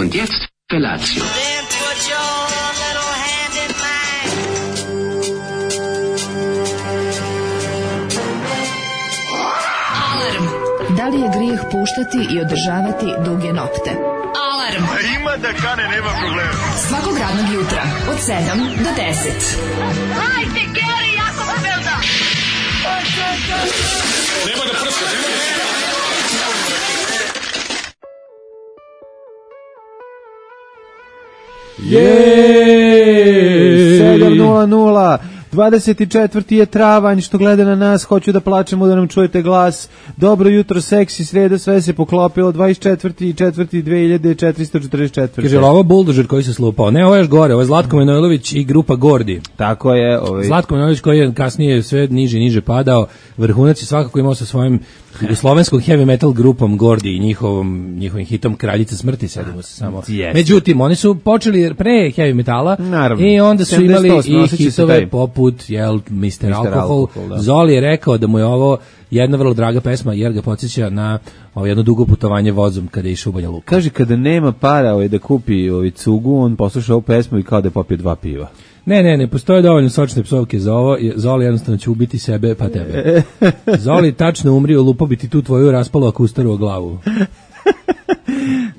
Und jetzt Felatio. Then put your little hand in mine. Alarm. Da li je grijeh puštati i održavati duge nokte? Alarm. Ima da kane, nema problema. Svakog radnog jutra od 7 do 10. Hajde, Geri, jako se velda. Nema da prska, nema da prska. Jej! 7:00, 24. je travanj, što gleda na nas, hoću da plačemo da nam čujete glas. Dobro jutro, seksi, sreda, sve se poklopilo, 24.4.2444. Kaže, ovo buldožer koji se slupao. Ne, ovo je još gore, ovo je Zlatko Manojlović i grupa Gordi. Tako je. Zlatko Manojlović koji je kasnije sve niže padao, vrhunac je svakako imao sa svojim jugoslovenskom heavy metal grupom Gordi i njihovim hitom Kraljica smrti, sedimo se samo. Yes. Međutim, oni su počeli pre heavy metala. Naravno. I onda su imali 78, i hitove poput Mr. Alcohol. Da. Zoli je rekao da mu je ovo jedna vrlo draga pesma jer ga podsjeća na jedno dugo putovanje vozom kada je išao u Banja Luku. Kaže, kada nema para da kupi cugu, on posluša ovu pesmu i kao da je popio 2 piva. Ne postoje dovoljno sočne psovke za ovo. Zoli jednostavno će ubiti sebe pa tebe. Zoli tačno umri, lupo bi ti tu tvoju raspalo akustaru o glavu.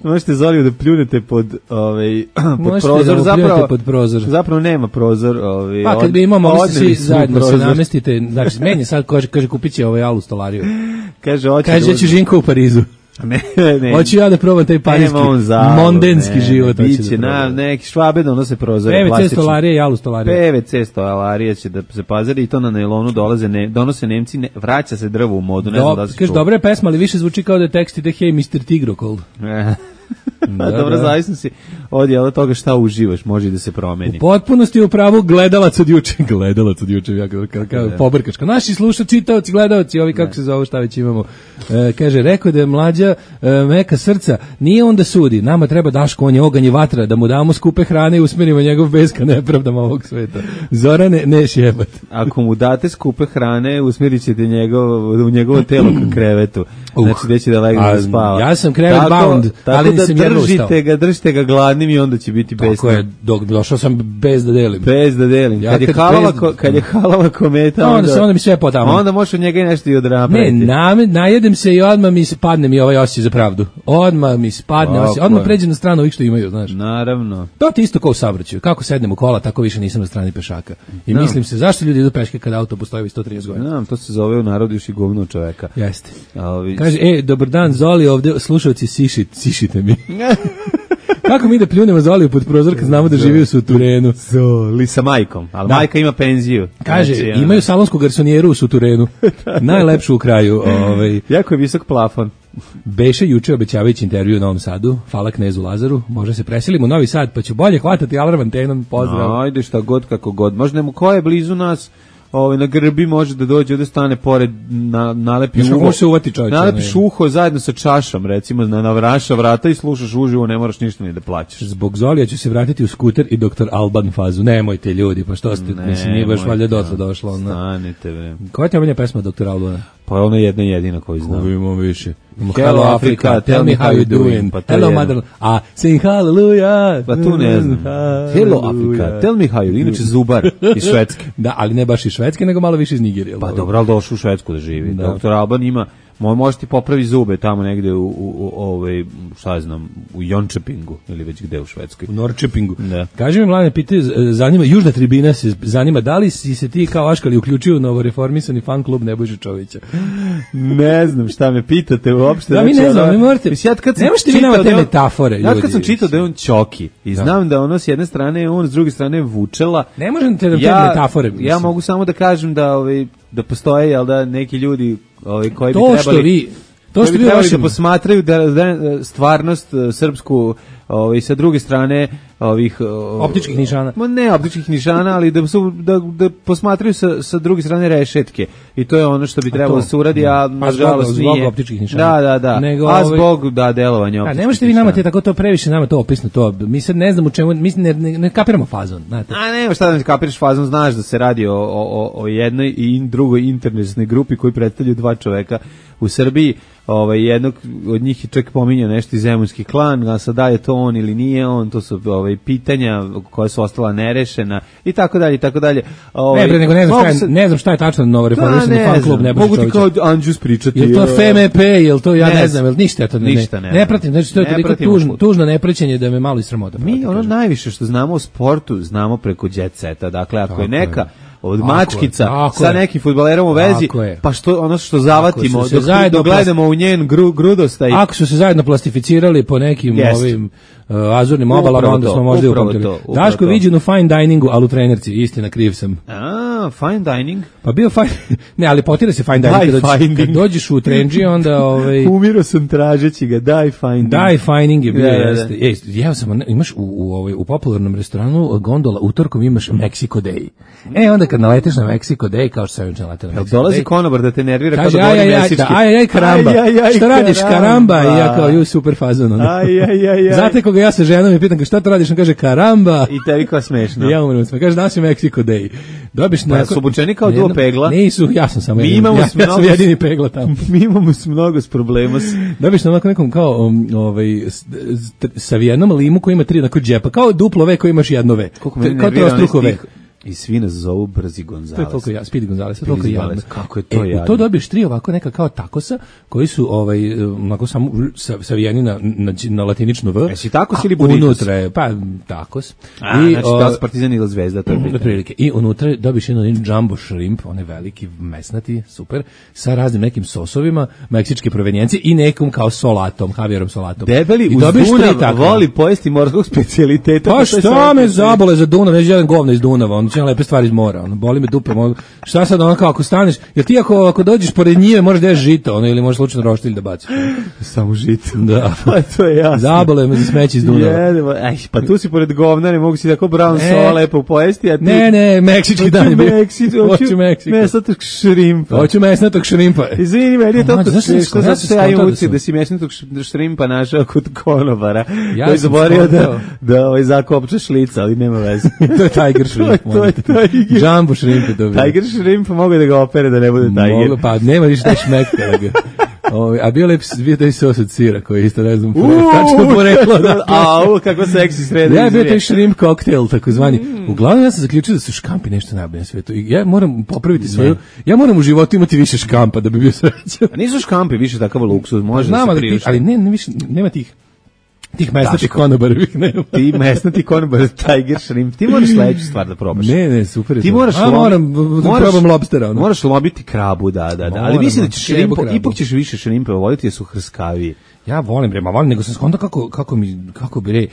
Možete Zoliju da pljunete pod prozor, zapravo nema prozor. Pa kad bi imao, mogli se svi zajedno se namestite, znači meni sad kaže kupit će alu stolariju. Kaže će Žinko u Parizu. Ne. Hoću ja da probam taj parijski mondenski život. Biće na neki Švabe donose prozore. PVC stolarije i alu stolarije. PVC stolarije će da se pazari i to na nailonu donose Nemci, vraća se drvo u modu. Ne znam da se kaže, dobra je pesma, ali više zvuči kao da je tekst ide Hey Mr. Tigrocold. Dobro, zavisno si od toga šta uživaš, može da se promeni. U potpunosti u pravu gledalac od juče, ja kao pobrkačka. Naši slušači, čitaoci, gledalci, ovi kako se zove, šta već imamo. Kaže, rekao da je mlađa meka srca, nije on da sudi, nama treba Daško, on je oganj i vatra, da mu damo skupe hrane i usmerimo njegov beska nepravdama ovog sveta. Zorane, neš jebat. Ako mu date skupe hrane, usmjerit ćete u njegovo telo ka krevetu. Znači, gde će da legne da spava. Ja sam krevet bound, ali da držite ga gladnim i onda će biti besno. Tako je, došao sam bez da delim. Ja kad je halala kometa, onda mi sve potamo. Onda možeš od njega i nešto i odrapati. Ne, najedem se i odmah mi padne mi ovaj osjećaj za pravdu. Odmah mi spadne osjećaj, odmah pređem na stranu ovih što imaju, znaš. Naravno. To ti isto kao u saobraćaju. Kako sednem u kola, tako više nisam na strani pešaka. I mislim se, zašto ljudi idu peške kada auto postoji 130 godina? To se zove u narodu još i govno čoveka. Jeste. Kaže, dobar dan, Zoli, ovde slušalci, sišite mi. Kako mi da pljunemo Zoliju pod prozor kad znamo da živi u Suturenu? Zoli sa majkom, ali majka ima penziju. Kaže, imaju salonsku garsonijeru u Suturenu, najlepšu u kraju. Jako je visok plafon. Beše juče obećavajući intervju u Novom Sadu, hvala knezu Lazaru, možda se preselimo u Novi Sad, pa ću bolje hvatati alarm antenom, pozdrav. Ajde, šta god, kako god. Možda nemo ko je blizu nas, na grbi može da dođe, ovde stane pored, nalepi nalepiš uho zajedno sa čašom, recimo, na vraša vrata i slušaš uživo, ne moraš ništa ni da plaćaš. Zbog Zolija ću se vratiti u skuter i Dr. Alban fazu. Nemojte ljudi, pa što ste, mislim, nije baš valjda dotle došlo. Stanite, bre. Koja ti je pesma Dr. Albana? Pa ono jedna jedina koju znam. Imamo više. Hello Africa, tell me how you doing. Hello mother, sing hallelujah. Pa tu ne znam. Hello Africa, tell me how you doing. Inače Zubar iz Švedske. Da, ali ne baš iz Švedske, nego malo više iz Nigerije. Pa dobro, ali došao u Švedsku da živi. Dr. Alban ima, može ti popravi zube tamo negde šta znam, u Jončepingu ili već gde u Švedskoj. U Norčepingu. Da. Kaži mi, mlade, pitaju, zanima, Južna tribina se zanima, da li si se ti kao Aškali uključio u novoreformisani fan klub Nebojše Čovića? Ne znam šta me pitate uopšte. Da, mi ne znam, mi morate, ne možete vi nama te metafore, ljudi. Ja kad sam čitao da je on Ćoki i znam da ono s jedne strane je on, s druge strane je Vučela. Ne možete te metafore. Ja mogu samo da kažem da postoje, jel da, neki ljudi koji bi trebali da posmatraju da stvarnost srpsku sa druge strane ovih optičkih nišana. Ne optičkih nišana, ali da posmatraju sa druge strane rešetke. I to je ono što bi trebalo da se uradi, a nažalost nije. Zbog optičkih nišana. Da. A zbog delovanja optičkih. Ne možete vi nama tako to previše nama to opisno to. Mi sad ne znamo u čemu, mi ne kapiramo fazon, znate. A nema šta da ne kapiraš fazon, znaš da se radi o jednoj i drugoj internetskoj grupi koji predstavljaju 2 čoveka u Srbiji, jednog od njih je čak pominjao nešto iz Zemunski klan, a sad da je to on ili nije on, to su pitanja koja su ostala nerešena i tako dalje i tako dalje. Ne bre, nego ne znam šta je tačno novo reformisani fan klub Nebojša Čovića. Mogu ti kao Anđus pričati. Jel to FMP, jel to ja ne znam, jel ništa to ne pratim, znači to je toliko tužno nepraćenje da me malo i sramota. Mi ono najviše što znamo o sportu, znamo preko jet seta. Dakle, ako je neka od mačkica sa nekim fudbalerom u vezi, pa što zavatimo, dok gledamo u njen grudostaj. Ako su se zajedno plastificirali po nekim ovim azurnim obalama, onda smo možda upamtili. Daško je viđen u fine diningu, ali u trenerci, istina, kriv sam. Fine dining? Pa bio fine, ne, ali potira se fine dining, kad dođeš u trendži, onda... Umiro sam tražeći ga, die finding. Die finding je bio, jeste. Jeo sam, imaš u popularnom restoranu gondola, utorkom imaš Mexico Day. Onda kad naleteš na Mexico Day, kao što sam juče naletela na Mexico Day. Dolazi konobar da te nervira kada govori meksički. Aj, karamba. Šta radiš, karamba? I ja kao, super fazon. Znate koga ja sa ženom i pitam, šta to radiš? On kaže, karamba. I tebi kao smešno. I ja umrem, kaže, danas je Mexico Day. Dobiš pa su obučeni kao duo pegla? Nisu, ja sam samo jedan. Ja sam jedini pegla tamo. Mi imamo mnogo problema. Dobiš na onako nekom kao savijenom limu koji ima 3 onako džepa, kao duplo V koji imaš jedno V. Kao trostruko V. I svi nas zovu Brzi Gonzales. To je toliko Speedy Gonzales, toliko jadno. Kako je to jadno. To dobiješ 3 ovako neka kao takosa, koji su onako samo savijeni na latinično V. Jesi takos ili burritos? Unutra je, pa takos. Znači da su Partizan ili Zvezda, to je prilike. I unutra dobiješ jedan jumbo shrimp, on je veliki, mesnati, super, sa raznim nekim sosovima, meksičke provenijencije i nekom kao solatom, havjerom solatom. Debeli uz Dunav voli pojesti morskog specijaliteta. Pa šta me zabole za Dunav, neće jedan govna iz Dunava, on lepe stvari iz mora, boli me dupe, šta sad kao ako staneš, jer ti ako dođeš pored njive možeš da ješ žito, ili možeš slučajno roštilj da baciš. Samo žito. Da. Pa to je jasno. Zabole me za smeće iz Dunava. Pa tu si pored govna, ne mogu si tako brown sola lepo pojesti, a ti... Ne, meksički dan je bio. Hoću Meksiko. Mesnatog šrimpa. Hoću mesnatog šrimpa. Izvini, meni je to smešno, zato se ja imam da si mesnatog šrimpa našao kod konobara, koji zaborio da zakopča šlica, ali nema veze. To je tiger shrimp. Jumbo shrimp je dobio. Tiger shrimp mogu da ga opere da ne bude tiger. Pa nema više da šmekta. A bio taj sos od sira koji isto ne znam tačno poreklo. Kako seksi sredi. Ja bio taj shrimp koktel takozvani. Uglavnom ja sam zaključio da su škampi nešto najbolje na svetu. Ja moram popraviti svoju. Ja moram u životu imati više škampa da bi bio srećan. A nisu škampi više takav luksuz, može da se priušti. Ali ne više nema tih mesnatih konobarevih nema. Ti mesnati konobar, tiger shrimp. Ti moraš sledeću stvar da probaš. Ne, super je. Ti moraš probam lobstera. Moraš lobiti krabu, da. Ali mislim da ćeš šrimpa, ipak ćeš više šrimpa voliti jer su hrskaviji. Ja volim nego sam skonto kako bi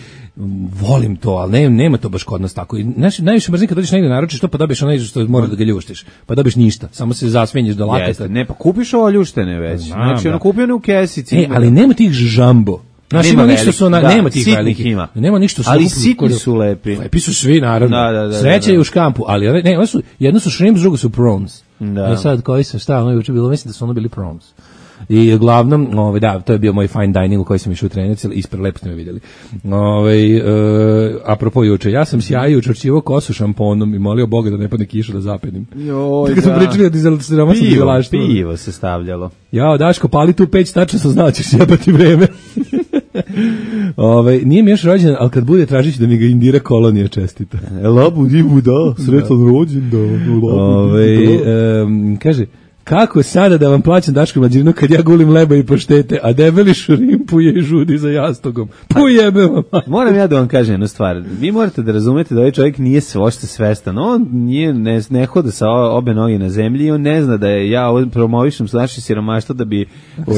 volim to, ali nema to baš kod nas tako. I najviše mrzim kad dođeš negdje naručiš to, pa dobiješ ono što mora da ga ljuštiš. Pa dobiješ ništa, samo se zasvenješ do laketa. Ne, pa kupiš ovo ljuštene već. Znači, ono kupio ne u kesici. Ali nema tih žambo. Znači, nema ništa su nema tih velikih. Ima. Nema ništa su. Ali sitni su lepi. Lepi su svi, naravno. Sreća je u škampu, ali ne, jedno su shrimps, drugo su prawns. Ja sad koji sam stavio, juče bilo, mislim da su ono bili prawns. I uglavnom, to je bio moj fine dining u koji sam išao u trenerci, ispred lepo ste me vidjeli. Apropo juče, ja sam sjajio, učvrćivao kosu šamponom i molio Boga da ne padne kiša da zapedim. Kad smo pričali od siromašnog izolaštva. Pivo se stavljalo. Jao, Daško, pali tu peć, tačno sam znao ćeš jebati vreme. Nije mi još rođen, ali kad bude tražići da mi ga Indira Kolonija čestita. Labu divu da, sretan rođen da. Kaže, kako sada da vam plaćam Daško Mlađirinu kad ja gulim leba i paštete, a debeli šrimpuje i žudi za jastogom? Pujebe vam. Moram ja da vam kažem jednu stvar. Vi morate da razumete da ovaj čovjek nije ošte svestan. On ne hoda sa obe noge na zemlji i on ne zna da je ja promovišem s naše siromaštva da bi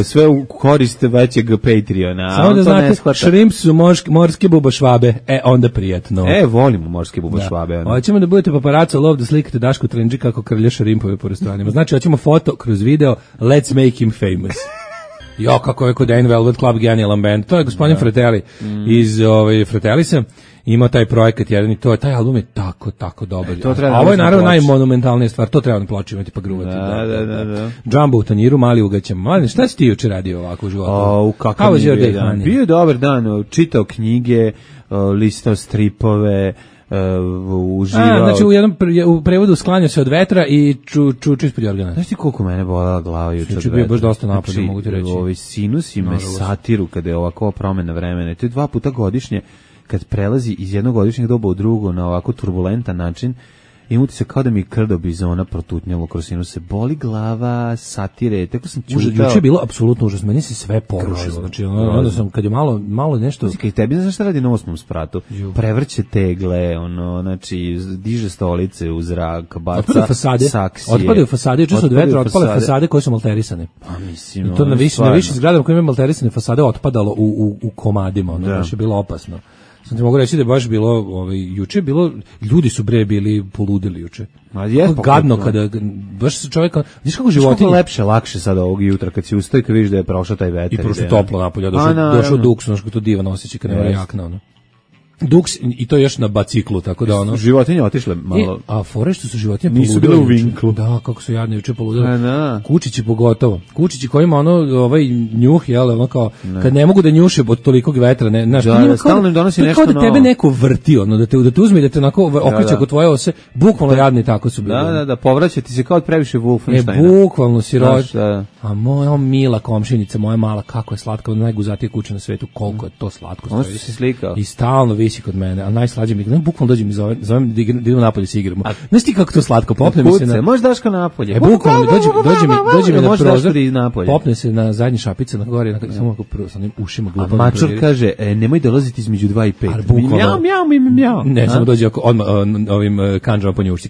sve u korist većeg Patreona. Samo da znate, šrimps su morske bubašvabe. Onda prijatno. Volimo morske bubašvabe. Hoćemo da budete paparaco lov da slikate Daško Trendži kako krlja šrimpove po restoranima. Znači, hoćemo foto kroz video, let's make him famous. Jo, kako je kod Dane Velvet Club genijalan band. To je gospodin Fratelli iz Fratellisa. Imao taj projekat jedan i taj album je tako dobar. A ovo je naravno najmonumentalnija stvar, to treba na ploči imati pa gruvati. Da. Jumbo u tanjiru, mali ugaćam. Mali, šta si ti juče radio ovako u životu? Bio je dobar dan, čitao knjige, listao stripove, uživao. Znači u prevodu sklanja se od vetra i čuči ispod jorgana. Znaš ti koliko mene bolela glava juče od vetra? Bio baš dosta napada, mogu ti reći. Ovi sinusi me satiru kada je ovakva promena vremena. To je 2 puta godišnje kad prelazi iz jednog godišnjeg doba u drugo na ovako turbulentan način. Ima ti se kao da mi krdo bizona protutnjalo kroz sinuse. Boli glava, satire, tako sam čutao. Juče je bilo apsolutno užasno, meni se sve porušilo. Znači, onda sam, kad je malo nešto... Kaj tebi, znaš šta radi na 8. spratu? Prevrće tegle, znači, diže stolice u zrak, baca saksije. Otpadaju fasade, juče su od vetra otpale fasade koje su malterisane. Pa mislim, i to na više zgradama koje imaju malterisane fasade otpadalo u komadima, baš je bilo opasno. Sam ti mogu reći da je baš bilo, juče je bilo, ljudi su bili poludili juče. Gadno kada, baš čovjek, vidiš kako životinje... Što lepše, lakše sada ovog jutra kad si ustao i kad vidiš da je prošao taj vetar. I prošlo toplo napolje, došao duks, što to divan osjećaj kad nema jakna, Duks i to još na biciklu, tako da životinje otišle malo. A fore što su životinje poludile. Nisu bile u vinklu. Da, kako su jadne juče poludile. Kučići pogotovo. Kučići koji ima njuh, jel, kao kad ne mogu da njuše od tolikog vetra, ne, znaš, stalno im donosi nešto novo. Kao da tebe neko vrti, da te uzme i da te onako okreće oko tvoje ose, bukvalno jadni tako su bili. Da, povraća ti se kao od previše Wolfensteina. Bukvalno si a moja mila komšinica, moja mala, kako je slatka, najguzatija kuća na svetu, koliko je to slatko. Ono si slikao. I stalno visi kod mene, a najslađe mi je, bukvalno dođem i zovem da idemo napolje se igramo. Znaš ti kako to slatko, popne mi se na... Možeš Daška napolje. Bukvalno, dođe mi na prozor, popne se na zadnji šapice, na gore, samo ako prvo sa onim ušima glupavim. A mačor kaže, nemoj dolaziti između 2 i 5. Mjau. Ne, samo dođe odmah ovim kanđama po njušci.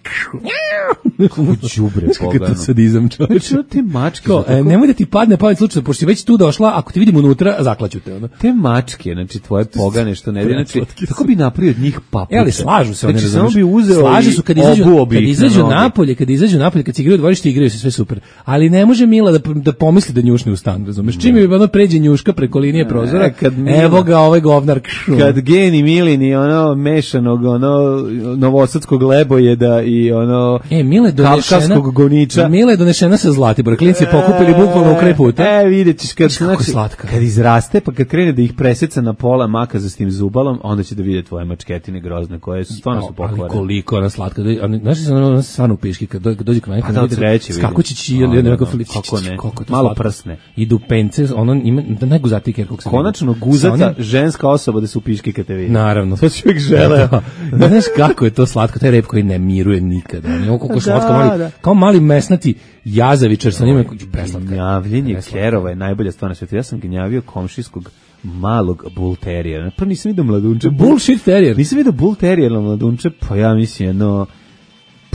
Đubre pogano. Kako to sadizam, čovječe. Što te mačke? Nemoj da ti padne pamet slučajno, pošto si već tu došla, ako te vidim unutra, zaklaću te. Te mačke, znači tvoje pogane što ne vidi, znači tako bi napravio od njih papuče. Ali slažu se, znači samo bi uzeo slažu su kad izađu napolje, kad se igraju u dvorištu, igraju se sve super. Ali ne može Mila da pomisli da njušne u stan, razumeš? Čim je pređe njuška preko linije prozora, evo ga ovaj govnar. Kad geni Milini mešanog novosadskog lebojeda i kavkavskog goniča. Mila je donešena sa Zlatibora. Klinci je pokupili bukvalno u kraj puta. Vidjet ćeš kad izraste, pa kad krene da ih preseca na pola maka za s tim zubalom, onda će da vide tvoje mačketine grozne, koje su stvarno su pokvarene. Ali koliko ona slatka. Znaš li se ona stvarno u piški, kad dođe k meni, kad vidi skakućići ili neko filić. Kako ne, malo prsne. Idu pence, ona ima najguzatiji kerkog se. Konačno guzata ženska osoba da se u piški kad te vidi. Naravno. To čovjek žele. Znaš kako je to slatko, taj rep koji ne miruje nikada. Koliko slatko, kao mali mesnati jazavičar sa njima, preslatka. Gnjavljenje kerova je najbolja stvar na svijetu. Ja sam gnjavio komšijskog malog bull terijera. Prvo nisam vidio mladunče. Bullshit terijer. Nisam vidio bull terijera mladunče, pa ja mislim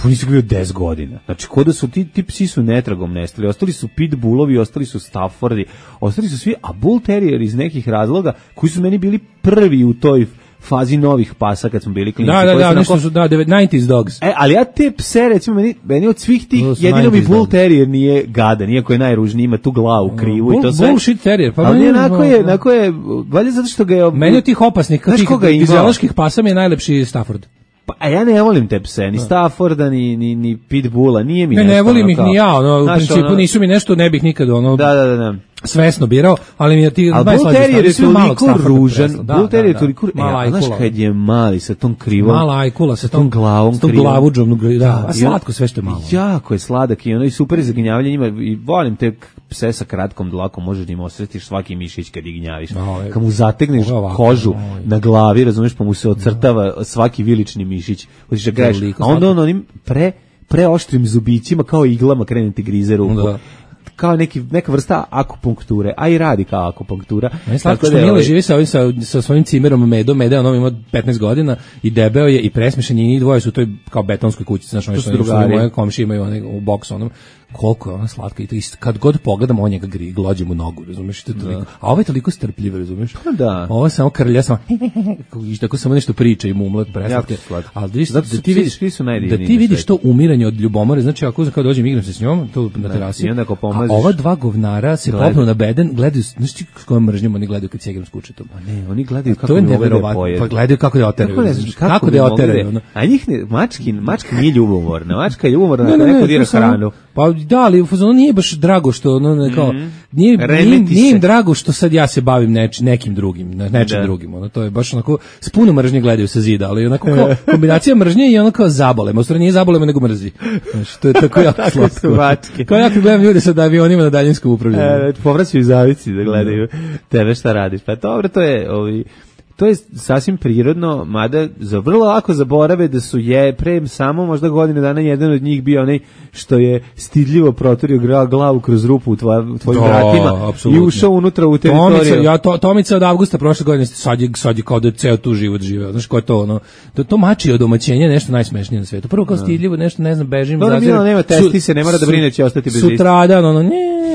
nisam ga vidio 10 godina. Znači, kod da su ti psi su netragom nestali. Ostali su pitbullovi, ostali su staffordi, ostali su svi, a bull terrier iz nekih razloga koji su meni bili prvi u toj fazi novih pasa kad smo bili klinci. Nešto su 90s dogs. Ali ja te pse, recimo, meni od svih tih, jedino mi bull terrier nije gadan, iako je najružniji, ima tu glavu krivu i to sve. Bullshit terrier. Pa ali onako je, valjda zato što ga je... Meni od tih opasnih, tih fizioloških pasa mi je najlepši Stafford. A ja ne volim te pse, ni Stafforda, ni Pitbulla, nije mi nešto. Ne volim ih ni ja, u principu nisu mi nešto, ne bih nikad Da. Svesno birao, ali mi je ti najslađi. Bull Terrier je toliko ružan, Bull Terrier je toliko, znaš kad je mali sa tom krivom, mala ajkula sa tom glavom krivom, s tom glavuđom, a slatko sve što je malo. Jako je sladak i i super je za gnjavljanje, ima i volim te pse sa kratkom dlakom, možeš da im osretiš svaki mišić kad ih gnjaviš. Kad mu zategneš kožu na glavi, razumeš, pa mu se ocrtava svaki vilični mišić, hoćeš da greš, a onda onim preoštrim zubićima kao iglama krene ti grize ruku. Kao neka vrsta akupunkture, a i radi kao akupunktura. Slatko što Mila živi sa svojim cimerom Medom, Meda, on ima 15 godina i debeo je i presmešan je, i njih dvoje su u toj kao betonskoj kući, znaš, oni su moje komšije imaju u boksu onom. Koliko je ona slatka i kad god pogledam on njega glođe mu nogu, razumeš, a ovo je toliko strpljivo, razumeš, ovo je samo krlja, samo i tako samo nešto priča i mumlat preslatke, ali da ti vidiš to umiranje od ljubomore, znači ako kao dođem igram se s njom tu na terasi, a ova dva govnara se popnu na beden, gledaju, znači s kojom mržnjom oni gledaju kad se igram s kućetom, ne, oni gledaju kako je neverovatno, pa gledaju kako da oteraju, kako da oteraju, a njih mačka nije ljubomorna, mačka je ljubomorna, neko dira hranu. Pa da, ali u fazonu nije baš drago što ono kao nije im drago što sad ja se bavim nekim drugim, nečim drugim. Ono to je baš onako s puno mržnje gledaju sa zida, ali onako kao kombinacija mržnje i ono kao zabolemo, u stvari nije zabolemo nego mrzi. Znači to je tako jako slatko. Kao ja kad gledam ljude sa avionima na daljinskom upravljanju. Povraćaju zavici da gledaju tebe šta radiš. Pa dobro, to je sasvim prirodno, mada vrlo lako zaborave da su pre samo možda godine dana jedan od njih bio onaj što je stidljivo proturio glavu kroz rupu u tvojim vratima i ušao unutra u teritoriju. Tomica od avgusta prošle godine sad je kao da ceo tu život živeo. Znaš ko je to ono? To mači od domaćenja nešto najsmešnije na svetu. Prvo kao stidljivo, nešto ne znam, bežim. Dobro, nema testise, ne mora da brine će ostati bez istih. Sutradan,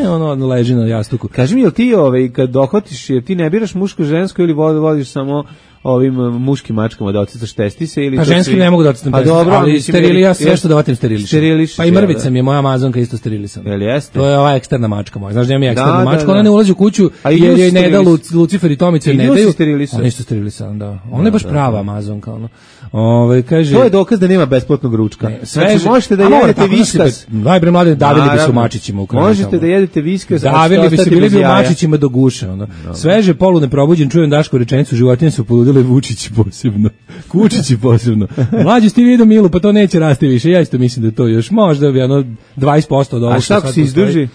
ono leži na jastuku. Kaži mi, jel ti kad dohvatiš, jer ti ne biraš muško, žensko ili vodiš samo ovim muškim mačkama da ocicaš testise ili... Pa ženskim ne mogu da ocicam testise, ali sterilija, sve što da vatim sterilišem. Pa i mrvica mi je moja Amazonka isto sterilisana. Jel jeste? To je ova eksterna mačka moja. Znaš da ima eksterna mačka, ona ne ulazi u kuću jer je ne da Lucifer i Tomice ne daju. Ona isto sterilisana, da. Ona je baš prava Amazonka, ono. Kaže, to je dokaz da nema besplatnog ručka. Znači možete da jedete viskas. Najbre mlade davili bi se u mačićima u kraju. Možete da jedete viskas. Davili bi se, bili bi u mačićima do guše, ono. Sveže polu neprobuđen, čujem Dašku rečenicu, životinje su poludile, Vučići posebno. Kučići posebno. Mlađi ste vidio Milu, pa to neće rasti više. Ja isto mislim da to još možda bi 20% od ovog. A šta ako se izdrži?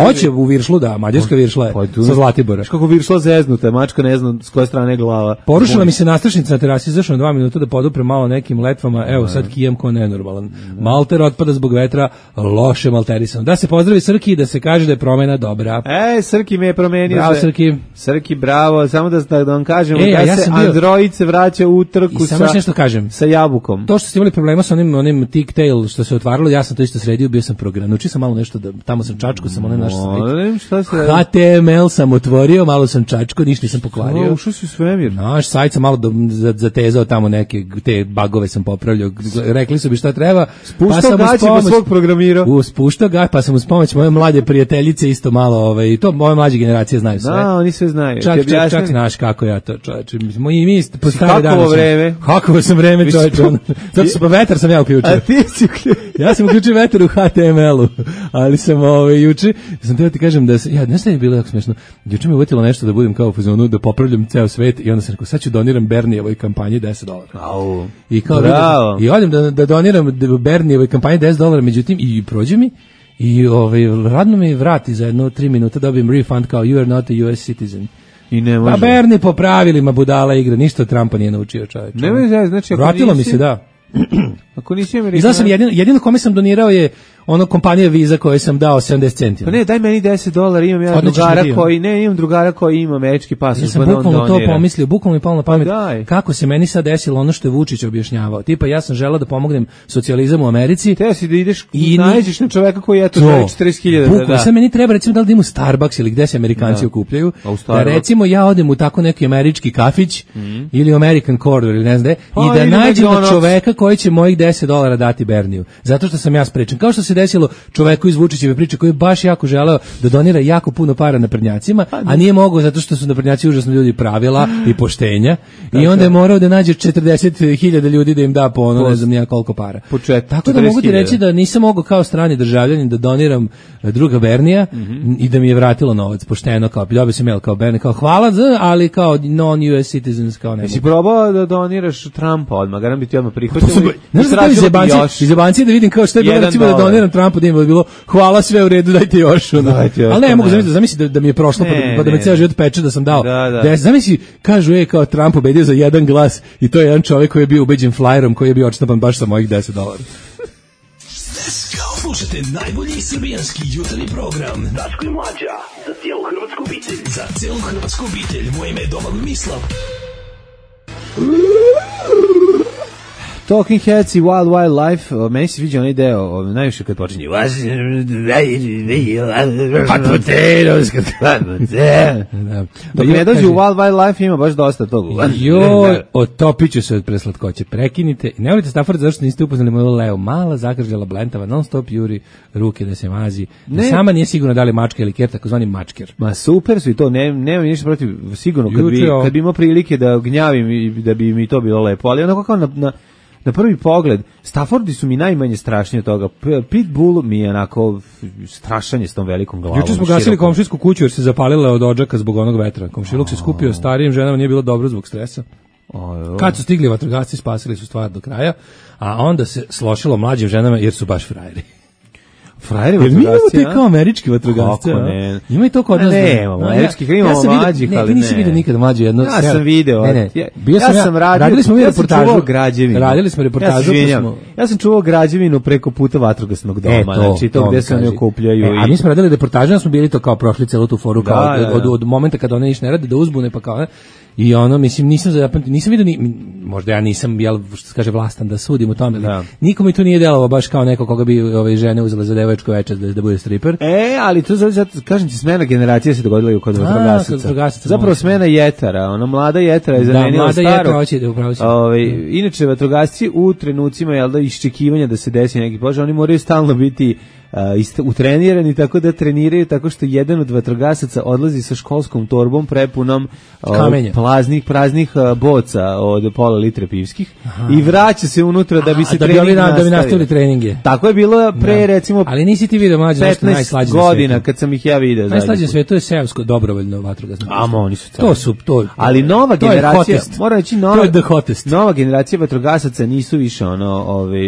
Hoće u Viršlu, da, mađarska Viršla je sa Zlatibora. Kako Viršla zeznuta, mačka ne znam s koje strane glava. Porušila mi se nastrašnica na terasi, izašao na 2 minuta da podupre malo nekim letvama. Evo sad kijem ko nenormalan. Malter otpada zbog vetra, loše malterisan. Da se pozdravi Srki i da se kaže da je promena dobra. Srki me je promenio. Bravo Srki. Srki, bravo. Samo da vam kažemo da se Android se vraća u utrku sa jabukom. To što ste imali problema sa onim tick-tail što se otvaralo, ja sam to isto sredio, bio sam program. Naučio sam malo nešto, tamo sam čačko, sam one naše HTML sam otvorio, malo sam čačko, ništa nisam pokvario. Ušao si u svemir. Naš sajt sam malo zatezao tamo neke, te bagove sam popravljao. Rekli su bi šta treba. Spuštao gaće pa svog programirao. Spuštao gaće, pa sam uz pomoć moje mlade prijateljice isto malo, to moje mlađe generacije znaju sve. Da, oni sve znaju. Čak znaš kako ja to, čoveče. Mi po stare dane. Kako vreme? Kako sam vreme, čoveče. Zato sam vetar sam ja uključio. A ti si uključio? Ja sam uključio vetar u HTML-u, ali sam juče, sam teo ti kažem da se, ne znam je bilo jako smešno, juče mi uvetilo nešto da budem kao u fazonu, da popravljam ceo svet i onda sam rekao, sad ću doniram Bernijevoj kampanji $10. I kao i odem da doniram Bernijevoj kampanji $10, međutim, i prođe mi, i radno mi vrati za 3 minuta, dobijem refund kao you are not a US citizen. I ne može. Pa Bernie po pravilima budala igra, ništa od Trumpa nije naučio, čovjek. Znači, vratilo mi se, da. Ako nisi Amerikan... I znači sam jedino kome sam donirao je ono kompanija Visa koje sam dao 70 centi. Pa ne, daj meni $10, imam ja drugara koji ima američki pasoš. Ja sam bukvalno to pomislio, bukvalno mi palo na pamet. Kako se meni sad desilo ono što je Vučić objašnjavao. Tipa ja sam želeo da pomognem socijalizam u Americi. Teo si da ideš i nađeš na čoveka koji je to 40.000. Bukvalno, sad meni treba recimo da idem u Starbucks ili gde se Amerikanci okupljaju. Da recimo ja odem u tako neki američki kafić ili American Corner ili ne znam i da nađem čoveka koji će mojih $10 dati Berniju. Zato što sam ja sprečen. Kao što se desilo čoveku iz Vučićeve priče koji je baš jako želeo da donira jako puno para naprednjacima, a nije mogao zato što su naprednjaci užasno ljudi pravila i poštenja i onda je morao da nađe 40.000 ljudi da im da po ono, ne znam nija koliko para. Tako da mogu ti reći da nisam mogao kao strani državljanin da doniram druga Bernija i da mi je vratilo novac pošteno, kao dobio sam mail kao Bernie, kao hvala, ali kao non-US citizens, kao ne. Jesi probao da doniraš Trumpa odmah, garam bi ti odmah prihvatili? Znaš da iz jebancije da vidim kao što je bilo recimo da doniram Trumpu, da im je bilo hvala, sve u redu, dajte još. Ali ne, mogu zamisliti da mi je prošlo pa da me ceo život peče da sam dao. Zamisli, kažu kao Trump pobedio za jedan glas i to je jedan čovjek koji je bio ubeđen flyerom koji je bio odštapan baš sa mojih $10. Slušajte najbolji srbijanski jutarnji program Daško i Mlađa za cijelu hrvatsku obitelj. Za cijelu hrvatsku obitelj. Moje ime je Domagoj Mislav. Talking Heads i Wild Wild Life, meni se vidio onaj deo, najviše kad počinje hot potatoes, dok ne dođe u Wild Wild Life ima baš dosta toga. Joj, otopit ću se od preslatkoće, prekinite i ne volite Stafford zašto niste upoznali moju Leo, mala zakržljala blentava, non stop juri ruke da se mazi, da sama nije sigurno da li mačka ili ker, takozvani mačker. Ma super su i to, nema ništa protiv, sigurno kad bi imao prilike da gnjavim i da bi mi to bilo lepo, ali onako kao na prvi pogled, Staffordi su mi najmanje strašniji od toga. Pitbull mi je onako strašanje s tom velikom glavom. Juče smo gasili komšijsku kuću jer se zapalila od odžaka zbog onog vetra. Komšiluk se skupio starijim ženama, nije bilo dobro zbog stresa. Kad su stigli vatrogasci, spasili su stvar do kraja, a onda se slošilo mlađim ženama jer su baš frajeri. Frajeri vatrogasci, mi imamo te kao američki vatrogasci. Kako ne? Ima i to kod nas. Ne, imamo američkih, imamo mlađih, ali ne. Ti nisi vidio nikad mlađu jednu. Ja sam video. Ja sam radio, radili smo reportažu. Radili smo reportažu. Ja sam čuvao građevinu preko puta vatrogasnog doma. Znači to gde se oni okupljaju. A mi smo radili reportažu, ja smo bili to kao prošli celu tu foru, kao od momenta kada one ništa ne rade, da uzbune, pa kao i ono, mislim, nisam vidio možda ja nisam, što se kaže, vlastan da sudim u tome, nikome to nije delovalo baš kao neko koga bi ove žene uzele za devojačku večer da bude striper. Ali to zato, kažem ti, smena generacija se dogodila i kod vatrogasaca. Zapravo smena jetara, ona mlada jetara je zamenila staru. Inače, vatrogasci u trenucima, iščekivanja da se desi neki požar, oni moraju stalno biti utrenirani, tako da treniraju tako što jedan od vatrogasaca odlazi sa školskom torbom prepunom praznih boca od pola litre pivskih i vraća se unutra da bi se trening nastavio. Da bi nastavili treninge. Tako je bilo pre recimo ali nisi ti video mlađe 15 godina kad sam ih ja video. Najslađe sve, to je seosko dobrovoljno vatrogasno. Oni su to. Ali nova generacija, moram reći nova generacija vatrogasaca nisu više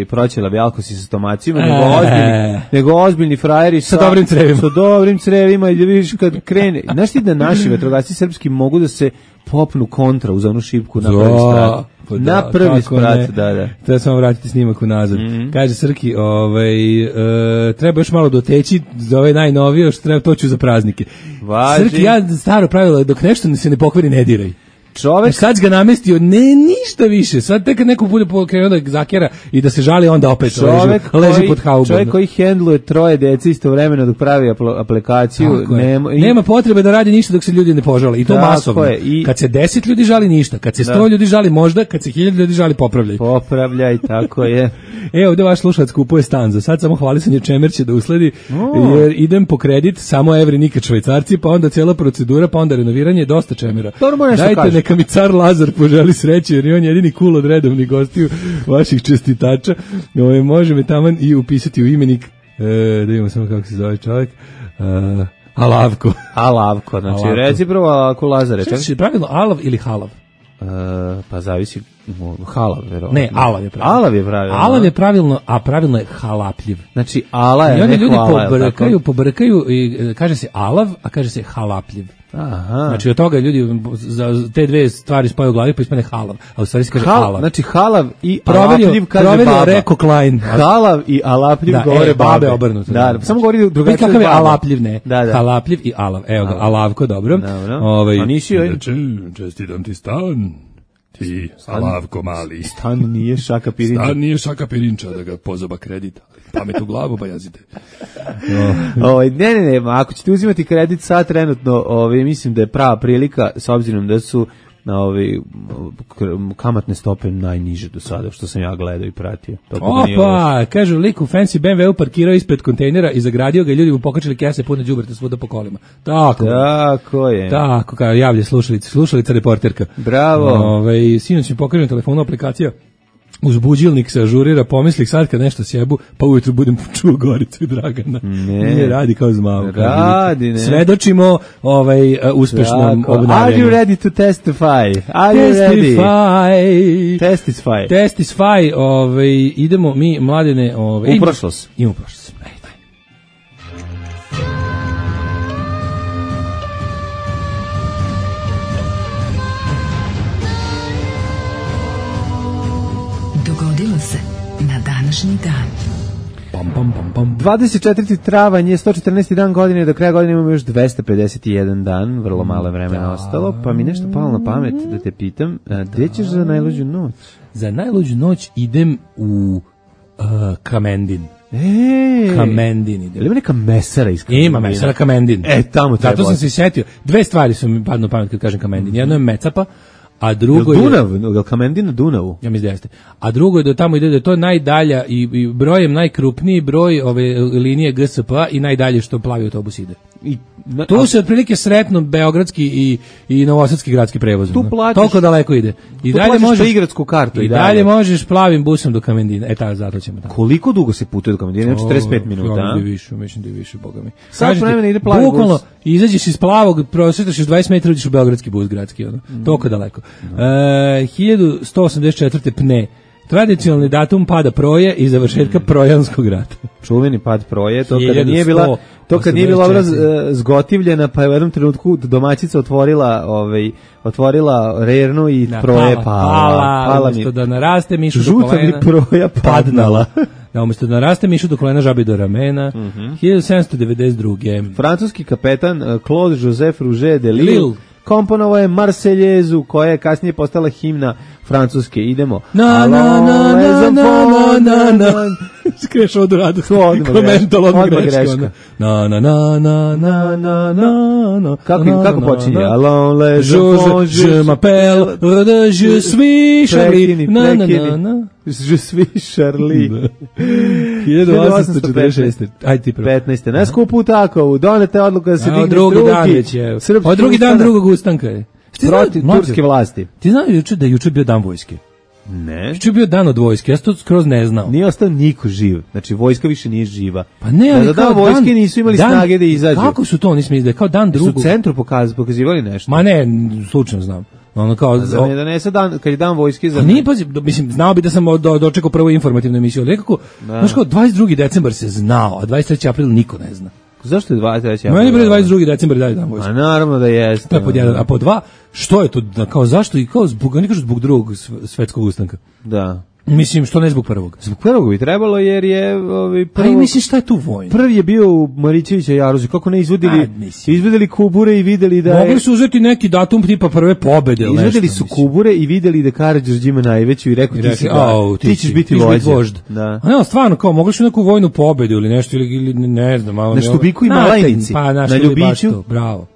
proćelavi alkosi sa stomacima, nego ozbiljni frajeri sa dobrim crevima i da vidiš kad krene. Znaš ti da naši vatrogasci srpski mogu da se popnu kontra uz onu šipku na prvi sprat? Na prvi sprat, da. Treba samo vratiti snimak unazad. Kaže Srki, treba još malo doteći za ove najnovije, što treba toću za praznike. Srki, ja staro pravilo, dok nešto se ne pokvari, ne diraj. Sad ga namestio, ništa više. Sad tek kad neko bude krenuo da zakera i da se žali, onda opet leži pod haubom. Čovjek koji hendluje 3 dece istovremeno dok pravi aplikaciju. Nema potrebe da radi ništa dok se ljudi ne požale. I to masovno. Kad se 10 ljudi žali, ništa. Kad se 100 ljudi žali, možda. Kad se 1000 ljudi žali, popravljaj. Popravljaj, tako je. Ovdje vaš slušalac kupuje stan. Za sad samo hvalisanje čemer će da usledi, jer idem po kredit, samo evri, nikad švajcarci, pa onda cijela procedura, pa onda renoviranje, dosta čemera. Dajte, neka mi car Lazar poželi sreće, jer je on jedini cool od redovnih gostiju vaših čestitača. Može me taman i upisati u imenik, da vidimo samo kako se zove čovjek, Alavko, znači reci prvo Alavko Lazare. Što je pravilno Alav ili Halav? Pa zavisi, Halav, verovatno. Ne, Alav je pravilno. Alav je pravilno, a pravilno je halapljiv. Znači, Ala je, ne hvala. I oni ljudi pobrkaju i kaže se Alav, a kaže se halapljiv. Aha. Znači od toga ljudi za te dve stvari spaju u glavi pa ispane halav, a u stvari se kaže alav. Znači halav i alapljiv kaže baba. Rekao Klein. Halav i alapljiv govore babe obrnuto. Da, samo govori drugačije. Kakav je alapljiv, ne? Halapljiv i alav. Evo ga, Alavko, dobro. A nisi joj? Čestitam ti stan. Ti, Alavko mali. Stan nije šaka pirinča. Stan nije šaka pirinča da ga pozoba kredita. Pamet u glavu, pa jazite. Ne, ako ćete uzimati kredit sad trenutno, mislim da je prava prilika, s obzirom da su kamatne stope najniže do sada, što sam ja gledao i pratio. Kažu, lik u fancy BMW parkirao ispred kontejnera i zagradio ga i ljudi mu pokačili kese pune đubreta svuda po kolima. Tako je. Tako, kao javlja slušalica reporterka. Bravo. Sinoć mi pokaže na telefonu aplikacija. Uzbuđilnik se ažurira, pomisli sad kad nešto sjebu, pa ujutru budem čuo Goricu i Dragana. Ne radi kao zmavu. Radi, ne. Svedočimo uspešnom obnavljanju. Are you ready to testify? Testify, idemo mi, mladene, u prošlost. Idemo u prošlost. Dogodilo se na današnji dan. 24. travanj je 114. dan godine, do kraja godine imamo još 251 dan, vrlo malo vremena ostalo, pa mi nešto palo na pamet da te pitam, gdje ćeš za najluđu noć? Za najluđu noć idem u Kamendin. Kamendin ide. Ili neka mesara iz Kamendina? Ima mesara Kamendin. Tamo treba. Zato sam se sjetio. Dve stvari su mi padnu na pamet kad kažem Kamendin. Jedno je Mecapa, a drugo je Dunav, Kamendin na Dunavu. Ja mislim da jeste. A drugo je da tamo ide da je to najdalja i brojem najkrupniji broj ove linije GSP i najdalje što plavi autobus ide. I Tu se otprilike sretno beogradski i novosadski gradski prevoz. Tu plaćaš, toliko daleko ide. I dalje možeš igradsku kartu. I dalje možeš plavim busom do Kamendina. Zato ćemo tamo. Koliko dugo se putuje do Kamendina? 45 minuta. Mislim da je više, boga mi. Sad vremena ide plavi bus. Bukvalno, izađeš iz plavog, prosvetaš 20 metara, uđeš u beogradski bus gradski. Toliko daleko. 1184. Pne. Tradicionalni datum pada Proje i završetka Projanskog rata. Čuveni pad Proje, to kad nije bila obraz zgotivljena, pa je u jednom trenutku domaćica otvorila rernu i Proje pala. Umjesto da naraste mišu do kolena. Žuta mi Proja padnala. Da, umjesto da naraste mišu do kolena, žabi do ramena. 1792. Francuski kapetan Claude Joseph Rouget de Lille komponovao je Marseljezu, koja je kasnije postala himna Francuske. Idemo. Skreš od radu. Odmah greška. Kako počinje? Allons les enfants, je m'appelle, je suis Charlie. Je suis Charlie. 1846. Ajde ti prvo. 15. Na skupu Takovu donete odluka da se digne drugi dan drugog ustanka je. Protiv turske vlasti. Ti znaš da je juče bio dan vojske? Ne. Juče je bio dan od vojske, ja sam to skroz ne znao. Nije ostao niko živ, znači vojska više nije živa. Pa ne, ali kao vojske nisu imali snage da izađu. Kako su to, nismo izdali, kao dan drugog? Su u centru pokazivali nešto. Ma ne, slučajno znam. Ono kao za me donese dan kad je dan vojske za. Nije mislim znao bi da sam dočekao prvu informativnu emisiju, ali nekako znaš kao 22. decembar se znao, a 23. april niko ne zna. Zašto je 23. april? Meni bre 22. decembar dalje dan vojske. A naravno da jeste. To je pod jedan, a pod dva, što je to kao zašto i kao zbog drugog svetskog ustanka? Da. Mislim, što ne zbog prvog? Zbog prvog bi trebalo, jer je prvo... A mislim, šta je tu vojno? Prvi je bio u Marićevića Jaruzi, kako ne izvodili kubure i videli da mogli su uzeti neki datum tipa prve pobede ili nešto. Izvodili su kubure i videli da Karađorđe ima najveću i rekao ti ćeš biti vožd. Da. A ne, stvarno, kao mogli su neku vojnu pobedu ili nešto, ili ne znam. Na Štubiku i Malajnici, na Ljubiću. Bravo.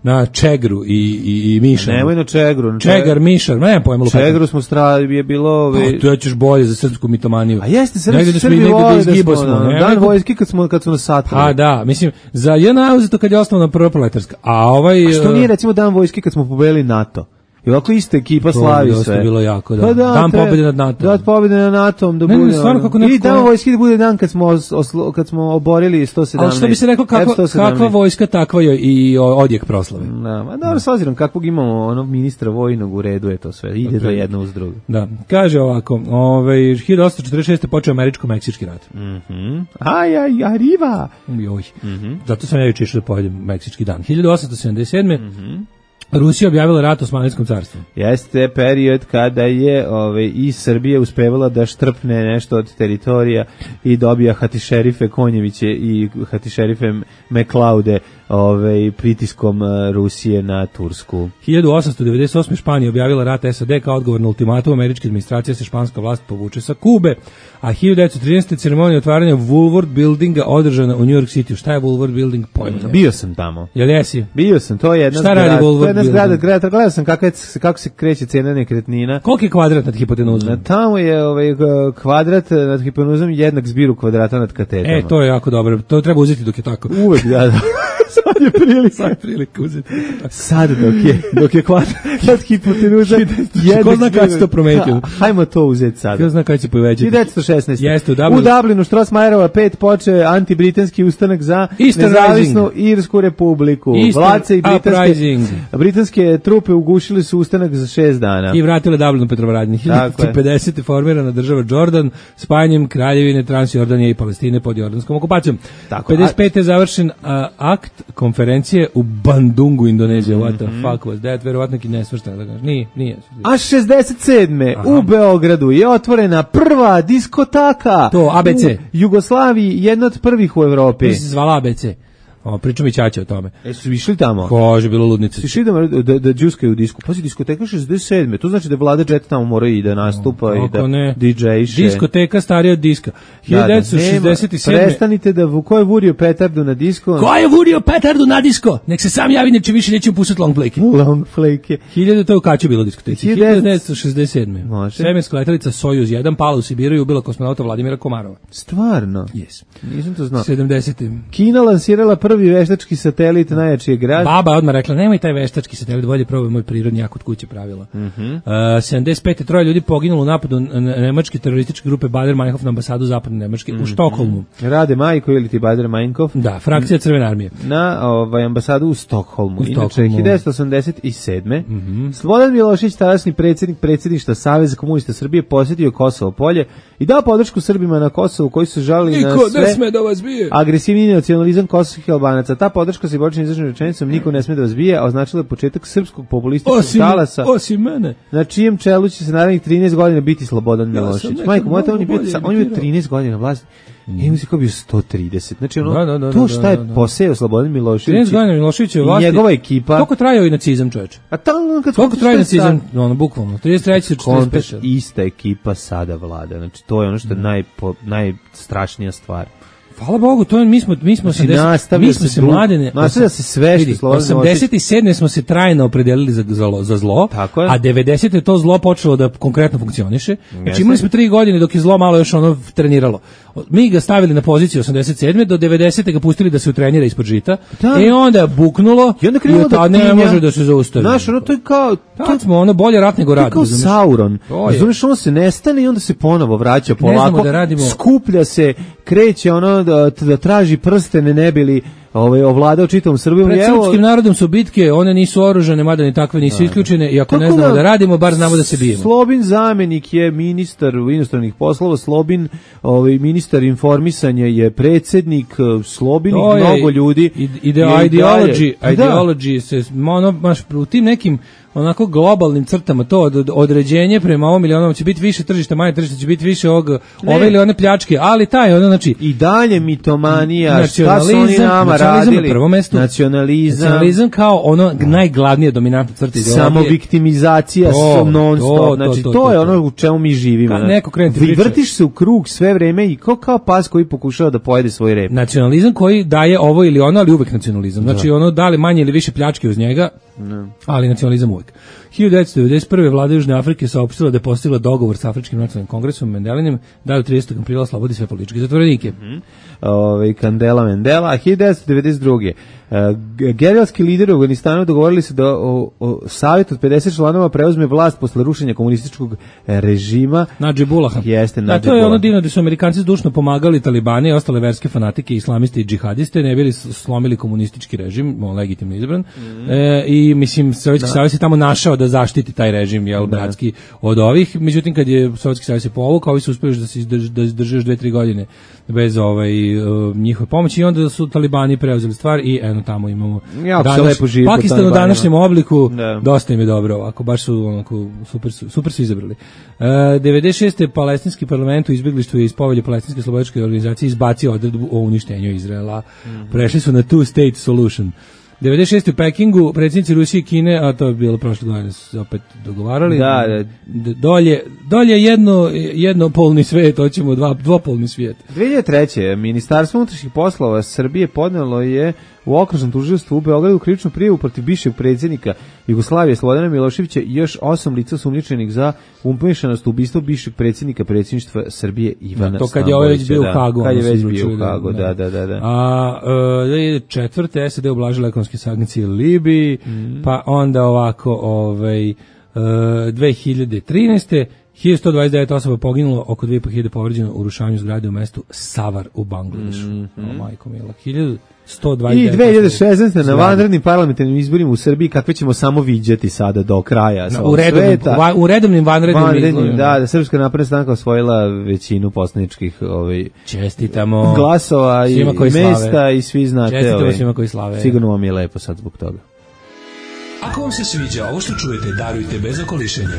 Na Čegru i Mišar. Nemoj na Čegru. Čegar, Mišar, ne pojem lupati. Čegru smo je bilo... Pa, to ćeš bolje za srpsku mitomaniju. A jeste, Srbi vole da smo dan vojske kad smo na satru. A da, mislim, za jedna uzeto kad je osnovna prva proletarska. A što nije recimo dan vojske kad smo pobedili NATO? I ovako ista ekipa slavi sve. To je bilo jako, da. Pa dan pobjede nad NATO. Dan pobjede nad NATO-om da bude. I dan vojske da bude dan kad smo oborili 117. Ali što bi se reklo, kakva vojska, takva je i odjek proslave. Da, dobro, s obzirom kakvog imamo ministra vojnog, u redu je to sve. Ide to jedno uz drugo. Da. Kaže ovako, 1846. počeo američko-meksički rat. Arriva! Zato sam ja juče išao da pojedem meksički dan. 1877. Rusija objavila rat Osmanlijskom carstvu. Jeste period kada je i Srbija uspevala da štrpne nešto od teritorija i dobija hatišerife Konjeviće i hatišerife Meklaude pritiskom Rusije na Tursku. 1898. Španija objavila rat SAD kao odgovor na ultimatum američke administracije se španska vlast povuče sa Kube, a 1913. ceremonija otvaranja Woolworth Buildinga održana u New York City. Šta je Woolworth Building? Pojma. Bio sam tamo. Jel jesi? Bio sam, to je jedna zgrada. Šta radi Woolworth Building? Gledao sam kako se kreće cena nekretnina. Koliki je kvadrat nad hipotenuzom? Tamo je kvadrat nad hipotenuzom jednak zbiru kvadrata nad katetama. To je jako dobro. To treba uzeti dok je tako. Uvek, da. Sad je prilika uzeti. Sad dok je kvadrat nad hipotenuzom. Ko zna kada će to prometio? Hajmo to uzeti sad. Ko zna kada će povećati? 1916. Jeste, u Dublinu Strossmayerova 5 poče antibritanski ustanak za nezavisnu Irsku republiku. Vlace i britanske trupe ugušili su ustanak za 6 dana. I vratile Dublinu Petrovaradnji. 1950. formirana država Jordan spajanjem kraljevine Transjordanije i Palestine pod jordanskom okupacijom. 55. završen akt konferencije u Bandungu, Indonezija. What the fuck was that? Verovatno ki nesvrstano da kažeš. Nije. A 67. u Beogradu je otvorena prva diskotaka. To, ABC. U Jugoslaviji, jedna od prvih u Evropi. To se zvala ABC. Pričam i Ćaća o tome. Su išli tamo? Kaže, bilo ludnice. Si išli da džuskaju u disku. Pazi, diskoteka 67. To znači da Vlada Jet tamo mora i da nastupa i da DJ-še. Diskoteka starija od diska. 1967. Prestanite da ko je vurio petardu na disko? Ko je vurio petardu na disko? Nek se sam javi, neće više nećemo pustiti long flake. Long flake. 1000, to je u Kaću bilo diskoteci. 1967. Svemirska letelica Sojuz 1 pala u Sibiru i ubila kosmonauta Vladimira Komarova. Stvarno? Yes. Nisam to znao. 70. Kina lansirala prvi prvi veštački satelit najjači je grad. Baba odmah rekla, nemoj taj veštački satelit, bolje probaj moj prirodni, ja kod kuće pravila. 75 troje ljudi poginulo u napadu nemačke terorističke grupe Baader-Meinhof na ambasadu zapadne Nemačke u Štokholmu. Rade Majko ili ti Baader-Meinhof? Da, frakcija Crvene armije. Na ambasadu u Stokholmu. Inače, 1987. Slobodan Milošević, tadašnji predsjednik predsjedništva Saveza komunista Srbije, posjetio Kosovo polje i dao podršku Srbima na Kosovu koji su žalili na sve agresivni nacionalizam kosovskih Albanaca. Ta podrška se počinje izraženom rečenicom niko ne sme da vas bije, a označila je početak srpskog populističkog talasa. Osim mene. Na čijem čelu će se narednih 13 godina biti Slobodan Milošević. Majko, on je bio 13 godina vlasti. I mu se kao bio 130. Znači to šta je poseo Slobodan Milošević. 13 godina Milošević je vlasti. I njegova ekipa. Koliko trajao i nacizam, čoveče? A tamo koliko traje nacizam? Bukvalno 33 45. Ista ekipa sada vlada. Znači to je ono što je najstrašnija stvar. Hvala Bogu, to mi smo se mladene. Nastavlja se sve što Slobodan Milošević. 87. smo se trajno opredelili za zlo, a 90. je to zlo počelo da konkretno funkcioniše. Znači imali smo 3 godine dok je zlo malo još treniralo. Mi ga stavili na poziciju 87. do 90. ga pustili da se utrenira ispod žita. I onda buknulo i onda ne može da se zaustavi. Znaš, to je kao... Tad smo bolje rat nego rat. Kao Sauron. Razumiješ, on se nestane i onda se ponovo vraća polako. Skuplja se, kreće da traži prstene ne bili ovladao čitavom Srbijom. Pred srpskim narodom su bitke, one nisu oružane, mada ni takve nisu isključene, i ako ne znamo da radimo, bar znamo da se bijemo. Slobin zamenik je ministar inostranih poslova, Slobin ministar informisanja je predsjednik, Slobin i mnogo ljudi. Ideology se, u tim nekim onako globalnim crtama to određenje prema ovom ili onom će biti više tržišta, manje tržišta, će biti više ove ili one pljačke, ali znači i dalje mitomanija, šta su oni nama radili? Na prvom mestu. Nacionalizam kao ono najglavnije dominantna crta ideologije. Samoviktimizacija non-stop. Znači to je ono u čemu mi živimo. Vrtiš se u krug sve vreme i kao pas koji pokušava da pojede svoj rep. Nacionalizam koji daje ovo ili ono, ali uvek nacionalizam. Znači ono da li manje ili više pljačke uz njega, ali nacionalizam uvek. 1991. vlada Južne Afrike saopštila da je postigla dogovor sa Afričkim nacionalnim kongresom Mendelinim da do 30. aprila oslobodi sve političke zatvorenike. Kandela Mendela. 1992. Gerilski lideri u Afganistanu dogovorili se da savjet od 50 članova preuzme vlast posle rušenja komunističkog režima. Nadžibullaha. To je ono divno da su Amerikanci zdušno pomagali Talibane i ostale verske fanatike, islamiste i džihadiste, ne bili slomili komunistički režim, legitimno izabran. I mislim, Sovjetski savez je tamo našao da zaštiti taj režim, bratski, od ovih. Međutim, kad je Sovjetski savez se povukao, ovi su uspjeli da se izdrže još 2-3 godine bez njihove pomoći i onda su Talibani preuzeli stvar i tamo imamo Pakistan u današnjem obliku, dosta im je dobro ovako, baš su super su izabrali. 96. palestinski parlament u izbjeglištvu je iz Povelje palestinske slobodičke organizacije izbacio odredbu o uništenju Izraela. Prešli su na two-state solution. 96. u Pekingu predsjednici Rusije i Kine, a to je bilo prošle godine, su se opet dogovarali. Dolje jednopolni svijet, hoćemo dvopolni svijet. 2003. Ministarstvo unutrašnjih poslova Srbije podnelo je u okružnom tužilaštvu u Beogradu krivičnu prijavu protiv bivšeg predsjednika Jugoslavije Slobodana Miloševića i još 8 lica sumnjičenih za umešanost u ubistvo bivšeg predsjednika predsjedništva Srbije Ivana Stambolića. To kad je ovaj već bio u Hagu. Kad je već bio u Hagu, da. A 2004. SAD ublažila ekonomske sankcije Libiji, pa onda ovako 2013. 1129 osoba poginulo, oko 2500 povređeno u rušavanju zgrade u mestu Savar u Bangladešu. Majko mila, 1129. I 2016. na vanrednim parlamentarnim izborima u Srbiji kakve ćemo samo viđati sada do kraja sveta. U redovnim vanrednim izborima. Da, Srpska napredna stranka osvojila većinu poslaničkih čestitamo glasova i mesta i svi znate. Čestitamo svima koji slave. Sigurno vam je lepo sad zbog toga. Ako vam se sviđa ovo što čujete, darujte bez okolišenja.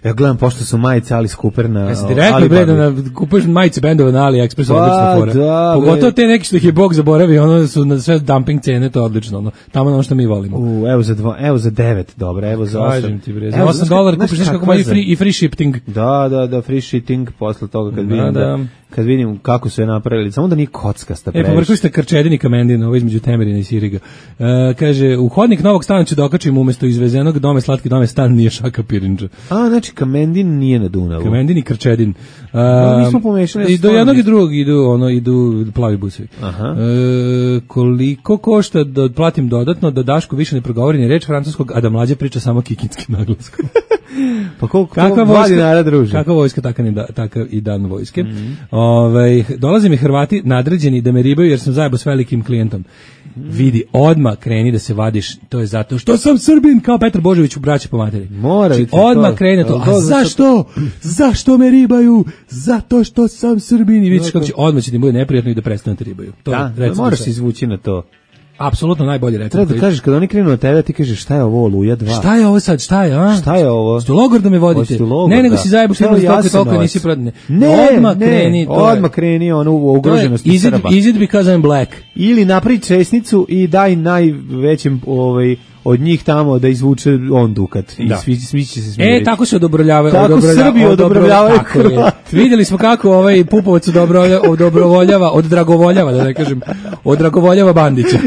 Ja gledam, pošto su majice Alice Cooper na Alibabi. Rekli bre da kupuješ majice bendova na AliExpressu, odlična fora. Pogotovo te neki što ih je Bog zaboravio, ono su na sve dumping cene, to je odlično. Tamo ono što mi volimo. Evo za 9, dobro, evo za 8. Kažem ti bre, za $8 kupiš nešto kako ima i free shipping. Da, free shipping posle toga kad vidim kako su je napravili, samo da nije kockasta previše. Povrkli ste Krčedin i Kamendin, ovo između Temerina i Siriga. Kaže, u hodnik novog stana ću da okačim umjesto izvezenog dome, slatki dome, stan nije šaka pirinđa. Znači Znači, Kamendin nije na Dunavu. Kamendin i Krčedin. Nismo pomešali. I do jednog i drugog idu plavi busevi. Koliko košta da otplatim dodatno da Daško više ne progovori ni reč francuskog, a da Mlađa priča samo kikinskim naglaskom? Pa koliko 2 dinara, druže? Kakva vojska, takav i dan vojske. Dolaze mi Hrvati nadređeni da me ribaju jer sam zajebo s velikim klijentom. Vidi, odmah kreni da se vadiš, to je zato što sam Srbin, kao Petar Božović u Braći po materi. Odmah kreni to. A zašto? Zašto me ribaju? Zato što sam Srbin. I vidiš kako će, odmah će ti bude neprijatno i da prestane te ribaju. Da, moraš se izvući na to. Apsolutno najbolje recept. Treba da kažeš, kada oni krenu od tebe, ti kažeš šta je ovo, Oluja 2? Šta je ovo sad, šta je, a? Šta je ovo? Ste logor da me vodite? Ne, nego si zajebuš toliko nisi prodane. Odmah kreni onu ugroženost Srba. Is it because I'm black? Ili napravi česnicu i daj najvećem od njih tamo da izvuče on dukat i svi će se smiriti. Tako se odobroljavaju. Tako Srbi odobroljavaju Hrvati. Vidjeli smo kako Pupovac oddragovoljava, da ne kažem, oddragovoljava Bandića.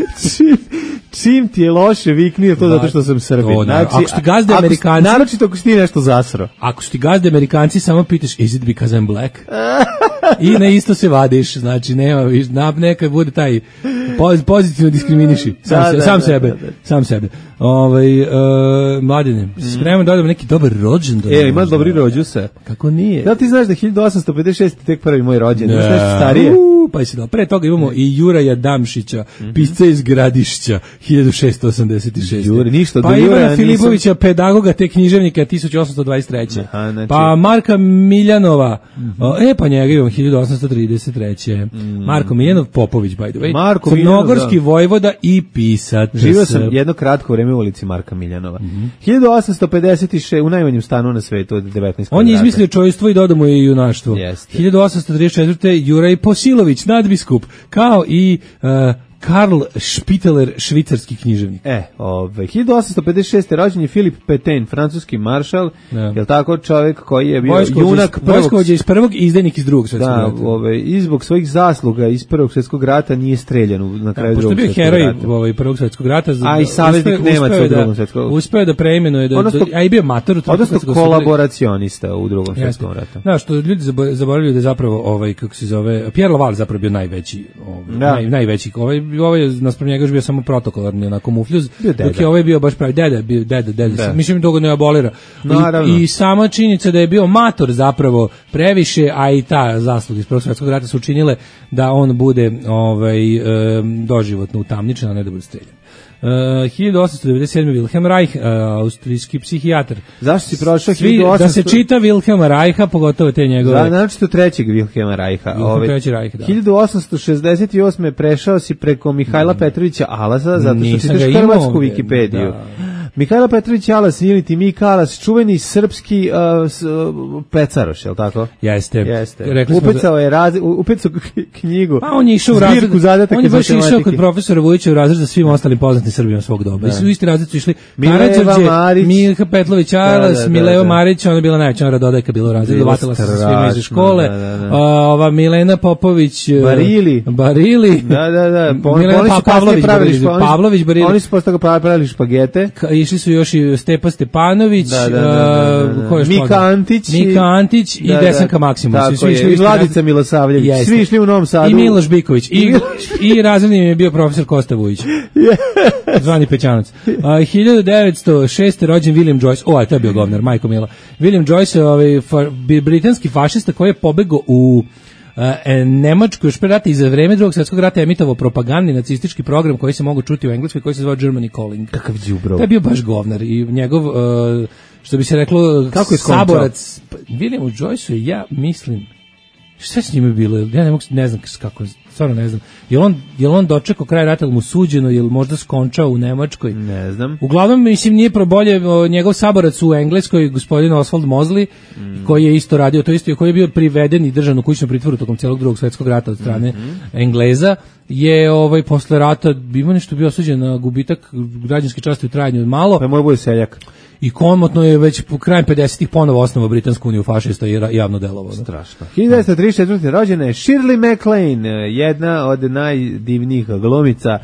Čim ti je loše, vikni to zato što sam Srbin. Znači, ako su ti gazde Amerikanci, naročito ako si ti nešto zasro. Ako su ti gazde Amerikanci, samo pitaš is it because I'm black? I na isto se vadiš, znači nema neka bude taj pozitivno diskriminiši sam sebe. Mladine, spremam da odemo neki dobar rođendan. Ima dobri rođuse. Kako nije? Da ti znaš da 1856 tek prvi moj rođendan, znaš nešto starije? Pa si da. Pre toga imamo i Juraja Damšića, pisca iz Gradišća, 1686. Pa Ivana Filipovića, pedagoga te književnika, 1823. Pa Marka Miljanova, pa njega imamo 1833. Marko Miljanov Popović, by the way. Crnogorski vojvoda i pisac. Živio sam jedno kratko vreme u ulici Marka Miljanova. 1856, u najmanjem stanu na svetu od 19. On je izmislio čojstvo i dodao mu je junaštvo. 1834. Juraj Posilović, nadbiskup, kao i Karl Spitteler, švicarski književnik. 1856. rođen je Filip Petain, francuski maršal, je tako, čovjek koji je bio junak vojskovođa iz prvog i izdajnik iz drugog svjetskog rata. I zbog svojih zasluga iz prvog svjetskog rata nije streljan na kraju drugog svjetskog rata. Pošto je bio heroj prvog svjetskog rata, a i saveznik Nemaca u drugom svjetskom. Uspeo da preimenuje, a i bio mator u drugom svjetskom ratu. Odnosno kolaboracionista u drugom svjetskom ratu. Da, što ljudi zaboravljaju da je zapravo, kako se zove, Pierre Laval zapravo bio najveći, ovo je naspram njega bio samo protokolarni onako mufljuz, dok je ovaj bio baš pravi deda. Mislim da ga ne abolira. I sama činjenica da je bio mator zapravo previše, a i ta zasluga iz Prvog svjetskog rata su učinile da on bude doživotno utamničen, a ne da bude streljan. 1897. Wilhelm Reich, austrijski psihijatar. Zašto si prošao 1800? Da se čita Wilhelma Reicha, pogotovo te njegove. Naročito trećeg Wilhelma Reicha. 1868. prešao si preko Mihajla Petrovića Alasa, zato što čitaš hrvatsku Wikipediju. Mihajlo Petrović Alas ili ti Mika Alas, čuveni srpski pecaroš, je li tako? Jeste. Upecao knjigu. Pa on je išao u razred, on je baš išao kod profesora Vujića u razred za svim ostalim poznatim Srbima svog doba. I su u isti razred su išli Mileva Marić, Milka Petlović Alas, Mileva Marić, ona je bila najveća radodajka bila u razredu, vatila se sa svima iz škole. Ova Milena Popović, Barili. Milena Pavlović, Barili. Oni su posle toga pravili špagete. Išli su još i Stepa Stepanović, Mika Antić i Desanka Maksimović. I Vladica Milosavljević. Svi išli u Novom Sadu. I Miloš Biković. I razredni je bio profesor Kosta Vujić. Zvani Pećanac. 1906. rođen William Joyce. To je bio govnar, majko mila. William Joyce, britanski fašista koji je pobegao u Nemačku još pre rata i za vreme Drugog svjetskog rata je emitovao propagandni nacistički program koji se mogu čuti u Engleskoj, koji se zvao Germany Calling. Kakav đubrov. To je bio baš govnar i njegov, što bi se reklo, saborac. Williamu Joyceu ja mislim, šta s njime bilo? Ja ne znam kako, stvarno ne znam. Je li on dočekao kraj rata, ili mu suđeno, ili možda skončao u Nemačkoj? Ne znam. Uglavnom, mislim, nije probolje njegov saborac u Engleskoj, gospodin Oswald Mosley, koji je isto radio to isto i koji je bio priveden i držan u kućnom pritvoru tokom celog Drugog svjetskog rata od strane Engleza, je posle rata ima nešto bio osuđen na gubitak građanske časti u trajanju od malo. Pa moj bude seljak. I komotno je već po krajem 50-ih ponovo osnovao Britansku uniju fašista i javno delovao. Strašno. 1934. rođena je Shirley MacLaine, jedna od najdivnijih glumica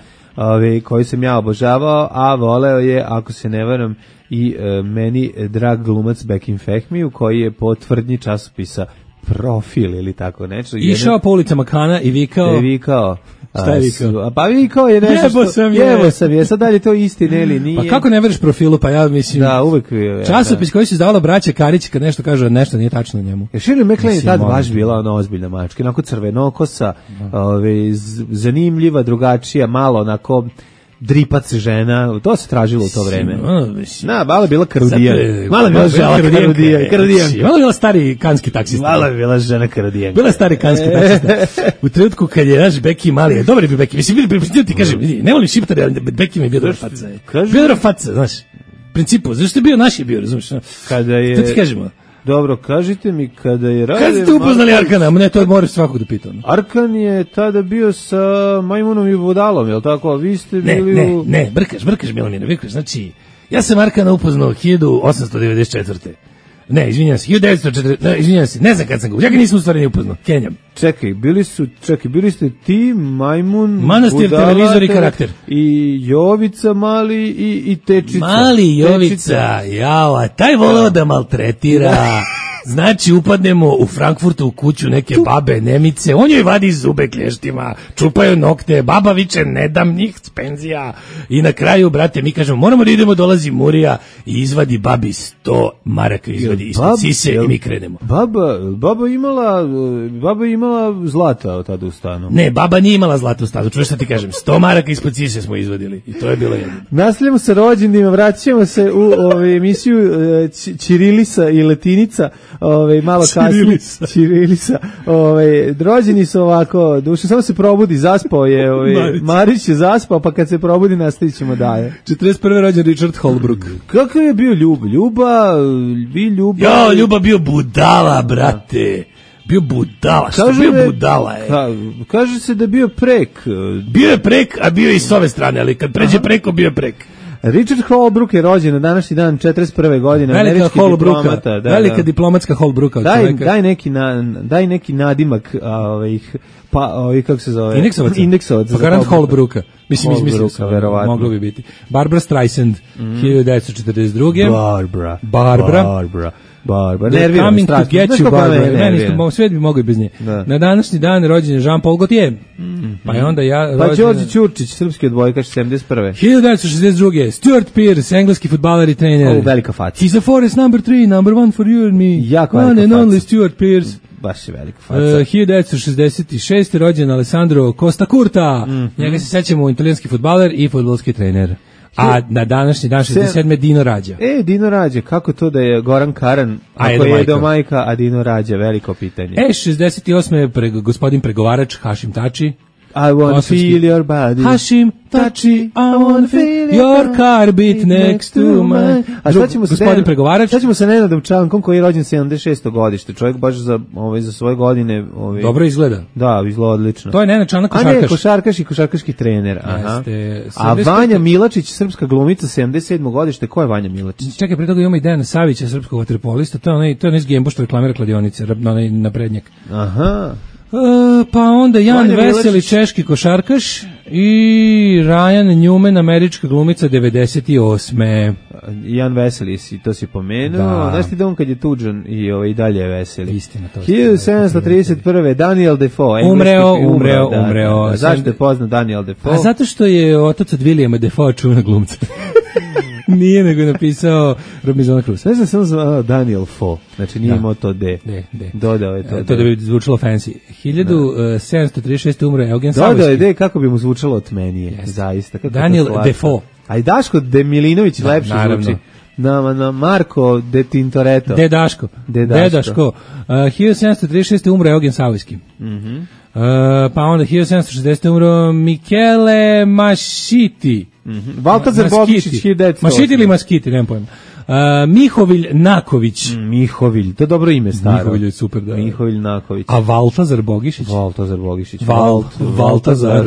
koji sam ja obožavao, a voleo je, ako se ne varam, i meni drag glumac Bekim Fehmiju, koji je po tvrdnji časopisa Profil ili tako nešto. Išao po ulicama Kana i vikao. Šta je vikao? Pa vikao je nešto Jevo sam je, sad dalje to istine ili nije. Pa kako ne veriš Profilu, pa ja mislim... Da, uvek... Časopis koji se izdavala braća Karić, kad nešto kaže, nešto nije tačno njemu. Shirley MacLaine je tad baš bila ona ozbiljna mačka, onako crvenokosa, zanimljiva, drugačija, malo onako... dripac žena, to se tražilo u to vreme. Malo je bila karudijan. Malo je bila žena karudijan. Malo je bila stari kanski taksista. Malo je bila žena karudijan. Bila stari kanski taksista. U trenutku kad je naš Beki mali, dobar je bio Beki. Mislim, bili ti kažem, ne volim šiptare, ali Beki mi je bio dobar faca. Bio dobar faca, znaš. Principu, zašto je bio naš je bio, razumiješ? Kada je... To ti kažemo. Dobro, kažite mi kada je radio... Kada ste upoznali Arkana? Ne, to moraš svakog da pitam. Arkan je tada bio sa Majmunom i Budalom, je li tako? Vi ste bili Ne, brkaš Milomir, brkaš. Znači, ja sam Arkana upoznao 1894. Ne, izvinjam se, 1940, izvinjam se, ne znam kad sam ga, ja ga nisam u stvari ni upoznao, Kenjam. Čekaj, bili ste ti, Majmun, Manastir, Budala, televizor i karakter. I Jovica mali i Tečica. Mali Jovica, jao, taj voleo da maltretira. Znači, upadnemo u Frankfurtu u kuću neke babe Nemice, on joj vadi zube klještima, čupaju nokte, baba viče, ne dam njih s penzija. I na kraju, brate, mi kažemo, moramo da idemo, dolazi Murija i izvadi babi 100 maraka, izvadi ispod sise i mi krenemo. Baba imala zlata od tada u stanu. Ne, baba nije imala zlata u stanu, čuješ šta ti kažem, 100 maraka ispod sise smo izvadili i to je bilo jedno. Nastavljamo sa rođendima, vraćamo se u emisiju Ćirilisa i Latinica. Malo kasnije Ćirilisa. Rođeni su ovako, duše samo se probudi, zaspao je, Marić je zaspao, pa kad se probudi nastavit ćemo dalje. 41. rođen Richard Holbrook. Kakav je bio Ljuba? Ljuba bio budala, brate. Bio budala, što bio budala je. Kaže se da bio prek. Bio je prek, a bio je i s ove strane, ali kad pređe preko, bio je prek. Richard Holbrook je rođen na današnji dan 41. godine, američki diplomata. Velika diplomatska Holbrooka. Daj neki nadimak kako se zove? Indeksovac. Pa garant Holbrooka. Mislim, moglo bi biti. Barbara Streisand, 1942. Barbara. Nervira me strašno. Svet bi mogao i bez nje. Na današnji dan rođen je Jean-Paul Gaultier. Pa je onda Pa Đorđe Ćurčić, srpski odbojkaš, 71. 1962. Stuart Pearce, engleski fudbaler i trener. Velika faca. He's a forest number 3, number 1 for you and me. Jako velika faca. One and only Stuart Pearce. Baš je velika faca. 1966. rođen Alessandro Costa Curta. Njega se sećamo, italijanski fudbaler i fudbalski trener. A na današnji dan 67. Dino Rađa. Dino Rađa, kako to da je Goran Karan, ako je do majka, a Dino Rađa, veliko pitanje. 68. gospodin pregovarač Hašim Tači. I wanna feel your body. Hašim Tači, I wanna feel your car beat next to mine. A šta ćemo gospodin pregovarač? Šta ćemo sa Nenadom Čankom koji je rođen 76. godište. Čovjek baš za svoje godine... Dobro izgleda. Da, izgleda odlično. To je Nenad Čanak košarkaš. A ne, košarkaš i košarkaški trener. Aha. A Vanja Milačić, srpska glumica, 77. godište. Ko je Vanja Milačić? Čekaj, pre toga imamo i Dejana Savića, srpskog vaterpolista. To je onaj Gembo što reklamira kladionice, onaj naprednjak. Aha. Pa onda Jan Veseli, češki košarkaš, i Ryan Newman, američka glumica, 98. Jan Veseli, to si pomenuo. Znaš ti da on kad je tuđan i dalje je veseli. Istina, to 1731. Daniel Defoe. Umreo. Zašto je poznat Daniel Defoe? A zato što je otac od Williama Defoe čuvena glumca. Nije, nego je napisao Robinson Crusoe. Ne znam, sam zvao Daniel Foe. Znači nije imao to D. Dodao je to. To da bi zvučalo fancy. 1736. umre Eugen Savojski. Dodao je D kako bi mu zvučalo otmenije. Zaista. Daniel Defoe. A i Daško De Milinović lepše zvuči. Na Marko De Tintoretto. Dedaško. 1736. umre Eugen Savojski. Pa onda 1760. umro Michele Masciti. Valtazar Bogišić, 1908. Masciti ili Maskiti, nemam pojma. Mihovilj Naković. Mihovilj, to je dobro ime staro. Mihovilj je super, da. Mihovilj Naković. A Valtazar Bogišić? Valtazar Bogišić. Valtazar.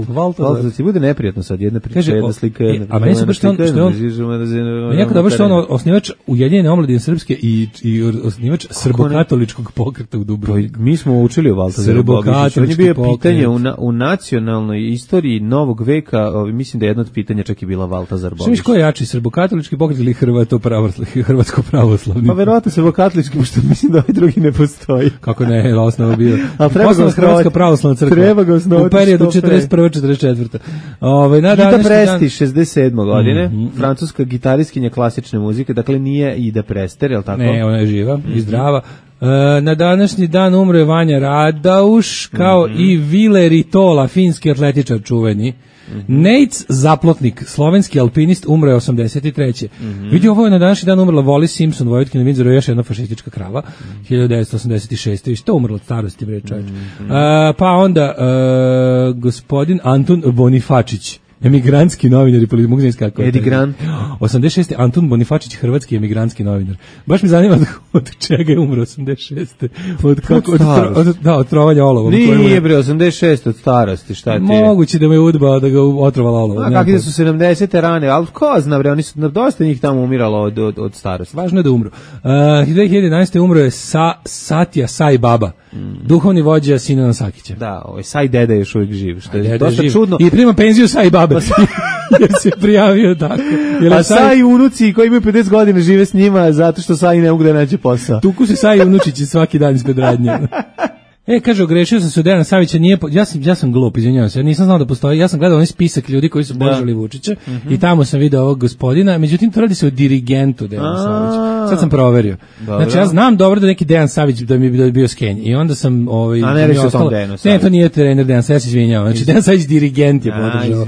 Valtazar. Ti bude neprijatno sad, jedna priča, jedna slika. A meni se baš što on jako dobro što on osnivač Ujedinjene omladine srpske i osnivač srbokatoličkog pokreta u Dubrovniku. Mi smo učili o Valtazaru Bogišiću. On je bio pitanje u nacionalnoj istoriji novog veka, mislim da je jedno od pitanja čak i bila Valtazar Bogišić. Što ko je jači, srbokatolički pokret ili hrvatsko pravoslavni? Pa verovatno srbokatolički, pošto mislim da ovaj drugi ne postoji. Kako ne, osnova bio. Ali treba ga Hrvatska pravoslavna crkva. Treba ga osnovati u periodu 41-44. Ida Presti, 67. godine, francuska gitariskinja klasične muzike, dakle nije Ida Prester, je li tako? Ne, ona je živa i zdrava. Na današnji dan umro je Vanja Radauš, kao i Vile Ritola, finski atletičar čuveni. Nejc Zaplotnik, slovenski alpinist, umro je 83. Vidi, ovo je na današnji dan umrla Wallis Simpson, Vojvotkinja Vindzora, još jedna fašistička krava, 1986. Isto umrla od starosti, bre čovječ. Pa onda gospodin Antun Bonifačić, emigrantski novinar i politik, mogu znači kako je. Edi Grant. 86. Antun Bonifačić, hrvatski emigrantski novinar. Baš mi zanima od čega je umro 86. Od trovanja olovom. Nije bre, 86 od starosti, šta ti je? Moguće da mu je udbao da ga otrovala olovom. A kakve su 70. rane, ali ko zna bre, oni su dosta njih tamo umiralo od starosti. Važno je da umru. 2011. umro je Satya Sai Baba, duhovni vođa Sinana Sakića. Da, ovaj Sai Deda je još uvijek živ, što je dosta čudno. I prima penziju Sai Baba. Jer se prijavio tako. A Sai unuci koji imaju 50 godina žive s njima zato što Sai ne mogu da nađe posao. Tuku se Sai unučići svaki dan ispred radnje. Kaže, ogrešio sam se od Dejana Savića, ja sam glup, izvinjavam se, ja nisam znao da postoji, ja sam gledao onaj spisak ljudi koji su podržali Vučića i tamo sam video ovog gospodina, međutim to radi se o dirigentu Dejana Savića. Sad sam proverio. Dobro. Znači ja znam dobro da neki Dejan Savić da mi je bio skenj i onda sam a ne reći o tom Dejanu Savić. Ne, to nije trener Dejan Savić, ja se izvinjavam. Znači Dejan Savić dirigent je podržao,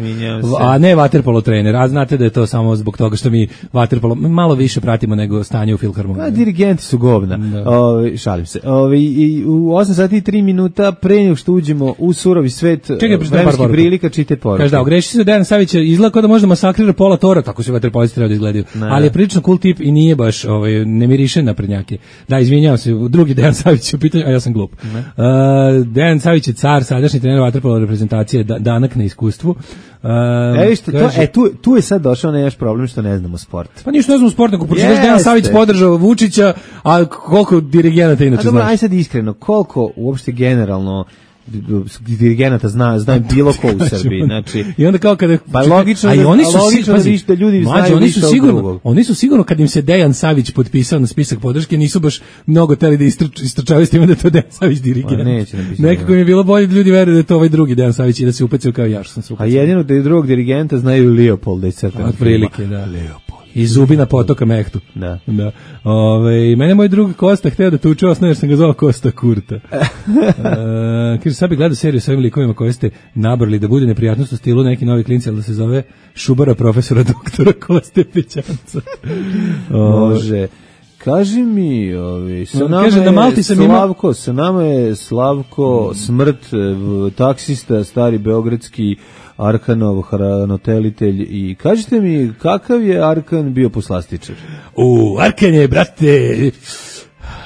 a ne vaterpolo trener. A znate da je to samo zbog toga što mi vaterpolo malo više pratimo nego stanje u Filharmoniji. A dirigenti su govna. Šalim se. U 8 sati 3 minuta pre nego što uđemo u surovi svet vremenskih prilika, čite poruke. Kaže da, ogreši se Dejan Savić, izgleda kao da možda masakrira pola tora, tako se vaterpolisti treba da izgledaju. Ali je prilično cool tip i nije baš, ne miriše na prednjake. Da, izvinjavam se, drugi Dejan Savić u pitanju, a ja sam glup. Dejan Savić je car, sadašnji trener vaterpolo reprezentacije, danak na iskustvu. Tu je sad došao naš problem što ne znamo sport. Pa ništa ne znamo sport, ako pročitaš Dejan Savić podržao Vučića, a koliko dirigenata inače znaš? Aj sad iskreno, koliko uopšte generalno dirigenata zna bilo ko u Srbiji, znači i onda kao kada pa logično da ljudi znaju više od drugog. Oni su sigurno kad im se Dejan Savić potpisao na spisak podrške nisu baš mnogo teli da istrčavaju s tim da je to Dejan Savić dirigent. Nekako mi je bilo bolje da ljudi veruju da je to ovaj drugi Dejan Savić i da se upecaju kao ja što sam se upecao. A jedino da je drugog dirigenta znaju Leopolda i Crtana. Otprilike, da. I Zubina potoka Mehtu. Da. Mene moj drug Kosta hteo da tuče osnovno jer sam ga zvao Kosta Kurta. Kaže, sad bi gledao seriju sa ovim likovima koje ste nabrali da bude neprijatnost u stilu neki novi klinci, ali da se zove Šubara profesora doktora Koste Pećanca. Može. Kaži mi, sa nama je Slavko Smrt, taksista, stari beogradski Arkanov hranitelj i kažite mi kakav je Arkan bio poslastičar? Arkan je, brate,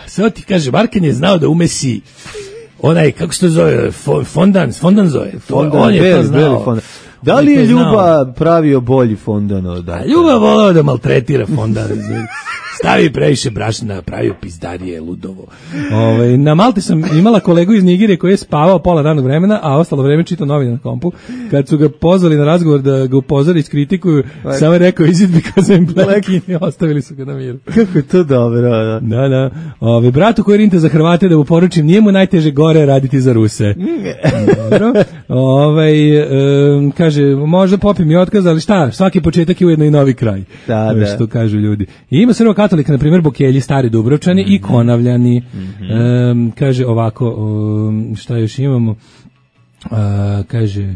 samo ti kažem, Arkan je znao da umesi onaj, kako se to zove, fondan zove. On je to znao. Da li je Ljuba pravio bolji fondan od Arkana? Ljuba volao da maltretira fondan. Stavi previše brašna, pravio pizdarije, ludovo. Na Malti sam imala kolegu iz Nigerije koji je spavao pola radnog vremena, a ostalo vreme čitao novine na kompu. Kad su ga pozvali na razgovor da ga upozori i skritikuju, samo je rekao is it because I'm black i ostavili su ga na miru. Kako je to dobro, da. Da. Bratu koji rinte za Hrvate da mu poručim, nije mu najteže gore raditi za Ruse. Dobro. Kaže, možda popim i otkaz, ali šta, svaki početak je ujedno i novi kraj. Da. Što kažu ljudi. I ima Srbokatolika, na primjer, Bokelji, Stari Dubrovčani i Konavljani. Kaže ovako, šta još imamo? Kaže,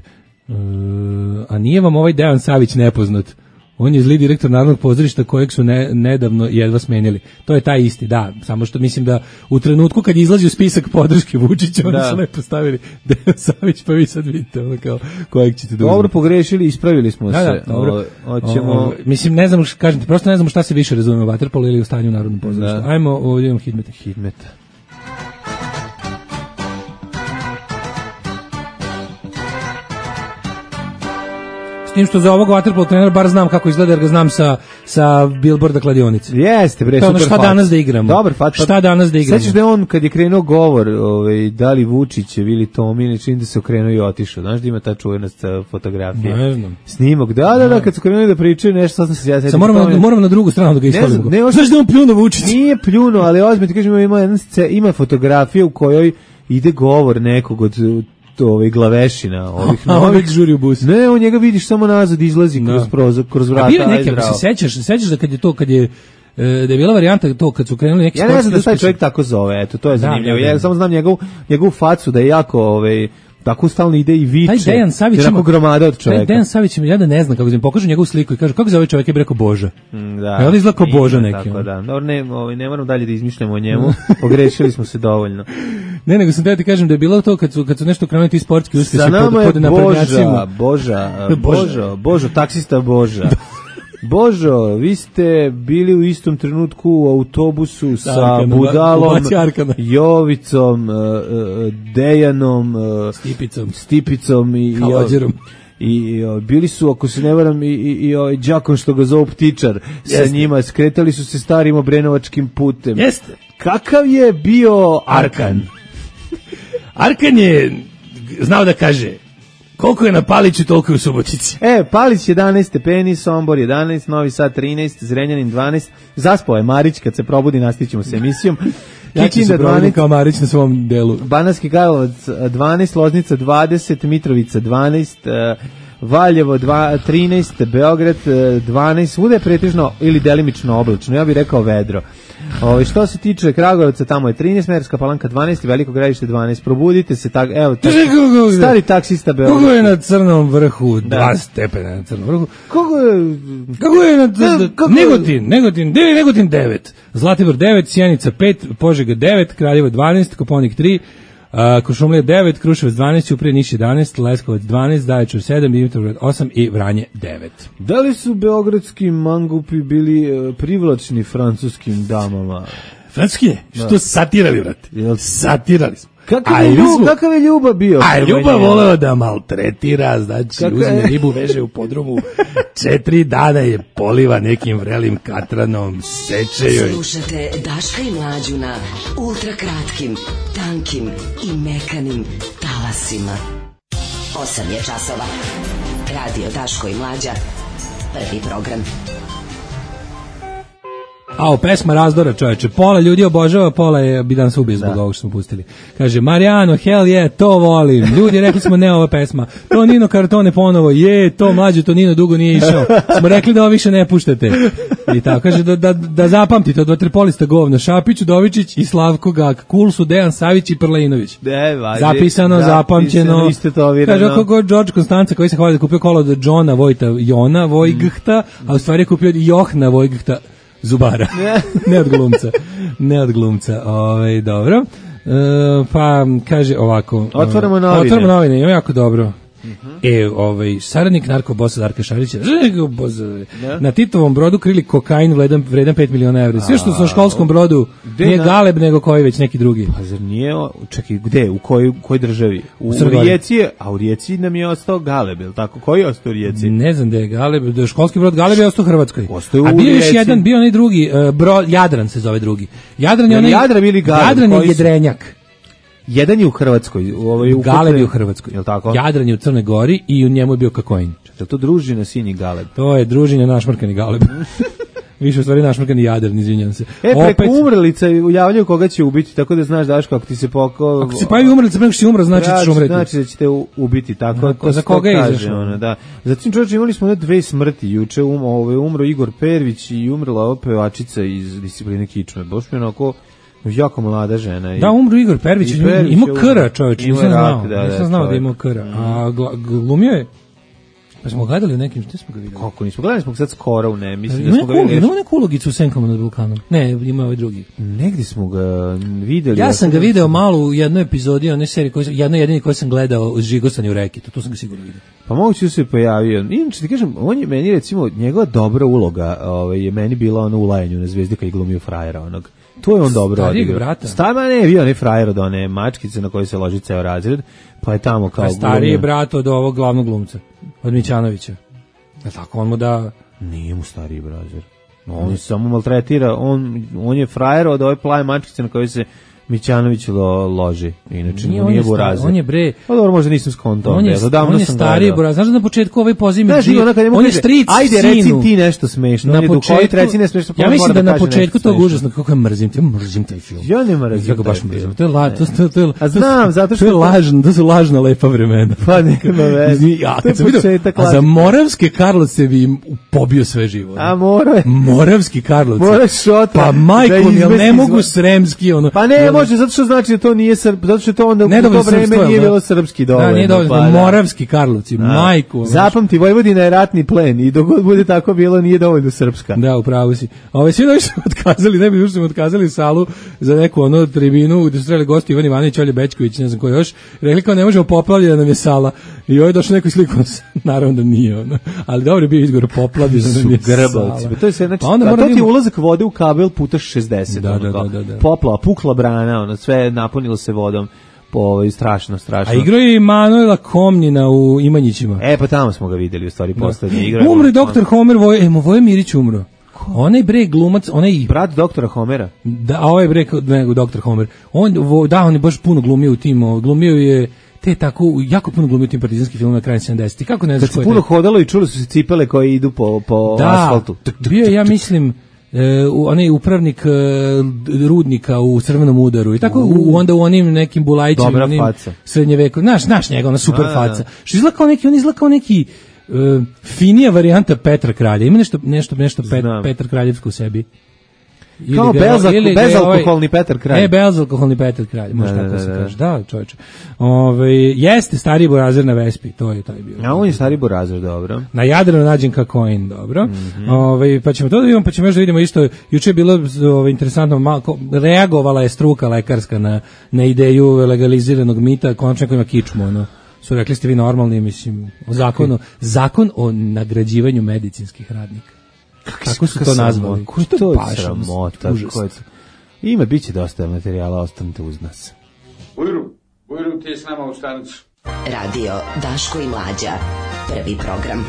a nije vam ovaj Dejan Savić nepoznat? On je zli direktor Narodnog pozorišta kojeg su nedavno jedva smenili. To je taj isti, da. Samo što mislim da u trenutku kad izlazi u spisak podrške Vučića, oni su lepo stavili Dejan Savić, pa vi sad vidite ono kao kojeg ćete da uzmete. Dobro, pogrešili, ispravili smo se. Da, dobro. Mislim, ne znam, kažete, prosto ne znamo šta se više razume u vaterpolu ili u stanju u Narodnom pozorištu. Ajmo, ovdje imam Hidmeta. Tim što za ovog vaterpolo trenera bar znam kako izgleda jer ga znam sa billboarda kladionice. Jeste, bre, super. Šta danas da igramo? Dobar fat. Šta danas da igramo? Sećaš da je on kad je krenuo govor, da li Vučić ili Tomine, čim da se okrenuo i otišao. Znaš da ima ta čuvena fotografija? Ne znam. Snimak. Da, kad su krenuli da pričaju nešto, sad sam se ja setio. Moramo na drugu stranu da ga ispravimo. Znaš da on pljuno Vučić? Nije pljuno, ali ozbiljno ti kažem, ima fotografija u kojoj ide govor nekog od glavešina ovih novih žuri u bus. Ne, on njega vidiš samo nazad izlazi kroz vrata. A bile neke, ako se sećaš da kad je da je bila varijanta to kad su krenuli neki sportski. Ja ne znam da taj čovjek tako zove, eto, to je zanimljivo. Ja samo znam njegovu facu da je jako tako stalno ide i viče. Taj Dejan Savić ima gromada od čovjeka. Taj Dejan Savić ja da ne znam kako im pokažu njegovu sliku i kažu kako zove čovjek, je rekao Boža. Da. Ja izgleda kao Boža neki. Tako da. Dobro, ne moram dalje da izmišljamo o njemu. Pogrešili smo se dovoljno. Ne, nego sam da ti kažem da je bilo to kad su nešto krenuli ti sportski uspjesi pod naprednjacima. Božo, taksista Boža. Božo, vi ste bili u istom trenutku u autobusu sa Budalom, Jovicom, Dejanom, Stipicom i bili su, ako se ne varam, i đakom što ga zovu Ptičar. Sa njima skretali su se starim obrenovačkim putem. Jeste. Kakav je bio Arkan? Arkan je znao da kaže koliko je na Paliću, toliko je u Subotici. Palić 11 stepeni, Sombor 11, Novi Sad 13, Zrenjanin 12. Zaspao je Marić, kad se probudi nastićemo s emisijom. Ja ću se probudim kao Marić na svom delu. Banatski Karlovac 12, Loznica 20, Mitrovica 12, Valjevo 13, Beograd 12, svuda je pretežno ili delimično oblačno, ja bih rekao vedro. Što se tiče Kragujevca, tamo je 13, Merska Palanka 12 i Veliko Gradište 12. Probudite se, stari taksista Beograd. Kogo je na Crnom vrhu? 2 stepena na Crnom vrhu. Kogo je na Negotin 9, Zlatibor 9, Sjenica 5, Požega 9, Kraljevo 12, Koponik 3, Kuršumlija 9, Kruševac 12, Ćuprija Niš 11, Leskovac 12, Zaječar 7, Dimitrovgrad 8 i Vranje 9. Da li su beogradski mangupi bili privlačni francuskim damama? Francuski ne? Što satirali, brate? Satirali smo. Kakav je Ljuba bio? A Ljuba voleo da maltretira, znači uzme ribu, veže u podrumu, 4 dana je poliva nekim vrelim katranom, seče joj. Slušate Daška i Mlađu na ultrakratkim, tankim i mekanim talasima. 8 je časova. Radio Daško i Mlađa. Prvi program. Pesma razdora, čoveče. Pola ljudi obožava, pola bi danas ubio zbog ovog što smo pustili. Kaže, Marijano, hell yeah, to volim. Ljudi, rekli smo ne ova pesma. To Nino Kartone ponovo, to Mlađe, to Nino dugo nije išao. Smo rekli da ovo više ne puštate. I tako, kaže, da zapamtite, od vaterpolista govna, Šapić, Udovičić i Slavko Gak. Cool su Dejan Savić i Prlinović. Zapisano, zapamćeno. Kaže, ako god George Konstanca koji se hvali da kupio kolo od Johna Jona Vojghta, a u stvari je kupio Johna Vojghta Zubara. Ne od glumca. Dobro. Pa kaže ovako. Otvaramo novine. Ima jako dobro. Saradnik narkobosa Darka Šarića na Titovom brodu krili kokain vredan 5 miliona evra. Sve što su na školskom brodu nije Galeb, nego koji već neki drugi. Pa zar nije, čekaj, gde, u kojoj državi? U Rijeci, a u Rijeci nam je ostao Galeb, je li tako? Koji je ostao u Rijeci? Ne znam da je Galeb, da je školski brod Galeb je ostao u Hrvatskoj. A bio još jedan, bio onaj drugi, Jadran se zove drugi. Jadran je jedrenjak. Jedan je u Hrvatskoj. Galeb je u Hrvatskoj. Je li tako? Jadran je u Crnoj Gori i u njemu je bio kakoin. Je to družina Sinji Galeb? To je družina našmrkani Galeb. Više u stvari našmrkani Jadran, izvinjam se. Preko umrlica javljaju koga će ubiti, tako da znaš, Daško, ako ti se Ako se pojavi umrlica, preko što si umro, znači da ćeš umreti. Znači da ćete ubiti, tako. Za koga je izašao? Zatim, čovječe, imali smo 2 smrti. Juče umro Igor Pervić i umrla ova pevačica iz Discipline kičme. Baš mi onako jako mlada žena. Da, umru Igor Pervić, imao kra, čovječ, nisam znao da imao kra. A glumio je? Pa smo gledali u nekim, što smo ga videli? Kako nismo gledali, smo sad skoro u ne, mislim da smo ga videli. Ima neku ulogicu u Senkama nad vulkanom. Ne, ima ovaj drugi. Negdje smo ga videli. Ja sam ga video malo u jednoj epizodi one serije, jedno jedini koji sam gledao uz Žigosanje u reki, to sam ga sigurno vidio. Pa moguće da se pojavio. Inače ti kažem, on je meni recimo, njegova dobra uloga je meni bila ono u Lajanju na Zvezdi kad je glumio frajera onog. To je on dobro odigrao. Stama ne, bio onaj frajer od one mačkice na kojoj se loži ceo razred, pa je tamo kao glumio. Stariji brat od ovog glavnog glumca, od Mićanovića. Je tako, on mu da... Nije mu stariji brazer. On samo maltretira, on je frajer od ove plave mačkice na kojoj se Mićanović loži. Inače nije burazer. On je bre. Pa dobro, možda nisam skontao. On je stariji burazer. Znaš da na početku ovaj poziv on je stric sinu. Ajde, reci ti nešto smešno. Na početku reci nešto smešno. Ja mislim da na početku tog užasno kako je mrzim taj film. Ja ne mrzim. Ja ga baš mrzim. To je a znam, zato što to je lažno, to su lažna lepa vremena. Pa nema veze. A za Moravske Karlovce bi im pobio sve živo. A mora. Moravski Karlovci. Pa majko mi, ne mogu sremski ono. Pa ne može, zato što znači da to nije zato što to onda u to vreme nije bilo srpski dovoljno. Da, nije dovoljno, Moravski Karlovci, majku. Zapamti, Vojvodina je ratni plen i dok god bude tako bilo nije dovoljno srpska. Da, upravo si. Svi da su otkazali, ne bi još otkazali salu za neku ono tribinu gde su trebali gosti Ivan Ivanović, Olje Bećković, ne znam ko još. Rekli kao ne možemo poplavljena nam je sala. I ovaj došao neku sliku, naravno da nije ono. Ali dobro je bio izgovor poplavljena nam je sala. To je sve, znači, to ti je ulazak vode u kabel puta 60. Da. Poplava, pukla brana, ono, sve napunilo se vodom. Strašno. A igrao je i Manuela Komnina u Imanjićima. Pa tamo smo ga videli u stvari poslednje igra. Umro je doktor Homer, Voje Mirić umro. Onaj bre glumac, brat doktora Homera. Da, ovaj bre doktor Homer. On je baš puno glumio u tim, glumio je te tako jako puno glumio tim partizanskim filmom na kraju 70. Kako ne znaš ko je? Kad se puno hodalo i čuli su se cipele koje idu po asfaltu. Bio je, ja mislim, onaj upravnik rudnika u Crvenom udaru i tako onda u onim nekim Bulajićima, onim srednjeveku, naš njega, ona super faca. Što izgleda kao neki finija varijanta Petra Kralja. Ima nešto Petar Kraljevsko u sebi. Kao bezalkoholni Petar Kralj. Bezalkoholni Petar Kralj, može tako se kaže. Da, čovječe. Jeste stariji burazer na Vespi, to je taj bio. A on je stariji burazer, dobro. Na Jadranu nađen kakoin, dobro. Pa ćemo to da vidimo, pa ćemo još da vidimo isto. Juče je bilo interesantno, reagovala je struka lekarska na ideju legaliziranog mita, konačno ima kičmu, ono. Su rekli ste vi normalni, mislim, zakon o nagrađivanju medicinskih radnika. Kako su to nazvali? Ko je to sramota? Ima, bit će dosta materijala, ostanite uz nas. Ujru, ti je s nama u stanicu. Radio Daško i Mlađa, prvi program.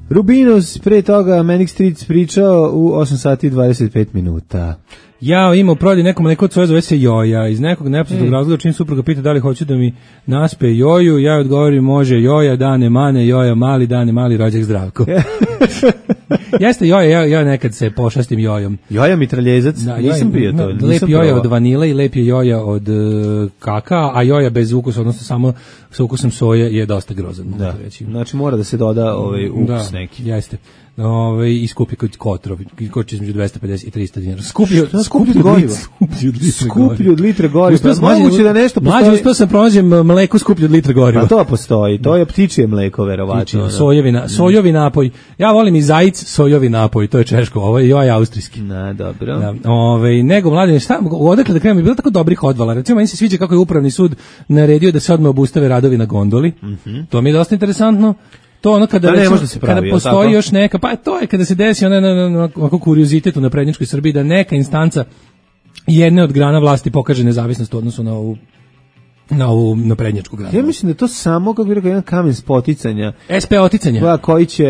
Rubinos, pre toga Manic Street pričao u 8 sati i 25 minuta. Ja imao prodaj nekom neko od svoje zove se Joja. Iz nekog nepoznatog razloga čim supruga pita da li hoću da mi naspe Joju, ja odgovorim može Joja, dane mane, Joja mali, dane mali, rođak Zdravko. Jeste Joja, ja nekad se pošastim Jojom. Joja mitraljezac, nisam pio to. Lep Joja od vanile i lep je Joja od kaka, a Joja bez ukusa, odnosno samo sa ukusom soje je dosta grozan. Da. Znači mora da se doda ukus neki. Jeste. I skupi kod kotrovi, koči između 250 i 300 dinara. Skuplju od litre goriva. Moguće da nešto postoji. Mlađe, uspio sam pronađem mleko skuplju od litre goriva. A to postoji, to je ptičije mleko, verovatno. Sojovi napoj. Ja volim i zajic, sojovi napoj, to je češko, ovo je austrijski. Dobro. Da, nego, mlađe, odakle da krenemo, je bilo tako dobrih odvala. Recimo, meni se sviđa kako je upravni sud naredio da se odmah obustave radovi na gondoli. To mi je dosta interesantno. To ono kada postoji još neka, pa to je kada se desi onako kuriozitet u naprednjačkoj Srbiji da neka instanca jedne od grana vlasti pokaže nezavisnost u odnosu na ovu naprednjačku granu. Ja mislim da to samo, kako bih rekao, jedan kamen spoticanja. SP oticanja. Koji će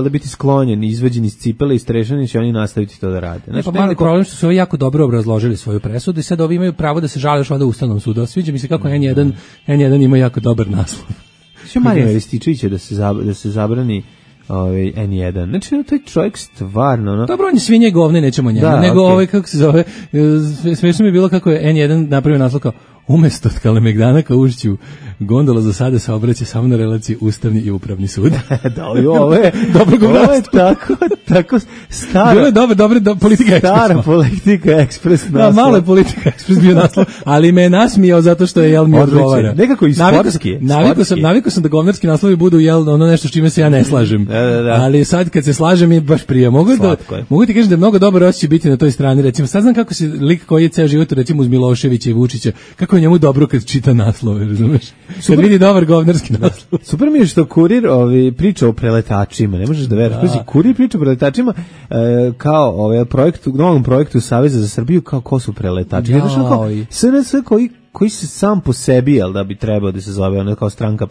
da biti sklonjen, izvađen iz cipele i strešani će oni nastaviti to da rade. Znači, pa mali problem što su ovi jako dobro obrazložili svoju presudu i sad ovi imaju pravo da se žale još onda Ustavnom sudu. Sviđa mi se kako N1 ima jako dobar naslov. Što Marijan Rističević da se zabrani N1. Znači, taj čovjek stvarno... Dobro, on je svinje govne, nećemo njega. Nego kako se zove, smiješno mi je bilo kako je N1 napravio naslov kao Umesto od Kalemegdana ka Ušću, gondola za sada se obraća samo na relaciji Ustavni i Upravni sud. Da, ovo je tako stara. Bilo je dobro, Politika Ekspres. Stara Politika Ekspres naslov. Da, malo je Politika Ekspres bio naslov, ali me je nasmijao zato što je mi odgovara. Nekako i sportski. Navikao sam da govnarski naslovi budu ono nešto s čime se ja ne slažem. Da. Ali sad kad se slažem je baš prija. Mogu ti kažem da je mnogo dobro osjećaj biti na toj strani. Recimo, sad znam kako se lik koji je ceo život, recimo uz Miloševića i Vučića, kako je njemu dobro kad čita naslove, razumeš? Kad vidi dobar govnarski naslov. Super mi je što Kurir priča o preletačima, ne možeš da veruješ. Kurir priča o preletačima kao novom projektu Saveza za Srbiju, kao ko su preletači. SNS koji se sam po sebi, jel da bi trebao da se zove ono kao stranka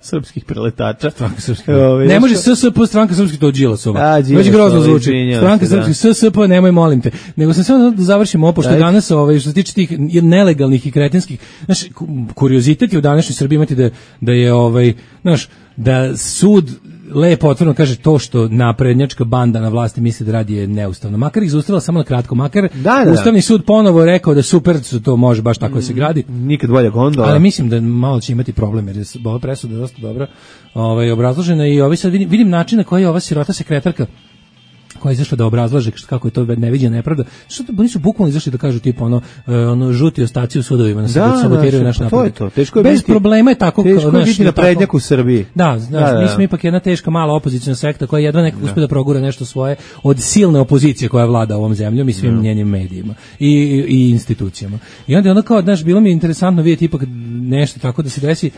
srpskih preletača. Stranka srpskih. Ne može SSP stranka srpskih, to Đilasova. Već grozno zvuči. Stranka srpskih, SSP, nemoj molim te. Nego sam samo da završimo pošto danas što se tiče tih nelegalnih i kretenskih, znaš, kuriozitet je u današnjoj Srbiji imati da je znaš, da sud lepo otvoreno kaže to što naprednjačka banda na vlasti misli da radi je neustavno. Makar ih zaustavila samo na kratko, makar Ustavni sud ponovo rekao da super to može baš tako da se gradi. Nikad bolja gondola. Ali mislim da malo će imati problem jer je ova presuda dosta dobro obrazložena i sad vidim način na koji je ova sirota sekretarka koja je izašla da obrazlaže kako je to neviđena nepravda. Što oni su bukvalno izašli da kažu tipa ono žuti ostaci u sudovima na sabotiraju naš napad. To je to. Bez problema je tako kao naš naprednjak u Srbiji. Da, mi smo ipak jedna teška mala opoziciona sekta koja jedva nekako uspije da progura nešto svoje od silne opozicije koja vlada ovom zemljom i svim njenim medijima i institucijama. I onda je ono kao, znaš, bilo mi je interesantno vidjeti ipak nešto tako da se desi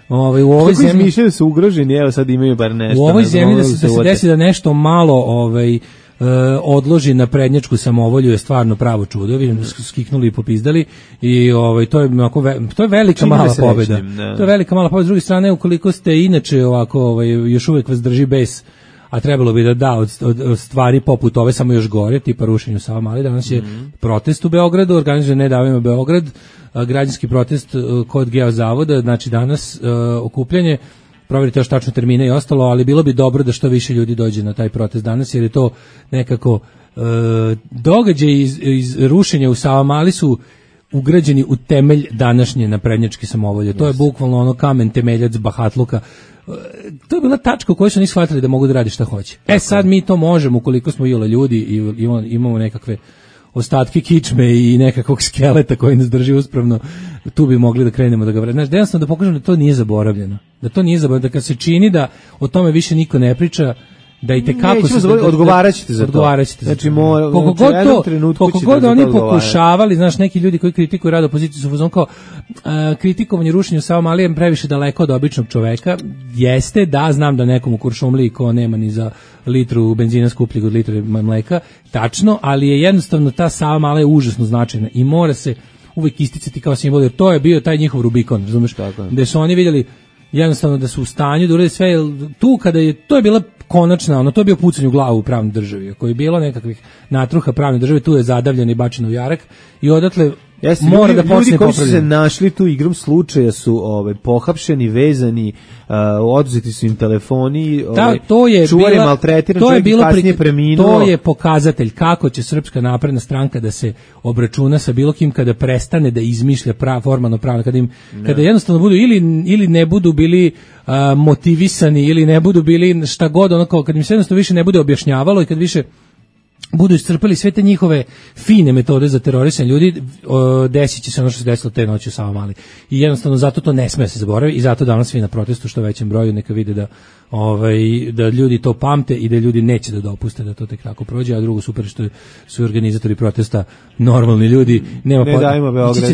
u ovoj zemlji. Mišljaju su ugroženi, evo sad imaju bar nešto. U ovoj zemlji da se desi da nešto malo odloži na prednjačku samovolju je stvarno pravo čudo. Vidim da su skiknuli i popizdali i to je velika mala pobjeda. To je velika mala pobjeda. S druge strane, ukoliko ste inače ovako još uvijek vas drži bes, a trebalo bi da od stvari poput ove samo još gore, tipa rušenju Savamale. Danas je protest u Beogradu, organizuje Ne davimo Beograd, građanski protest kod Geozavoda, znači danas okupljanje. Provjerite još tačno termine i ostalo, ali bilo bi dobro da što više ljudi dođe na taj protest danas, jer je to nekako događaj iz rušenja u Savamali su ugrađeni u temelj današnje naprednjačke samovolje. To je bukvalno ono kamen temeljac bahatluka. To je bila tačka u kojoj su oni shvatili da mogu da radi šta hoće. Sad mi to možemo ukoliko smo ljudi i imamo nekakve ostatke kičme i nekakvog skeleta koji nas drži uspravno, tu bi mogli da krenemo da ga vredimo. Znaš, jednostavno da pokažem da to nije zaboravljeno. Da kad se čini da o tome više niko ne priča, da i tekako se odgovarat ćete za to. Znači, koliko god oni pokušavali, znaš, neki ljudi koji kritikuju rad opozicije su fuzon kao kritikovanje rušenja Savamale je previše daleko od običnog čoveka. Jeste, da, znam da nekom u Kuršumliji ko nema ni za litru benzina skupljeg od litre mleka, tačno, ali je jednostavno ta Savamala je užasno značajna i mora se uvijek isticati kao simbol, jer to je bio taj njihov Rubikon, razumeš, gde su oni vidjeli jednostavno da su u stanju da urede sve, tu kada je, to je bila konačna, to je bio pucanj u glavu u pravnoj državi, ako je bilo nekakvih natruha pravne države, tu je zadavljen i bačen u jarak i odatle mora da počne ljudi koji su se našli tu igrom slučaja su pohapšeni, vezani, oduzeti su im telefoni, čuvari maltretirani, čovjek je kasnije preminuo. To je pokazatelj kako će Srpska napredna stranka da se obračuna sa bilo kim kada prestane da izmišlja formalno pravno, kada jednostavno budu ili ne budu bili motivisani ili ne budu bili šta god, kad im se jednostavno više ne bude objašnjavalo i kad više budu iscrpili sve te njihove fine metode za terorisanje ljudi, desit će se ono što se desilo te noći u Savamali. I jednostavno zato to ne sme se zaboraviti i zato danas svi na protestu što većem broju neka vide da ljudi to pamte i da ljudi neće da dopuste da to tek tako prođe, a drugo super što su organizatori protesta normalni ljudi.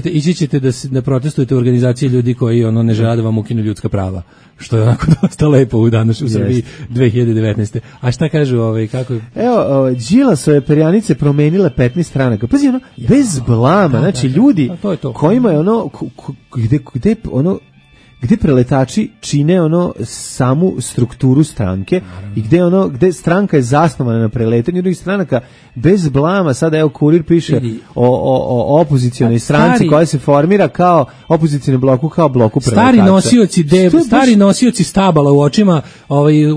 Ići ćete da protestujete u organizaciji ljudi koji ne žele da vam ukinu ljudska prava, što je onako dosta lepo u danas u Srbiji 2019. A šta kažu kako? Evo, Đilasove perjanice promenile 15 stranaka. Pazi, bez blama, znači ljudi kojima je gde gde preletači čine ono samu strukturu stranke i gde stranka je zasnovana na preletanju drugih stranaka bez blama. Sada evo Kurir piše o opozicijonoj stranci koja se formira kao opozicioni bloku, kao bloku preletača. Stari nosioci stabala u očima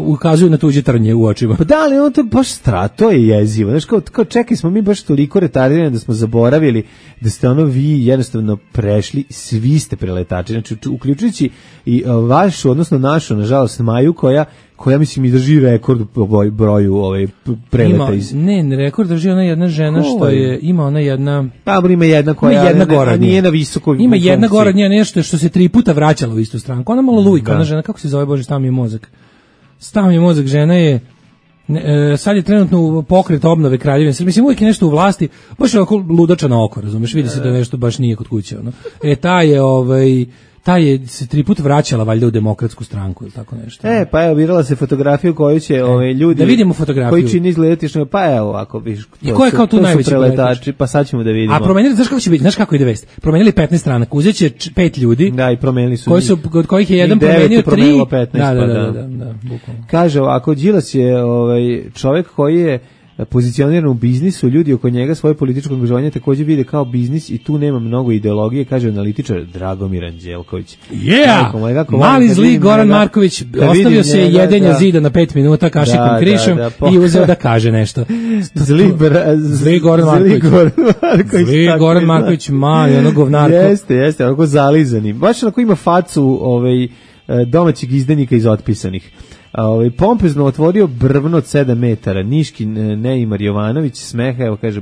ukazuju na tuđe trnje u očima. Pa da, ali ono to baš to je jezivo. Znaš, kao čekaj, smo mi baš toliko retardirani da smo zaboravili da ste ono vi jednostavno prešli, svi ste preletači. Znači, uključujući i vašu, odnosno našu, nažalost, Maju, koja mislim i drži rekord po broju preleta rekord drži ona jedna žena što je, ima ona jedna... Ima jedna koja nije na visoko... Ima jedna gore od nje nešto što se 3 puta vraćala u istu stranku. Ona malo lujka, ona žena, kako se zove, Bože, stao mi je mozak, žena je... sad je trenutno u pokret obnove Kraljevine. Mislim, uvijek je nešto u vlasti, baš je ovako ludača na oko, razumeš, vidi se da nešto baš nije kod kuće. Ono. Ta je se 3 puta vraćala valjda u Demokratsku stranku ili tako nešto. Pa evo, virala se fotografiju koju će ljudi... Da vidimo fotografiju. Koji čini izgledati što... Pa evo, ako viš... I ko je kao tu najveći preletači? Pa sad ćemo da vidimo. A promenili, znaš kako će biti? Znaš kako ide vest? Promenili 15 stranaka, uzet će 5 ljudi. Da, i promenili su od kojih je jedan promenio 3. 15, da, bukvalno. Kaže ovako, Đilas je čovjek koji je pozicioniran u biznisu, ljudi oko njega svoje političko angažovanje također vide kao biznis i tu nema mnogo ideologije, kaže analitičar Dragomir Anđelković. Mali zli Goran Marković ostavio se jedenja zida na 5 minuta kašikom krišom i uzeo da kaže nešto. Zli Goran Marković, mali, ono govnarko. Jeste, onako zalizani. Baš onako ima facu domaćeg izdenika iz Otpisanih. Pompezno otvorio brvno od 7 metara. Niški Neimar Jovanović smeha, evo kaže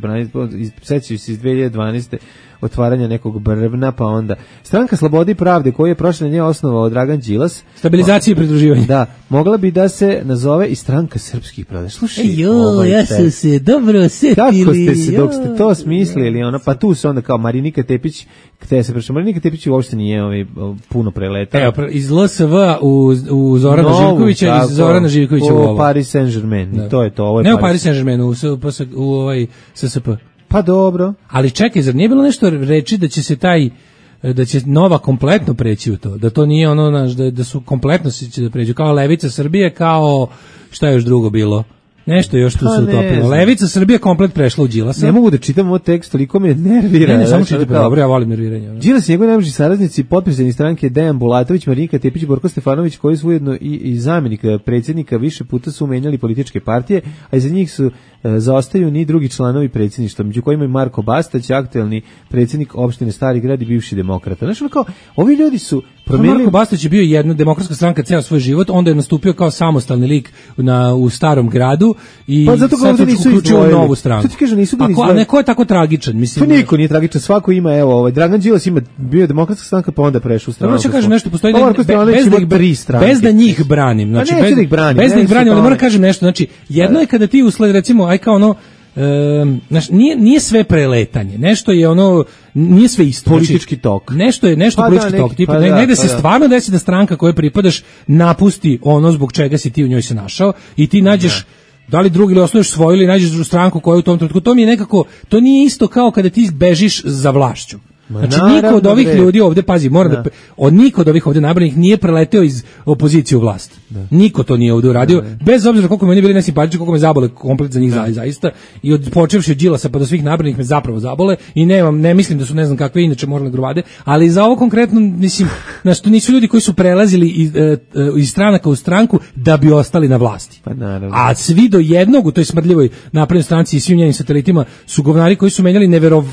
sećaju se iz 2012. otvaranja nekog brvna, pa onda Stranka slobode i pravde koju je prošle nje osnovao Dragan Đilas. Stabilizacija i pridruživanja. Da, mogla bi da se nazove i Stranka srpskih pravde. Slušaj, ja sam se dobro setili. Kako ste se, dok ste to smislili, pa tu se onda kao Marinika Tepić, Marinika Tepić uopšte nije puno preleta. Evo, iz LSV u Zorana Živkovića, iz Zorana Živkovića u Paris Saint-Germain. To je to. Ne u Paris Saint-Germain, u SSP. Pa dobro. Ali čekaj, zar nije bilo nešto reći da će se da će Nova kompletno preći u to, da to nije ono, da su kompletno će da pređu, kao Levica Srbije, kao šta je još drugo bilo? Nešto još tu se utopilo. Levica Srbije komplet prešla u Đilasa. Ne mogu da čitam ovo tekst, toliko me nervira. Ne, samo čitam, dobro, ja volim nerviranje. Đilas i njegovi najbliži saradnici, potpredsjednik stranke Dejan Bulatović, Marinika Tepić, Borko Stefanović, koji su ujedno i zamjenik predsjednika, više puta su menjali političke partije, a iza njih su zaostaju ni drugi članovi predsjedništva, među kojima je Marko Bastać, aktuelni predsjednik opštine Stari Grad i bivši demokrata. Znači, kao, ovi ljudi su promenili... Marko Bastać je bio jedna demokratska stranka ceo svoj život, onda je nastupio kao samostalni lik u Starom Gradu i sad su uključio novu stranku. Što ti kaže, nisu bili izdvojeni? A neko je tako tragičan? Mislim, to niko nije tragičan, svako ima, evo, Dragan Đilas bio demokratska stranka, pa onda prešao u stranku. Dobro, kažem nešto, postoji bez da njih branim. Znači, bez da ih branim, ali moram kažem nešto, znači, jedno je kada ti usled, recimo, aj kao ono, nije sve preletanje, nešto je ono, nije sve isto. Politički tok. Nešto je politički tok, tipa negde se stvarno desi da stranka kojoj pripadaš napusti ono zbog čega si ti u njoj se našao i ti nađeš da li drugi ili osnuješ svoju ili nađeš stranku koja u tom trenutku, to mi je nekako, to nije isto kao kada ti bežiš za vlašću. Znači, niko od ovih ljudi ovde, pazi, niko od ovih ovde nabranih nije preleteo iz opozicije u vlast. Niko to nije ovde uradio, bez obzira koliko me oni bili nesimpatični, koliko me zabole komplet za njih zaista, i počevši od Đilasa pa do svih nabranih me zapravo zabole i ne mislim da su ne znam kakve inače moralne gruvade, ali za ovo konkretno, mislim, znači, to nisu ljudi koji su prelazili iz stranaka u stranku da bi ostali na vlasti. A svi do jednog u toj smrdljivoj naprednoj stranci i svim njenim satelitima su govnari koji su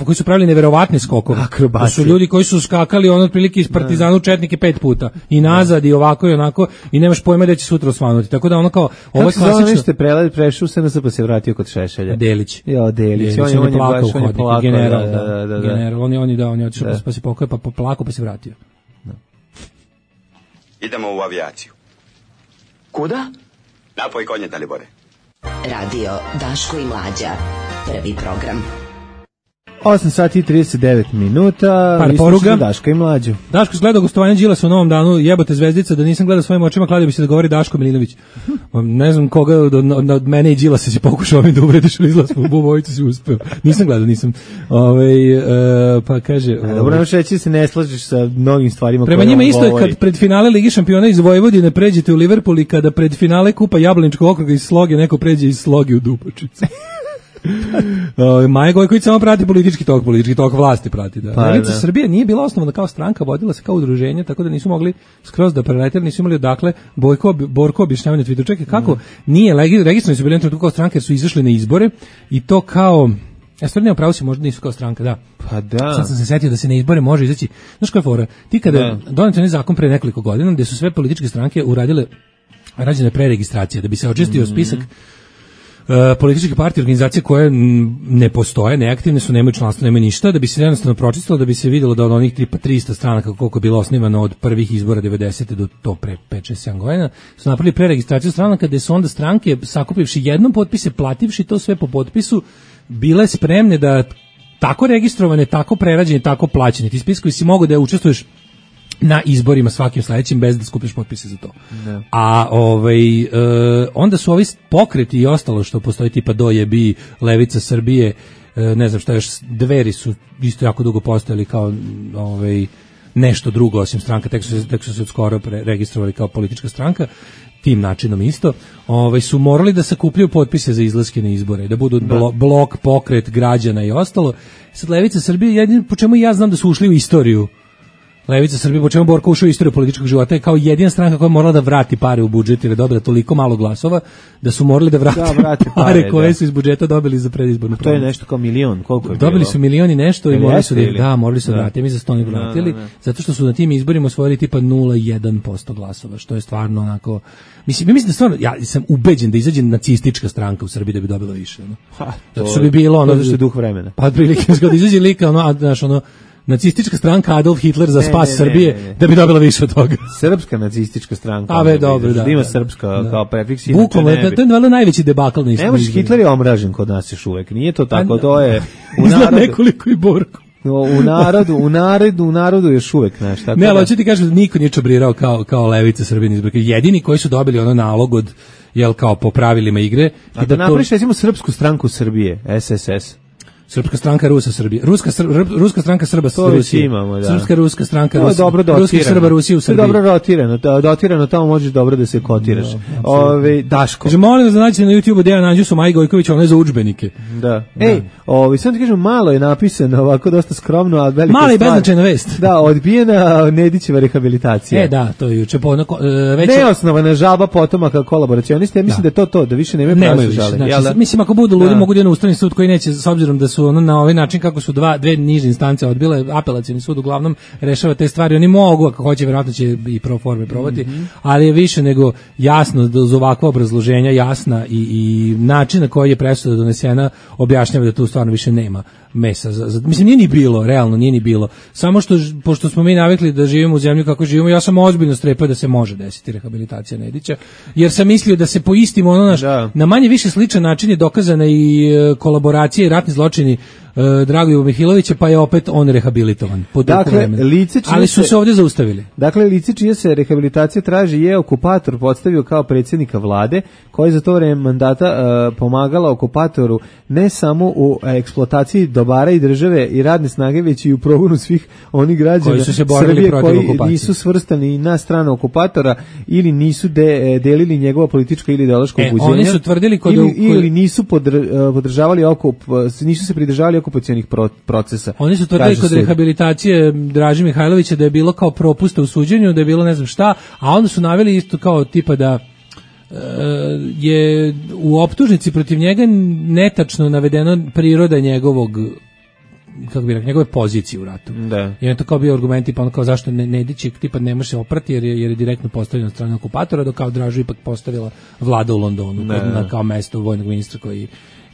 koji su pravili neverovatne skokove. To su ljudi koji su skakali otprilike iz Partizana u Četnike 5 puta i nazad i ovako i onako i nemaš pojma da će sutra osvanuti. Tako da ono kao ovo je klasično. Kako se prešao se na pa se vratio kod Šešelja. Delić. Jo, Delić. On je plakao u hodniku. General, on je otišao pa se pokojao pa plakao pa se vratio. Idemo u avijaciju. Kuda? Napoj konje, Dalibore. Radio Daško i Mlađa. Prvi program. 8 sati i 39 minuta. Par poruga. Daška i Mlađu. Daško je gledao gostovanje Đilasa u Novom danu, jebote zvezdica, da nisam gledao svojim očima, kladio bi se da govori Daško Milinović. Ne znam koga od mene i Đilasa se pokušao mi da uvrediš, ali izlaz u Bovojicu si uspeo. Nisam gledao, nisam. Pa kaže... Dobro, nemaš reći da se ne slažeš sa mnogim stvarima. Prema njima isto je kad pred finale Ligi šampiona iz Vojvodine pređete u Liverpool i kada pred finale Kupa Jablaničkog okruga iz Sloge neko pređe iz Sloge u Dubočicu. Maja Gojković samo prati politički tok vlasti prati. Da. Levica Srbije nije bila osnovana kao stranka, vodila se kao udruženje, tako da nisu mogli skroz da preleteli, nisu imali odakle. Borko objašnjavanje na Twitteru, čekaj, kako nije registrovani su bili kao stranka jer su izašli na izbore i to kao... Ja stvarno pravo si, možda nisu kao stranka, da. Pa da. Sad sam se setio da se na izbore može izaći. Znaš koja je fora? Ti kada donete onaj zakon pre nekoliko godina gde su sve političke stranke rađene preregistracije, da bi se očistio spisak političke partije, organizacije koje ne postoje, neaktivne su, nemaju članstvo, nemaju ništa, da bi se jednostavno pročistilo, da bi se vidjelo da od onih 300 stranaka koliko je bilo osnivano od prvih izbora 90. do to pre 5-6 godina, su napravili preregistraciju stranaka gde su onda stranke sakupivši jednom potpise, plativši to sve po potpisu, bile spremne da tako registrovane, tako prerađene, tako plaćene. Ti spiskovi si mogu da učestvuješ na izborima svakim sledećim bez da skupiš potpise za to. Ne. A onda su ovi pokreti i ostalo što postoji tipa Dojebi, Levica Srbije, ne znam šta još, Dveri su isto jako dugo postojali kao nešto drugo osim stranka, tek su se skoro registrovali kao politička stranka, tim načinom isto, su morali da sakupljaju potpise za izlaske na izbore, da budu blok, pokret građana i ostalo. Sad Levica Srbije, jedino po čemu ja znam da su ušli u istoriju, Levica Srbije, po čemu Borko ušao u istoriju političkog života, je kao jedina stranka koja je morala da vrati pare u budžet jer je dobila toliko malo glasova da su morali da vrati pare koje su iz budžeta dobili za predizbornu promenu. To je nešto kao milion, koliko je dobili bilo? Su milioni nešto i morali su morali su vratiti, mi za 100 ne vratili, zato što su na tim izborima osvojili tipa 0,1% glasova, što je stvarno onako, mislim da stvarno, ja sam ubeđen da izađe nacistička stranka u Srbiji da bi dobila više. Zato što bi bilo ono... To je duh vremena. Pa prilike, kada izađe lika, nacistička stranka Adolf Hitler za spas Srbije, da bi dobila više od toga. Srpska nacistička stranka. Dobro, da. Ima srpska kao prefiks. Bukvalno, to je valjda najveći debakl na istoriji. Ne možeš, Hitler je omražen kod nas još uvek. Nije to tako, to je... Izgleda nekoliko i Borko. U narodu još uvek, znaš, tako. Ne, ali hoću ti kažem da niko nije čabrirao kao Levica Srbije izbore. Jedini koji su dobili ono nalog od, kao po pravilima igre. A da napraviš, recimo, Srpsku stranku Srbije, SSS. Srpska stranka Rusa Srbije. Ruska stranka Srba Rusije. Imamo, da. Srpska ruska stranka Rusije. Dobro dotirano. Ruski Srba Rusije u Srbiji. Dobro dotirano, tamo možeš dobro da se kotiraš. Daško. Kaže, molim vas da nađete na YouTubeu Dejan Anđusu Maji Gojković, ono je za udžbenike. Da. Samo ti kažem, malo je napisano, ovako dosta skromno, a velika stvar. Mala i beznačajna vest. Da, odbijena Nedićeva rehabilitacija. Da, to je juče neosnovana žalba potomaka kolaboracionista. Ja mislim da je to, da više nemaju pravo žale. Mislim, ako budu ludi, mogu da na Ustavni sud koji neće, s obzirom da su na ovaj način kako su dve niže instance odbile, apelacioni sud uglavnom rešava te stvari, oni mogu, ako hoće, verovatno će i pro forme probati, ali je više nego jasno da uz ovakva obrazloženja jasna i način na koji je presuda donesena objašnjava da tu stvarno više nema mesa. Mislim, nije ni bilo, realno nije ni bilo. Samo što, pošto smo mi navikli da živimo u zemlji kako živimo, ja sam ozbiljno strepao da se može desiti rehabilitacija Nedića, jer sam mislio da se po istim na manje više sličan način je dokazana i kolaboracija i ratni zločini Dragoljuba Mihilovića, pa je opet on rehabilitovan. Ali su se ovdje zaustavili. Dakle, lice čija se rehabilitacija traži je okupator podstavio kao predsjednika vlade, koji za to vreme mandata pomagala okupatoru ne samo u eksploataciji dobara i države i radne snage, već i u progonu svih onih građana Srbije koji nisu svrstani na stranu okupatora ili nisu delili njegova politička ili ideološka ubuđenja. Oni su tvrdili ili nisu podržavali nisu se pridržavali okupacionih procesa. Oni su tvrdili kod rehabilitacije Draže Mihajlovića da je bilo kao propusta u suđenju, da je bilo ne znam šta, a onda su naveli isto kao tipa da je u optužnici protiv njega netačno navedeno priroda njegovog, kako bi rekao, njegove pozicije u ratu. Da. I on to kao bio argument tipa ono kao zašto Nedić tipa ne može se oprati jer je direktno postavljen od strane okupatora, dok kao Dražu ipak postavila vlada u Londonu kao mesto vojnog ministra koji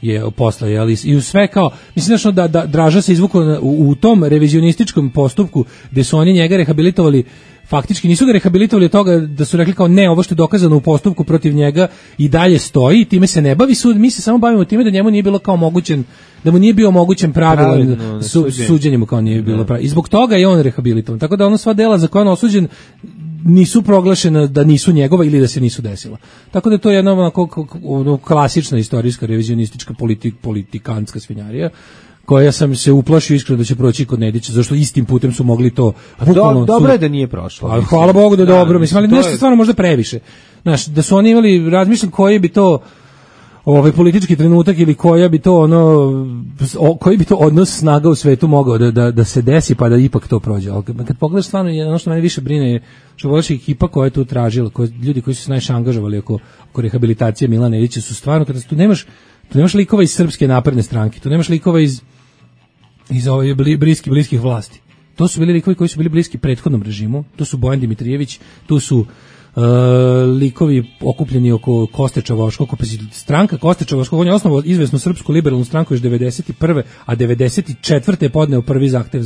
je posle, i sve kao, mislim da Draža se izvukao u tom revizionističkom postupku gde su oni njega rehabilitovali, faktički nisu ga rehabilitovali od toga da su rekli kao ne, ovo što je dokazano u postupku protiv njega i dalje stoji, time se ne bavi sud, mi se samo bavimo time da njemu nije bilo kao omogućen, da mu nije bio omogućen pravilan suđenje mu kao nije bilo pravilno. I zbog toga je on rehabilitovan. Tako da ono sva dela za koje on osuđen nisu proglašena da nisu njegova ili da se nisu desila. Tako da to je jedna onako klasična istorijska revizionistička politikantska svinjarija koja sam se uplašio iskreno da će proći kod Nedića, zašto istim putem su mogli to bukvalno. Dobro je da nije prošlo. Hvala Bogu da je dobro, mislim, ali nešto stvarno možda previše. Znaš, da su oni imali, razmišljam koji bi to politički trenutak ili koji bi to odnos snaga u svetu mogao da se desi pa da ipak to prođe. Ali kad pogledaš stvarno, ono što mene više brine je što voliš ekipa koja je tu tražila, ljudi koji su se najviše angažovali oko rehabilitacije Milana Nedića su stvarno, kada tu nemaš likova iz Srpske napredne stranke, tu nemaš likova iz bliskih vlasti. To su bili likovi koji su bili bliski prethodnom režimu, to su Bojan Dimitrijević, tu su likovi okupljeni oko Kosteča Voškog, stranka Kosteča Voškog, on je osnovao izvesnu Srpsku liberalnu stranku još 91. a 94. je podneo prvi zahtev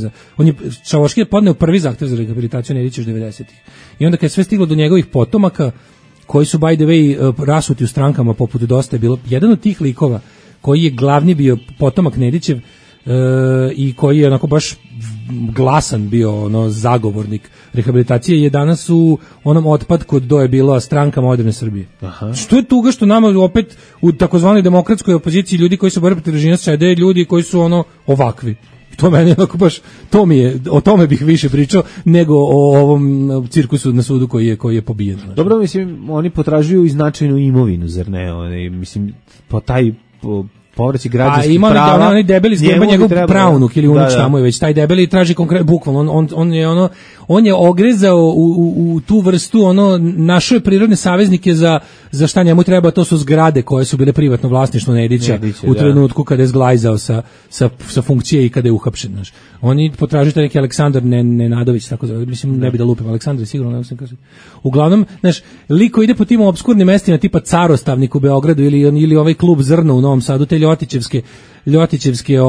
Čavoški je podneo prvi zahtev za rehabilitaciju Nedića još 90. I onda kad je sve stiglo do njegovih potomaka, koji su by the way rasuti u strankama poput Dosta je bilo, jedan od tih likova koji je glavni bio potomak Nedićev i koji je onako baš glasan bio zagovornik rehabilitacije je danas u onom otpadku do je bila Stranka moderne Srbije. Aha. Što je tuga što nama opet u takozvanoj demokratskoj opoziciji ljudi koji su borili protiv režima sede ljudi koji su ovakvi. To meni onako baš, o tome bih više pričao nego o ovom cirkusu na sudu koji je pobijen. Znači. Dobro, mislim, oni potražuju i značajnu imovinu, zar ne? Mislim, po taj povraćaj građanskih prava. A ima debeli zgleba njegov pravnuk ili unuč tamo je već, taj debeli traži konkretno, bukvalno, on je ogrezao u tu vrstu, našao je prirodne saveznike za šta njemu treba, to su zgrade koje su bile privatno vlasništvo Nedića u trenutku kada je zglajzao sa funkcije i kada je uhapšen. Znaš. Oni potražuju taj neki Aleksandar Nenadović, tako da, mislim, ne bi da lupim, Aleksandar je sigurno, ne znam kaže. Uglavnom, znaš, liko ide po tim obskurnim mestima tipa Carostavnik u Beogradu ili ovaj klub Zrno u Novom Sadu, te Ljotićevske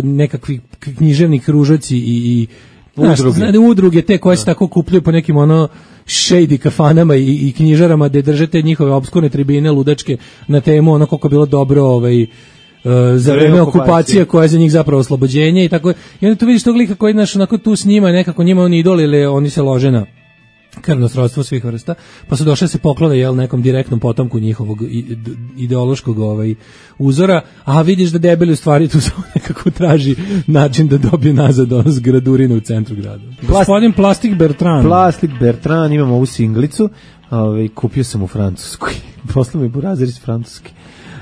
nekakvi književni kružoci i udruge te koje se tako kupljuju po nekim shady kafanama i knjižarama gde držete njihove obskurne tribine ludačke na temu koliko je bilo dobro za vreme okupacije koja je za njih zapravo oslobođenje i tako. I onda tu vidiš tog lika koji tu s njima nekako njima oni idol ili oni se lože na krvno srodstvo svih vrsta, pa su došli da se poklone nekom direktnom potomku njihovog ideološkog uzora, a vidiš da debeli u stvari tu samo nekako traži način da dobije nazad zgradurinu u centru grada. Gospodin Plastik Bertrand, imamo ovu singlicu, kupio sam u Francuskoj, poslao mi burazir iz Francuske.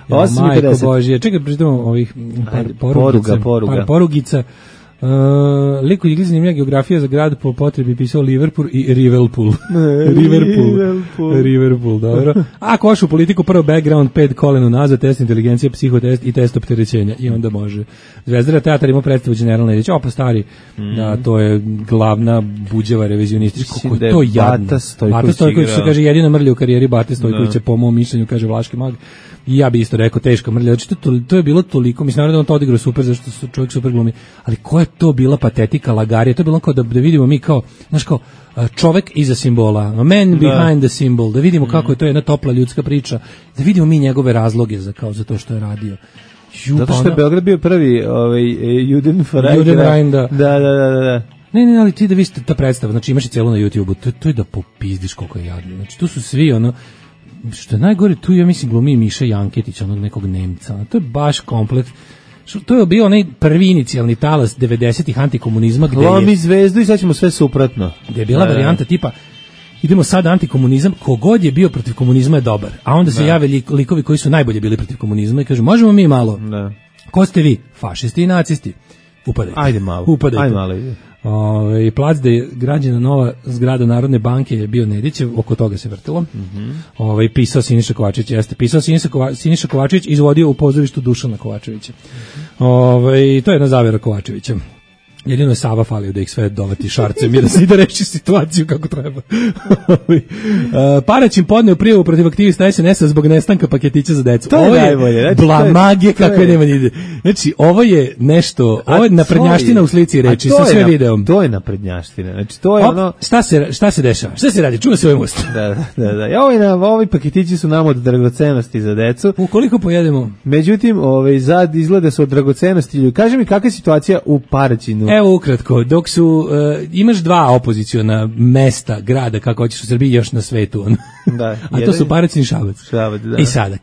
Majko Božije, čekaj, pričitamo ovih par porugica. Liko je zanimljiva geografija za grad, po potrebi pisao Liverpool i Riverpool. Riverpool, dobro. A koš u politiku, prvo background, 5 kolena nazad, test inteligencije, psihotest i test opterećenja. I onda može. Zvezdara teatar ima predstavu General Nedić. Opa stari, da, to je glavna buđeva revizionistička. Kako je to jadno. Bata Stojković se kaže jedina mrlja u karijeri Bate Stojkovića, po mom mišljenju, kaže Vlaški mag. I ja bi isto rekao teška mrlja. Znači, to je bilo toliko, mislim, naravno da on to odigrao super, zašto su čovjek super glumi, ali ko je to bila patetika, lagarija, to je bilo kao da vidimo mi kao, znaš kao, čovjek iza simbola, man behind the symbol, da vidimo kako je to jedna topla ljudska priča, da vidimo mi njegove razloge za to što je radio. Zato što je Beograd bio prvi Judenrein, da. Da. Ne, ali ti da vidite ta predstava, znači imaš i celu na YouTube-u, to je da popizdiš koliko je jadno, znači tu su svi što je najgore, tu ja mislim glumi Miša Janketić, onog nekog Nemca, to je baš komplet. To je bio onaj prvi inicijalni talas 90-ih antikomunizma gde lomi zvezdu i sad ćemo sve suprotno. Gde je bila varijanta tipa idemo sad antikomunizam, kogod je bio protiv komunizma je dobar. A onda se jave likovi koji su najbolje bili protiv komunizma i kažu možemo mi malo. Da. Ko ste vi? Fašisti i nacisti. Upadajte. Ajde malo. Plac gde je građena nova zgrada Narodne banke je bio Nedićev, oko toga se vrtilo. Pisao Siniša Kovačević, pisao Siniša Kovačević, izvodio u pozorištu Dušana Kovačevića. To je jedna zavera Kovačevića. Jedino je Sava falio da ih sve dovati šarcem i da reši situaciju kako treba. Paraćin podneo prijavu protiv aktivista SNS-a zbog nestanka paketića za decu. To je najbolje. Znači, blamagije kakve nema ni ide. Znači, ovo je nešto, ovo je naprednjaština u slici reči, sa sve videom. To je naprednjaština. Znači, to je ono... Šta se dešava? Šta se radi? Čuva se ovaj most. Da. Ovi paketići su nam od dragocenosti za decu. Ukoliko pojedemo. Međutim, zad izgleda su od dragocenosti. Kaži mi kakva je situacija u Paraćinu? Evo ukratko, dok su imaš dva opoziciona mesta, grada, kako hoćeš u Srbiji, još na svetu. Da, a to su Paraćin i Šabac. Da. I sada,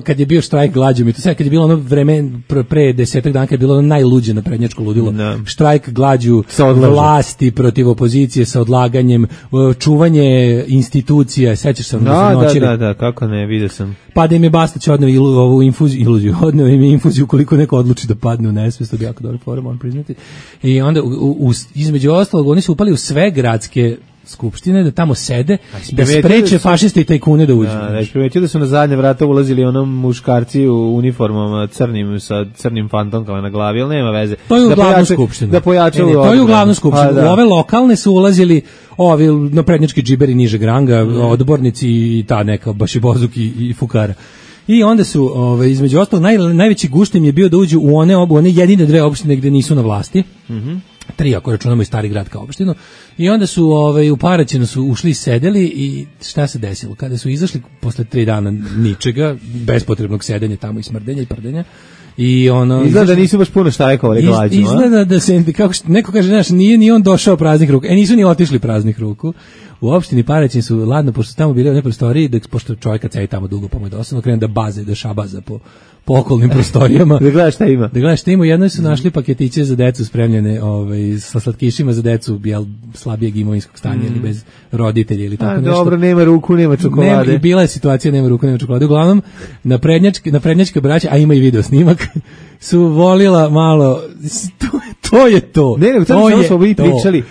kad je bio štrajk glađu, i to sad kad je bilo ono vreme pre 10 dana, kad je bilo ono najluđe naprednjačko ludilo, štrajk glađu vlasti protiv opozicije sa odlaganjem, čuvanje institucija, sećaš se Da, kako ne, vidio sam. Pa da im je Bastać odneo ovu odneo im je infuziju koliko neko odluči da padne u nesvest, to bi jako dobro forum, on priznati. I onda između ostalog oni su upali u sve gradske skupštine da tamo sede, da spreče fašiste i tajkune da uđu. Da, primetio da su na zadnje vrata ulazili onom muškarci u uniformama crnim sa crnim fantomkama na glavi, ali nema veze. To je u glavnu skupštinu. Da pojačaju to je u glavnu skupštinu. U ove lokalne su ulazili ovi naprednjački džiberi nižeg ranga, odbornici i ta neka Bašibozuk i Fukara. I onda su, između ostalog, najveći gušt im je bio da uđu u one jedine dve opštine gde nisu na vlasti. Tri, ako računamo i Stari grad kao opštinu. I onda su u Paraćinu su ušli i sedeli i šta se desilo? Kada su izašli posle 3 dana ničega, bespotrebnog sedenja tamo i smrdenja i prdenja, i izgleda da nisu baš puno štajkovali glađu. Izgleda da se, kako neko kaže, znaš, nije ni on došao praznih ruku. Nisu ni otišli praznih ruku. U opštini Paraćin su, ladno, pošto su tamo bili u nekoj prostoriji, pošto čovjeka cedi tamo dugo, pa mu je dosadno, krenu da šabaza po okolnim prostorijama. Da gledaš šta ima. U jednoj su našli paketiće za decu spremljene sa slatkišima za decu slabijeg imovinskog stanja ili bez roditelja ili tako nešto. Dobro, nema ruku, nema čokolade. Bila je situacija, nema ruku, nema čokolade. Uglavnom, naprednjačka braća, a ima i video snimak, su volila malo, to je to. Ne, to smo mi pričali.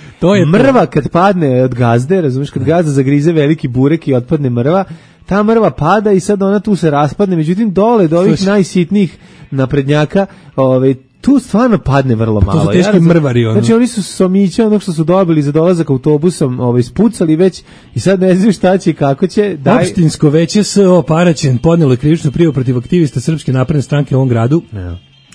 Mrva kad padne od gazde, razumiješ, kad gazda zagrize veliki burek i otpadne mrva, ta mrva pada i sad ona tu se raspadne, međutim dole do ovih najsitnijih naprednjaka, tu stvarno padne vrlo malo. To su teški mrvari. Znači oni su somića onog što su dobili za dolazak autobusom spucali već i sad ne znaju šta će i kako će. Opštinsko veće S.O. Paraćin podnelo krivičnu prijavu protiv aktivista Srpske napredne stranke u ovom gradu.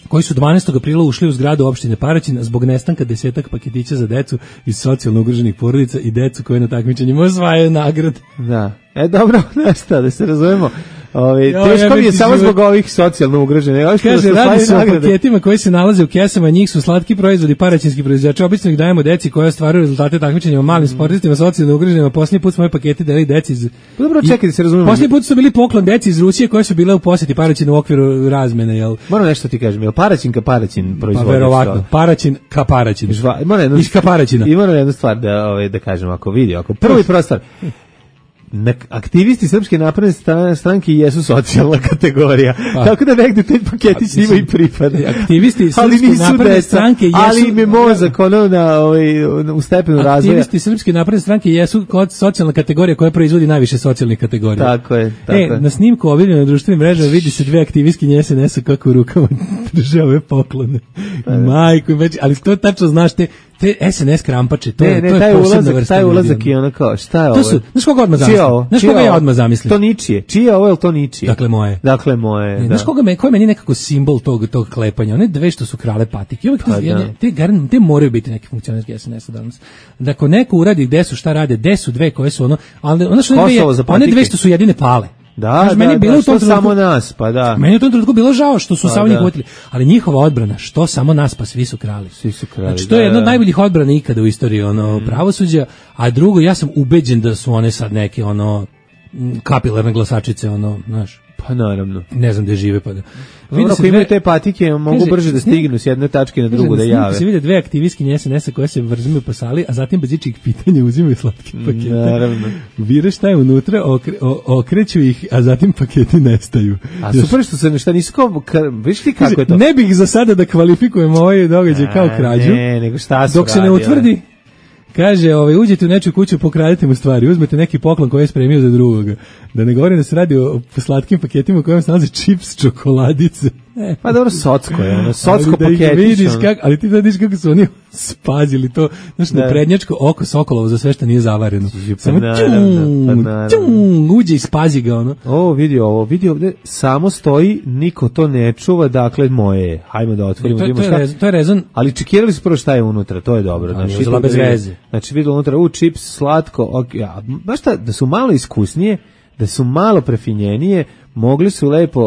Koji su 12. aprila ušli u zgradu opštine Paraćin zbog nestanka 10 paketića za decu iz socijalno ugroženih porodica i decu koje na takmičenjima osvajaju nagrade. Da. Dobro, nešto, da se razumemo. Teško mi je samo zbog ovih socijalno ugroženih. Kaže, radi se o paketima koji se nalaze u kesama, njih su slatki proizvodi paraćinski proizvođači. Obično ih dajemo deci koja ostvaruju rezultate takmičenja malim sportistima, socijalno ugroženima. Posljednji put smo ove pakete deli deci iz... Dobro, čekaj da se razumemo. Posljednji put su bili poklon deci iz Rusije koje su bile u posjeti Paraćinu u okviru razmene, jel? Moram nešto ti kažem, jel Paraćin ka Paraćin proizvodi? Pa verovatno, Paraćin ka Paraćin. Iz ka Paraćina. Ima jednu stvar da kažem, ako prvi prostor. Aktivisti Srpske napredne stranke jesu socijalna kategorija. Tako da negde te paketi s njima i pripade. Aktivisti Srpske napredne stranke jesu... Ali im je mozak u stepenu razvoja. Aktivisti Srpske napredne stranke jesu socijalna kategorija koja proizvodi najviše socijalnih kategorija. Tako je. Na snimku objavljenom na društvenim mrežama vidi se dve aktivistkinje SNS-a kako u rukama drže ove poklone. Majko, ali to tačno znaš te SNS krampače, to je posebna vrsta. Taj ulazak i ono kao, šta je ovo? Znaš koga odmah zamislio? Znaš koga ja odmah zamislio? To ničije. Čije je ovo ili to ničije? Dakle moje. Znaš koji je meni nekako simbol tog klepanja? One dve što su krale patike. Te moraju biti neki funkcionerski SNS-a danas. Da ako neko uradi gde su šta rade, gde su dve koje su one dve što su jedine pale. Što samo nas, pa da. Meni je u tom trenutku bilo žao što su samo njih uvotili, ali njihova odbrana, što samo nas, pa svi su krali. Znači, to je jedna od najboljih odbrana ikada u istoriji pravosuđa, a drugo, ja sam ubeđen da su one sad neke kapilarne glasačice, znaš. Pa naravno. Ne znam gde žive, pa da. Ako imaju te patike, mogu brže da stignu s jedne tačke na drugu da jave. Se vide dve aktivistkinje SNS-a koje se vrzimaju po sali, a zatim bez ičijih pitanja uzimaju slatke pakete. Naravno. Vire šta je unutra, okreću ih, a zatim paketi nestaju. A super što se nešto nisu kao... Viš ti kako je to? Ne bih za sada da kvalifikujem ovaj događaj kao krađu. Ne, nego šta su dok se ne utvrdi. Kaže, uđete u nečiju kuću, pokradite mu stvari, uzmete neki poklon koji je spremio za drugoga. Da ne govorim da se radi o slatkim paketima u kojem se nalaze čips, čokoladice. Pa dobro, socko je, ono, socko paketić. Ali ti vidiš kako su oni spazili to, znaš, na prednjačko oko Sokolovo za sve što nije zavareno. Samo uđe i spazi ga, ono. Vidi ovde, samo stoji, niko to ne čuva, dakle, moje je. Hajmo da otvorimo. To je rezon. Ali čekirali su prvo šta je unutra, to je dobro. Znači, uzela bez veze. Znači, vidi unutra, čips, slatko, znaš šta, da su malo iskusnije, da su malo prefinjenije, mogli su lepo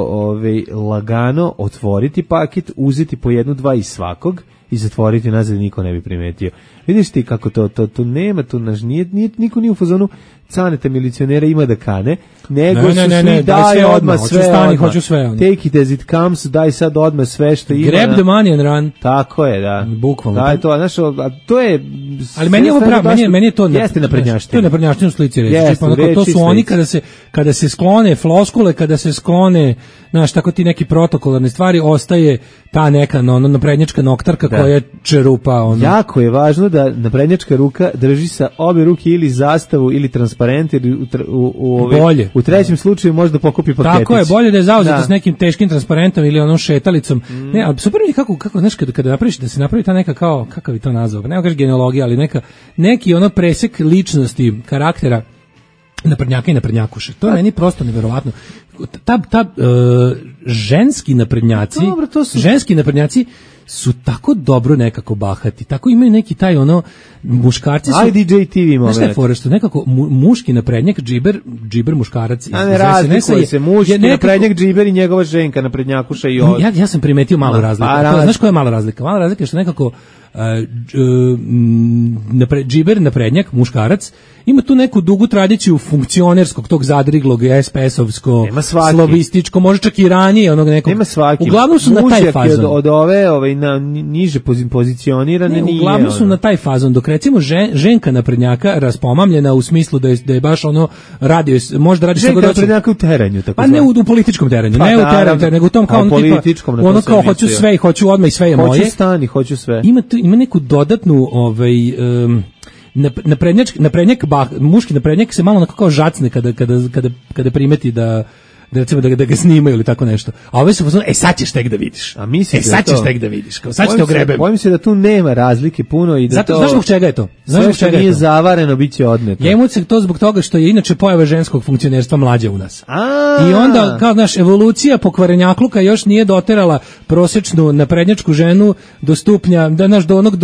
lagano otvoriti paket, uzeti po 1-2 iz svakog i zatvoriti nazad i niko ne bi primetio. Vidiš ti kako to nema, niko nije u fazonu canete milicionera ima da kane, nego su svi daj odmah sve, hoću sve. Take it as it comes, daj sad odmah sve što ima. Grab the money and run. Tako je, da. Bukvalno. Da, to je... Ali meni je ovo pravo, meni je to... Jeste naprednjaština. To je naprednjaština u slici reći. To su oni kada se sklone floskule, kada se sklone, znaš, tako ti neki protokolarne stvari, ostaje ta neka naprednjačka noktarka koja čerupa. Jako je važno da naprednjačka ruka drži sa obe ruke ili zastavu ili transparent, ili u trećem slučaju možda pokupi paketić. Tako je, bolje da je zauzeta s nekim teškim transparentom ili onom šetalicom. Ne, ali super mi kako znaš, kada napraviš, da se napravi ta neka kao, kakav je to nazvao, ne kažeš genealogija, ali neki presek ličnosti, karaktera naprednjaka i naprednjakuše. To je meni prosto neverovatno. Ženski naprednjaci su tako dobro nekako bahati, tako imaju neki taj muškarci su... DJ TV moment. Znaš šta je fora, što nekako muški naprednjak, džiber muškarac... A ne razlikuje se, muški naprednjak, džiber i njegova ženka naprednjakuša i od... Ja sam primetio malu razliku. Znaš koja je mala razlika? Mala razlika je što nekako džiber naprednjak, muškarac, ima tu neku dugu tradiciju funkcionerskog, tog zadriglog, SPS-ovsko, slobističko, može čak i ranije onog nekog. Nema svaki. Uglavnom su na taj fazon. Od ove na niže pozicionirane nije. Uglavnom su na taj fazon, dok recimo ženka naprednjaka raspomamljena u smislu da je baš radio, možda radi ženka naprednjaka u teranju. Pa ne u političkom teranju, ne u teranju, nego u tom kao ono kao hoću sve i hoću odmah i sve je moje. Hoću sve. Ima neku dodatnu muški naprednjak se malo onako kao žacne kada primeti da recimo da ga snimaju ili tako nešto. A ove su pozvano, sad ćeš tek da vidiš. Sad ćeš tek da vidiš. Kao, sad ćete ogrebem. Bojim se da tu nema razlike puno i da znaš zbog čega je to? Sve što nije zavareno bit će odneto. Njemu se to zbog toga što je inače pojava ženskog funkcionerstva mlađa u nas. I onda, kao znaš, evolucija pokvarenjakluka još nije doterala prosječnu naprednjačku ženu do stupnja,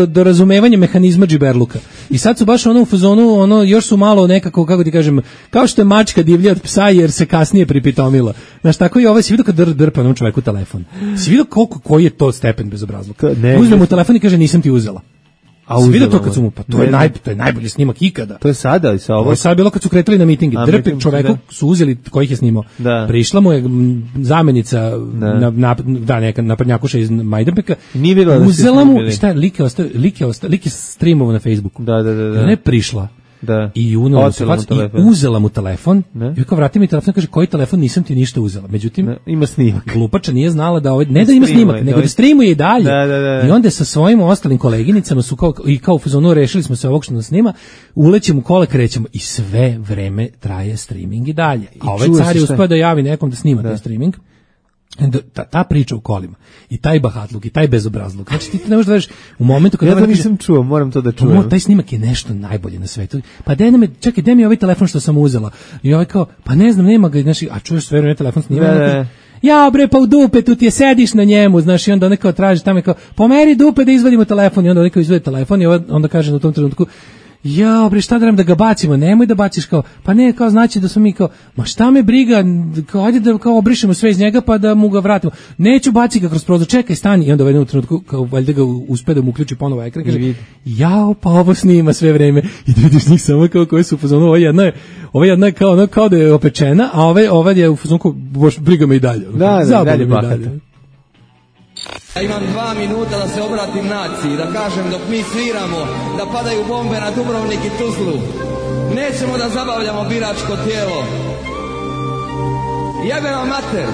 do razumevanja mehanizma džiberluka. I sad su baš u fazonu, još su malo nekako, kako ti kažem, kao što je mačka divlja od psa jer se kasnije pripitomila. Znaš, tako i si vidio kad drpa onom čoveku telefon. Si vidio koji je to stepen bezobrazluka? Uzme mu telefon i kaže nisam ti uzela. A si vidio to kad su mu, pa to je najbolji snimak ikada. To je sada i sa ovo. To je sad bilo kad su kretali na mitinge. Drpe čoveku su uzeli kojih je snimao. Prišla mu je zamenica neka naprednjakuša iz Majdanpeka. Uzela mu, šta je, lik je streamovao na Facebooku. Da. Ona je prišla. Da. I uzela mu telefon. I kao vrati mi telefon, kaže koji telefon, nisam ti ništa uzela. Međutim, ima snimak. Glupača nije znala da ne da ima snimak, nego da streamuje i dalje. I onda sa svojim ostalim koleginicama su kao u fazonu rešili smo se ovog što nas snima, ulećemo kola, krećemo i sve vreme traje streaming i dalje. A ovaj car je uspeo da javi nekom da snima taj streaming. Ta priča u kolima i taj bahatluk i taj bezobrazluk, znači ti ne možeš da veriš u momentu kada ja to nisam čuo, moram to da čujem. Taj snimak je nešto najbolje na svetu. Pa čekaj, mi ovaj telefon što sam uzela. I ovaj kao, pa ne znam, nema ga, znači, a čuješ sve vreme telefon snima. Ja bre, pa u dupetu ti je, sediš na njemu, znaš, i onda on kao traži tamo kao, pomeri dupe da izvadimo telefon, i onda on kao izvadi telefon i onda kaže u tom trenutku, ja bre, šta da ga bacimo, nemoj da baciš, kao, pa ne, kao znači da smo mi kao, ma šta me briga, kao ajde da kao obrišemo sve iz njega pa da mu ga vratimo, neću baci ga kroz prozor, čekaj, stani, i onda u jednom trenutku kao valjda ga uspe da mu uključi ponovo ekran, kaže, jao, pa ovo snima sve vreme, i da vidiš njih samo kao koji su u fazonu, ova jedna je kao da je opečena, a ova je u fazonu kao, boš, briga me i dalje, dalje bahata. Ja imam 2 minuta da se obratim naciji, da kažem dok mi sviramo, da padaju bombe na Dubrovnik i Tuzlu. Nećemo da zabavljamo biračko tijelo. Jebe vam mater!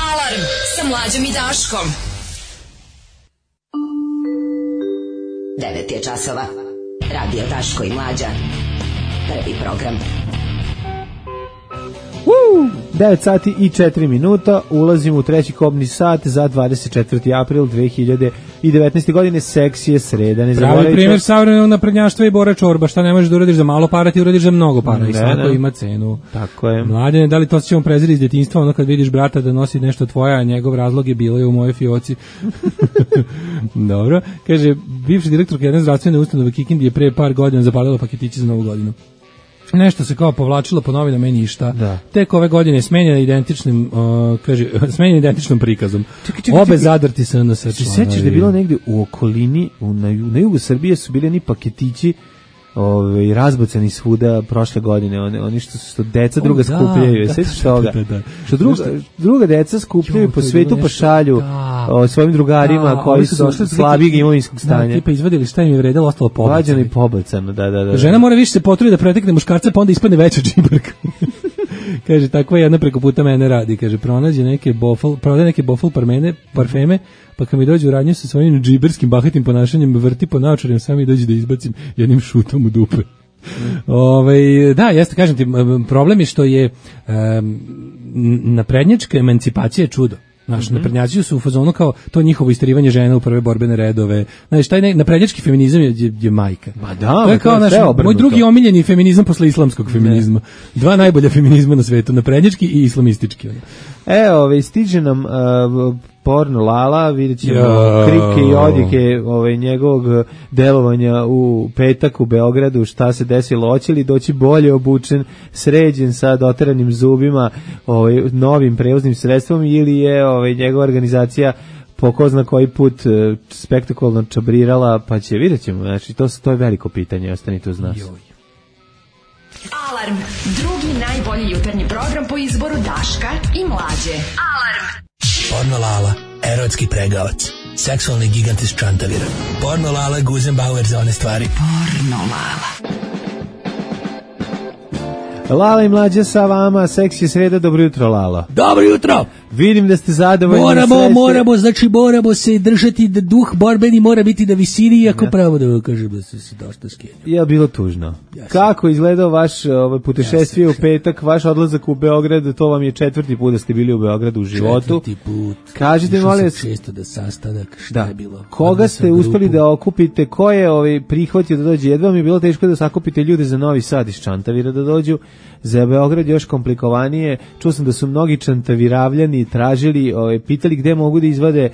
Alarm sa Mlađom i Daškom. 9 je časova. Radio Daško i Mlađa. Prvi program. 9 sati i 4 minuta, ulazimo u treći kobni sat za 24. april 2019. godine, seks je sreda. Ne pravi primjer savremenog naprednjaštva i Bora Čorba, šta ne možeš da uradiš za malo para, ti uradiš za mnogo para i svako ima cenu. Tako je. Mladene, da li to ćemo preziri iz djetinjstva, ono kad vidiš brata da nosi nešto tvoje, a njegov razlog je bilo je u mojoj fioci. Dobro, kaže, bivši direktor jedne zdravstvene ustanove Kikindi je pre par godina zapalila paketići za Novu godinu. Nešto se kao povlačilo po novinama i ništa. Da. Tek ove godine je smenjena identičnom prikazom. Čekaj. Obe zadrti se na sve. Ti sećaš da je bilo negde u okolini, na jugu Srbije su bili ni paketići razbacani svuda prošle godine, oni što deca druga skupljaju, sećaš toga? Što druga deca skupljaju po svetu, pa šalju svojim drugarima koji su slabijeg imovinskog stanja. Tipa izvadili šta im je vredilo, ostalo pobacano. Vađano i pobacano, da. Žena mora više se potrudi da pretekne muškarca, pa onda ispadne veća džiberka. Kaže, takva jedna preko puta mene radi. Kaže, prodaje neke bofl parfeme, pa kad mi dođe u radnju sa svojim džiberskim bahatim ponašanjem, vrti po naočarima, sam mi dođe da izbacim jednim šutom u dupe. Da, jeste, kažem ti, problem je što je naprednjačka emancipacija je čudo. Znaš, naprednjaci su u fazonu kao to njihovo isterivanje žena u prve borbene redove. Znaš, taj naprednjački feminizam je majka. Ma da, to je kao moj drugi omiljeni feminizam posle islamskog feminizma. Dva najbolja feminizma na svetu, naprednjački i islamistički. Stiže nam porno Lala, vidjet ćemo krike i odjeke njegovog delovanja u petak u Beogradu, šta se desilo, hoće li doći bolje obučen, sređen sa doteranim zubima, novim prevoznim sredstvom, ili je njegova organizacija po ko zna koji put spektakularno čabrirala, pa vidjet ćemo, znači to je veliko pitanje, ostanite uz nas. Alarm, drugi najbolji jutarnji program po izboru Daška i Mlađe. Alarm. Porno Lala, erotski pregavac, seksualni gigant iz Čantavira. Porno Lala, Guzenbauer za one stvari. Porno Lala. Lala i Mlađa sa vama, seks je sreda, dobro jutro Lala. Dobro jutro! Vidim da ste zadovoljni. Moramo se držati, da duh borbeni mora biti na visini, iako pravo da kažem da se dosta skenio. Je bilo tužno. Kako izgledao vaš putešestvije u petak, vaš odlazak u Beograd, to vam je 4. put da ste bili u Beogradu u životu. 4. put. Kažite, molim vas, često da sastanak, šta je bilo? Koga ste uspeli da okupite, ko je prihvatio da dođe? Jedva mi je bilo teško da sakupite ljude za Novi Sad iz Čantavira da dođu. Za Beograd još komplikovanije. Čuo sam da su mnogi čantaviravljani tražili, pitali gde mogu da izvade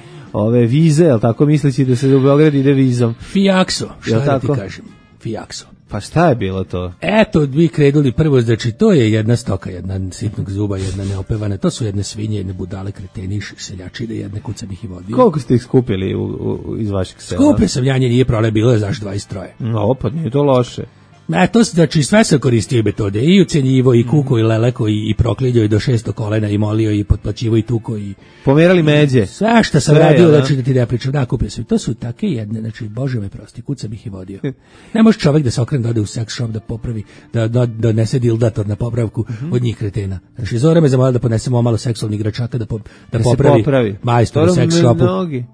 vize, jel tako, misleći da se u Beograd ide vizom. Fijakso, šta da ti kažem? Fijakso. Pa šta je bilo to? Eto, vi krenuli prvo, znači to je jedna stoka, jedna sitnog zuba, jedna neopevana, to su jedne svinje, jedne budale, kreteni, seljačine, jedne kucam ih i vodio. Koliko ste ih skupili iz vašeg sela? Skupio sam ja, nije problem, bilo je zaš 23. No, pa nije to loše. To znači sve sam koristio metode, i ucenjivo, i kuko, i leleko, i proklinjao, i do 600 kolena, i molio, i potplaćivo, i tuko, i... Pomerali međe. Sve što sam radio, znači da ti ne pričam, da, kupio sam. To su take jedne, znači, bože me prosti, kucam ih i vodio. Ne može čovjek da se okrene, da ode u sex shop, da popravi, da donese dildator na popravku od njih kretena. Znači, Zora me zamolila da ponesemo malo seksualnih igračaka, da popravi majstor u sex shopu.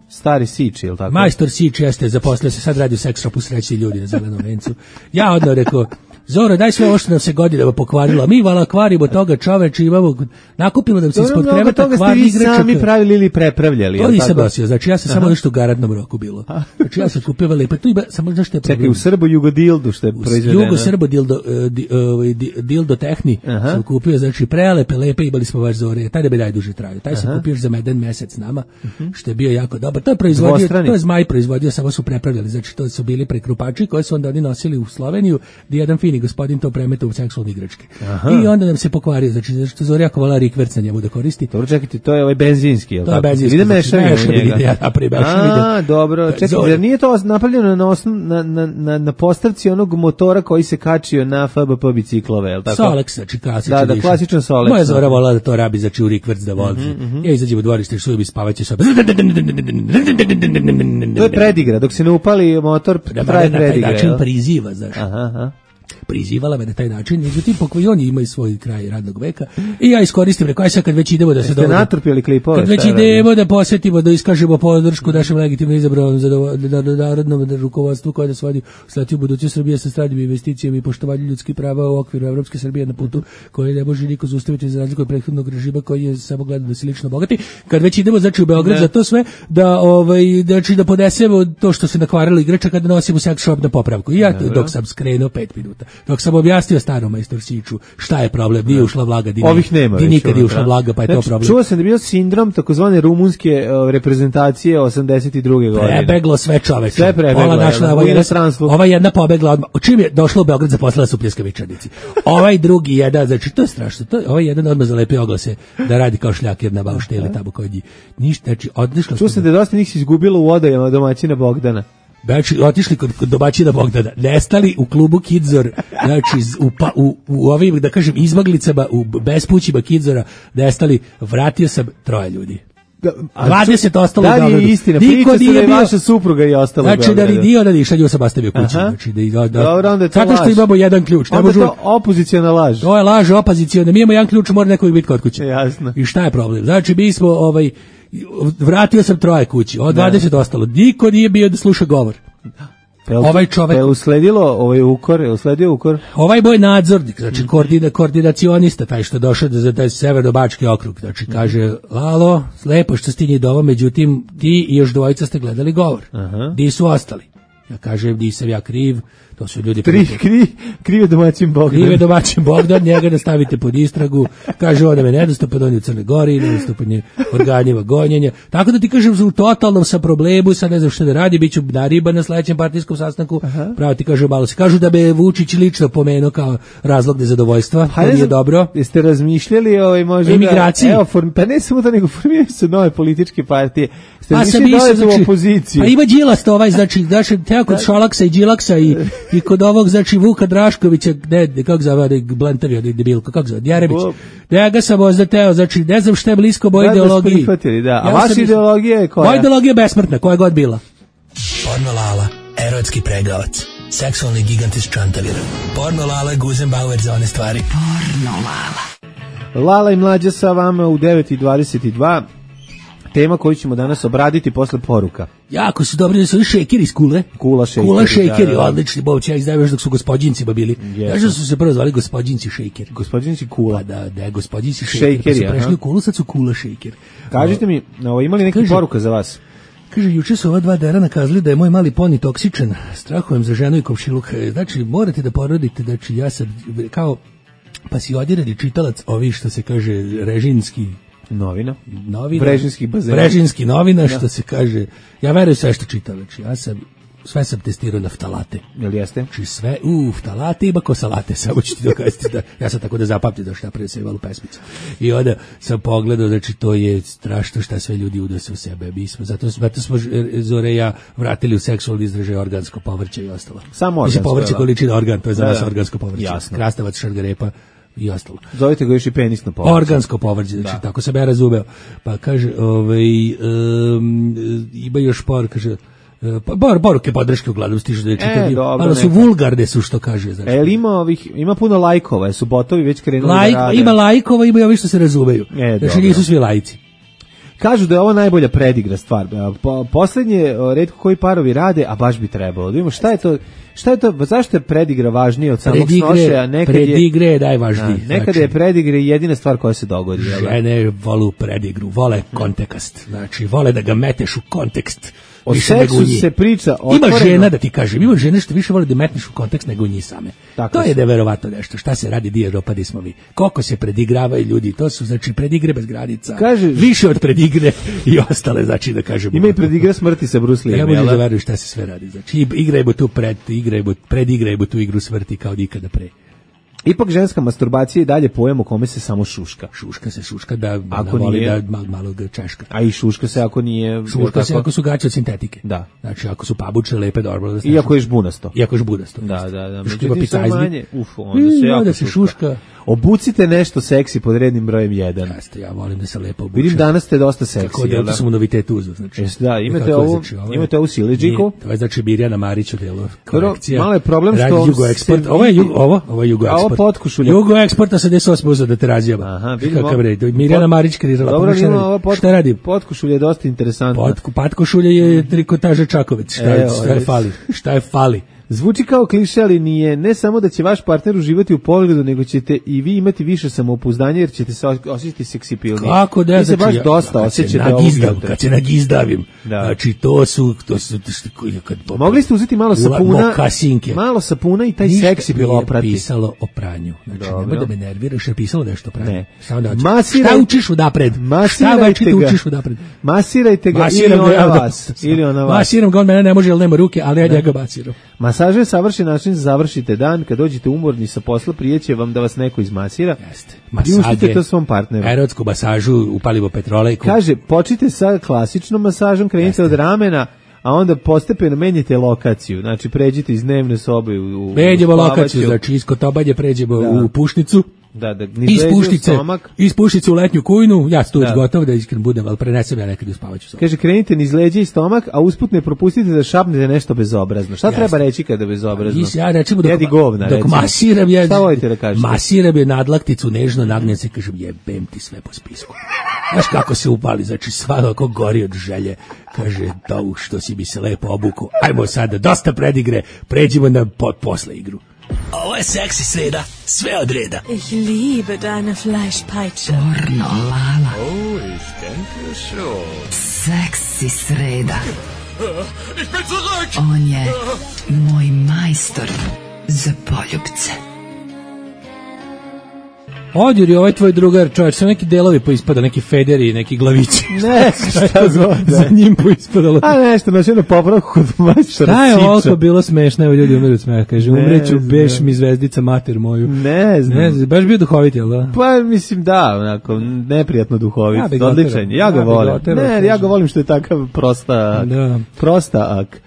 Stari Sič, ili tako? Majstor Sič jeste, zaposlio se, sad radi u sex shopu, srećni ljudi na Zelenom vencu. Ja odno rekao, Zoro, daj sve ovo što nam se godinama pokvarilo. Mi vala kvarimo toga, čoveče, imamo nakupilo da se ispod kreveta kvarni igračaka. Toga ste vi sami pravili ili prepravljali. To nisam nosio, znači ja sam samo nešto u garantnom roku bilo. Znači ja sam kupio lepo, tu ima samo nešto je problem. Čekaj, u Srbo-Jugodildu što je proizvedeno. Jugo-Srbo-Dildo Tehni sam kupio, znači prelepe, lepe, imali smo baš Zore, taj da bi najduže trajao. Taj sam kupio za jedan mesec nama, što je bio jako dobar. To je proizvodio, to je Zmaj proizvodio, samo su prepravljali, znači to su bili prekrupači koje su onda oni nosili u Sloveniju, gdje jedan fini gospodin to premeta u seksualne igračke. I onda nam se pokvario, znači što Zora jako vala rikverc na njemu da koristi. Dobro, čekajte, to je benzinski, je li tako? To je benzinski. Ide mešavinu njega. Dobro. Čekaj, jer nije to napravljeno na postavci onog motora koji se kačio na FBP biciklove, je li tako? Solex, znači klasičan. Da, klasičan Solex. Moja Zora volala da to rabi, znači u rikverc da vozi. Ja izađem u dvorište i šujem i spavaće sobe. To je predigra, dok se ne upali motor, traje predigra. Način priziva, znaš. prizivala me na taj način, međutim pokojoni imaju svoj kraj radnog veka i ja iskoristim, rekao, aj sad kad već idemo da se dobro, natrpili klipove, kad već idemo da posvetimo, da iskažemo podršku našem legitimno izabranom narodnom rukovodstvu koje nas vodi u budućnost Srbije sa stranim investicijama i poštovanju ljudskih prava u okviru Evropske Srbije na putu koji ne može niko zaustaviti za razliku od prethodnog režima koji je samo gledao da se lično bogati. Kad već idemo znači u Beograd za to sve da znači da podesemo to što se nakvarilo igrača kada nosimo sex shop na popravku. I ja dok sam skrenuo 5 minuta. Dok sam objasnio starom majstorsiću šta je problem, nije ušla vlaga, ovih nema. Di nikad je ušla vlaga, pa je to problem. Čuo sam da je bio sindrom takozvane rumunske reprezentacije 82. godine. Prebeglo sve čoveče. Sve prebeglo. Ova jedna pobegla odmah. Čim je došla u Beograd zaposlila su pljeskavičarnici. Ovaj drugi jedan, znači to je strašno. Ovaj jedan odmah zalepio oglase da radi kao šljakir na baušteli tamo kod njih. Ništa, znači odlišla. Čuo sam da je dosta njih se izgubilo u odajama domaćina Bogdana. Znači, otišli kod domaćina Bogdana, nestali u klubu Kidzor, znači u ovim, da kažem, izmaglicama, u bespućima Kidzora, nestali, vratio sam 3 ljudi. 20 ostalo u Beogradu. Da je istina, priča se da je vaša supruga i ostalo u Beogradu. Znači da nije ona niša, nju sam ostavio kući. Znači zato što imamo jedan ključ. Onda je to opozicijona laž. To je laž opozicijona, mi imamo jedan ključ, mora neko biti kod kuće. Jasno. I šta je problem? Znači mi smo, vratio sam 3 kući, od 20 ostalo. Niko nije bio da sluša govor. Ovaj čovek je usledio ukor. Ovaj moj nadzornik, znači koordinacionista, taj što je došao za taj severno-bački okrug, znači kaže: "Alo, lepo što ste njih dovo, međutim ti i još 2 ste gledali govor. Di su ostali?" Ja kažem: "Nisam ja kriv, to su ljudi kriv je domaćin Bogdan. Kriv je domaćin Bogdan, njega da stavite pod istragu." Kaže: "On je nedostupan, on je u Crnoj Gori, nedostupan je organima gonjenja." Tako da ti kažem, u totalnom sam problemu, sad ne znam šta da radi, bit ću nariban na sledećem partijskom sastanku. Pravo ti kažem, malo se kažu da be Vučić lično pomenuo kao razlog nezadovoljstva, to nije dobro. Jeste razmišljali možda imigraciji? Pa ne samo da nego formiraju se nove političke partije. Ste mislili u opoziciju? Pa ima Đilas to znači teo kod Šolaksa i Đilaksa i kod ovog, znači, Vuka Draškovića, kako zove, Blentavio, debilko, kako zove, Djerebić. Ja ga sam ozdateo, znači, ne znam šta je blisko moj ideologiji. A vaša ideologija je koja? Moja ideologija je besmrtna, koja god bila. Porno Lala, erotski pregavac, seksualni gigant iz Čantavira. Porno Lala, Guzenbauer za one stvari. Porno Lala. Lala i Mlađa sa vama u 9:22. Tema koju ćemo danas obraditi posle poruka. Jako su dobri, da su šejkeri iz Kule. Kula šejkeri, odlični, boć, ja izdaju još dok su gospodinjima bili. Kažu su se prvo zvali gospodinci šejkeri. Gospodinci Kula. Da, gospodinci šejkeri. Su prešli u Kulu, sad su Kula šejkeri. Kažite mi, imali neki poruka za vas? Kaže, juče su ova 2 derana kazali da je moj mali poni toksičan. Strahujem za ženu i komšiluk. Znači, morate da porodite, znači, ja sad, kao pasiodirani čitalac, ovi što se kaže režimski novina. Brežinski novina, što se kaže. Ja verujem sve što čitam, znači sve sam testirao na ftalate. Jel jeste? Znači sve, ftalate ima ko salate, samo ću ti dokazati da ja sam tako da zapamtim da što ja presevalu pesmicu. I onda sam pogledao, znači to je strašno šta sve ljudi udose u sebe. Mi smo, zato smo Zore i ja vratili u seksualni izražaj organsko povrće i ostalo. Samo organsko. Povrće količina organ, to je za nas organsko povrće. Jasno. Krastavac, šargarepa i ostalo. Zovite ga još i penisno povrće. Organsko povrće, znači tako sam ja razumeo. Pa kaže, ima još kaže, poruke podrške uglavnom stižu da je čitati, ali su vulgarne su što kaže. Znači. Ima puno lajkova, su botovi već krenuli da rade. Ima lajkova, ima i ovi što se razumeju. Znači nisu svi lajci. Kažu da je ovo najbolja predigra stvar. Poslednje retko koji parovi rade, a baš bi trebalo. Da vidimo šta je to, zašto je predigra važnije od samog snošaja? Predigre je najvažnije. Nekada je predigre jedina stvar koja se dogodi. Žene volu predigru, vole kontekst. Znači, vole da ga meteš u kontekst. O seksu se priča otvoreno. Ima žena, da ti kažem, ima žene što više vole da metneš u kontekst nego njih same. To je neverovatno nešto. Šta se radi, di Evropa, smo vi. Koliko se predigravaju ljudi, to su, znači, predigre bez granica. Više od predigre i ostale, znači, da kažemo. Ima i predigre smrti sa Bruce Lee. Ja možeš da verujem šta se sve radi. Znači, predigrajmo tu igru smrti kao nikada pre. Ipak ženska masturbacija je dalje pojam u kome se samo šuška. Šuška da voli da malo ga češka. A i šuška se ako nije... Šuška se ako su gaće od sintetike. Da. Znači ako su pabuče, lepe, dobro. Iako je žbunasto. Iako je žbunasto. Da. Šuška picajzbi. Onda se jako šuška. Obucite nešto seksi pod rednim brojem 1. Jeste, ja volim da se lepo obučem. Vidim danas ste dosta seksi. Kako da sam u novitet uzeo, znači. Da, imate ovu siledžiku. To je znači Mirjana Marić u delu kolekcija. Malo je problem što Jugoeksport. Ovo je Jugoeksport. Ovo potkušulje. Jugoeksport 88 uzeo da te razjeba. Aha, vidimo. Kakav red. Mirjana Marić kreirala. Dobro, šta radi? Potkušulje je dosta interesantno. Potkušulje je trikotaža Čakovec. Šta je fali? Zvuči kao kliše, ali nije. Ne samo da će vaš partner uživati u pogledu, nego ćete i vi imati više samopouzdanja jer ćete se osjećati seksipilniji. Kako da? Vi se baš dosta osjećate ovog jutra. Kad se nagizdavim. Da. Znači, to su mogli ste uzeti malo sapuna i taj seksi bilo oprati. Ništa pisalo o pranju. Znači, nemoj da me nerviraš, je pisalo nešto o pranju. Ne. Šta učiš udapred? Masirajte ga ili ona vas. Masiram ga, on mene ne može, jer nema ruke, ali ja ga masiram. Masaže je savršen način da završite dan. Kad dođete umorni sa posla, prijeće vam da vas neko izmasira. Jeste. Priuštite to svom partneru. Erotsku masažu, upalimo petrolejku. Kaže, počnite sa klasičnom masažom, krenite od ramena, a onda postepeno menjate lokaciju. Znači, pređite iz dnevne sobe u pređemo lokaciju, znači iz Kotobalje pređemo u Pušnicu. Iz Pušnice u letnju kujnu, ja sam tu već gotov da iskreno budem, ali prenesem ja nekad u spavaću sobu. Kaže, krenite niz leđa i stomak, a usput ne propustite da šapnete nešto bezobrazno. Šta treba reći kada bezobrazno? Ja recimo dok masiram je nadlakticu nežno nagnjem se, kažem jebem ti sve po spisku. Znaš kako se upali, znači svano ako gori od želje, kaže to što si mi se lepo obuku, ajmo sada, dosta predigre, pređimo na posle igru. Ovo je seksi sreda, sve od reda. Ich liebe deine Fleischpeitsche. Pornolala. Oh, ich denke schon. Seksi sreda. Ich bin zurück. On je moj majstor za poljubce. Odjuri, ovaj tvoj drugar, čovječ, sve neki delovi poispada, neki federi, neki glavići. Ne, šta god. Za njim poispadalo. A nešto, znači ono popravku kod majstora. Šta je ovo bilo smešno, evo ljudi umiru od smeha, kaže, umreću, beš mi zvezdica mater moju. Ne znam. Baš bio duhovit, jel da? Pa mislim da, onako, neprijatno duhovit, odličan. Ja ga volim. Ne, ja ga volim što je takav prosta ak.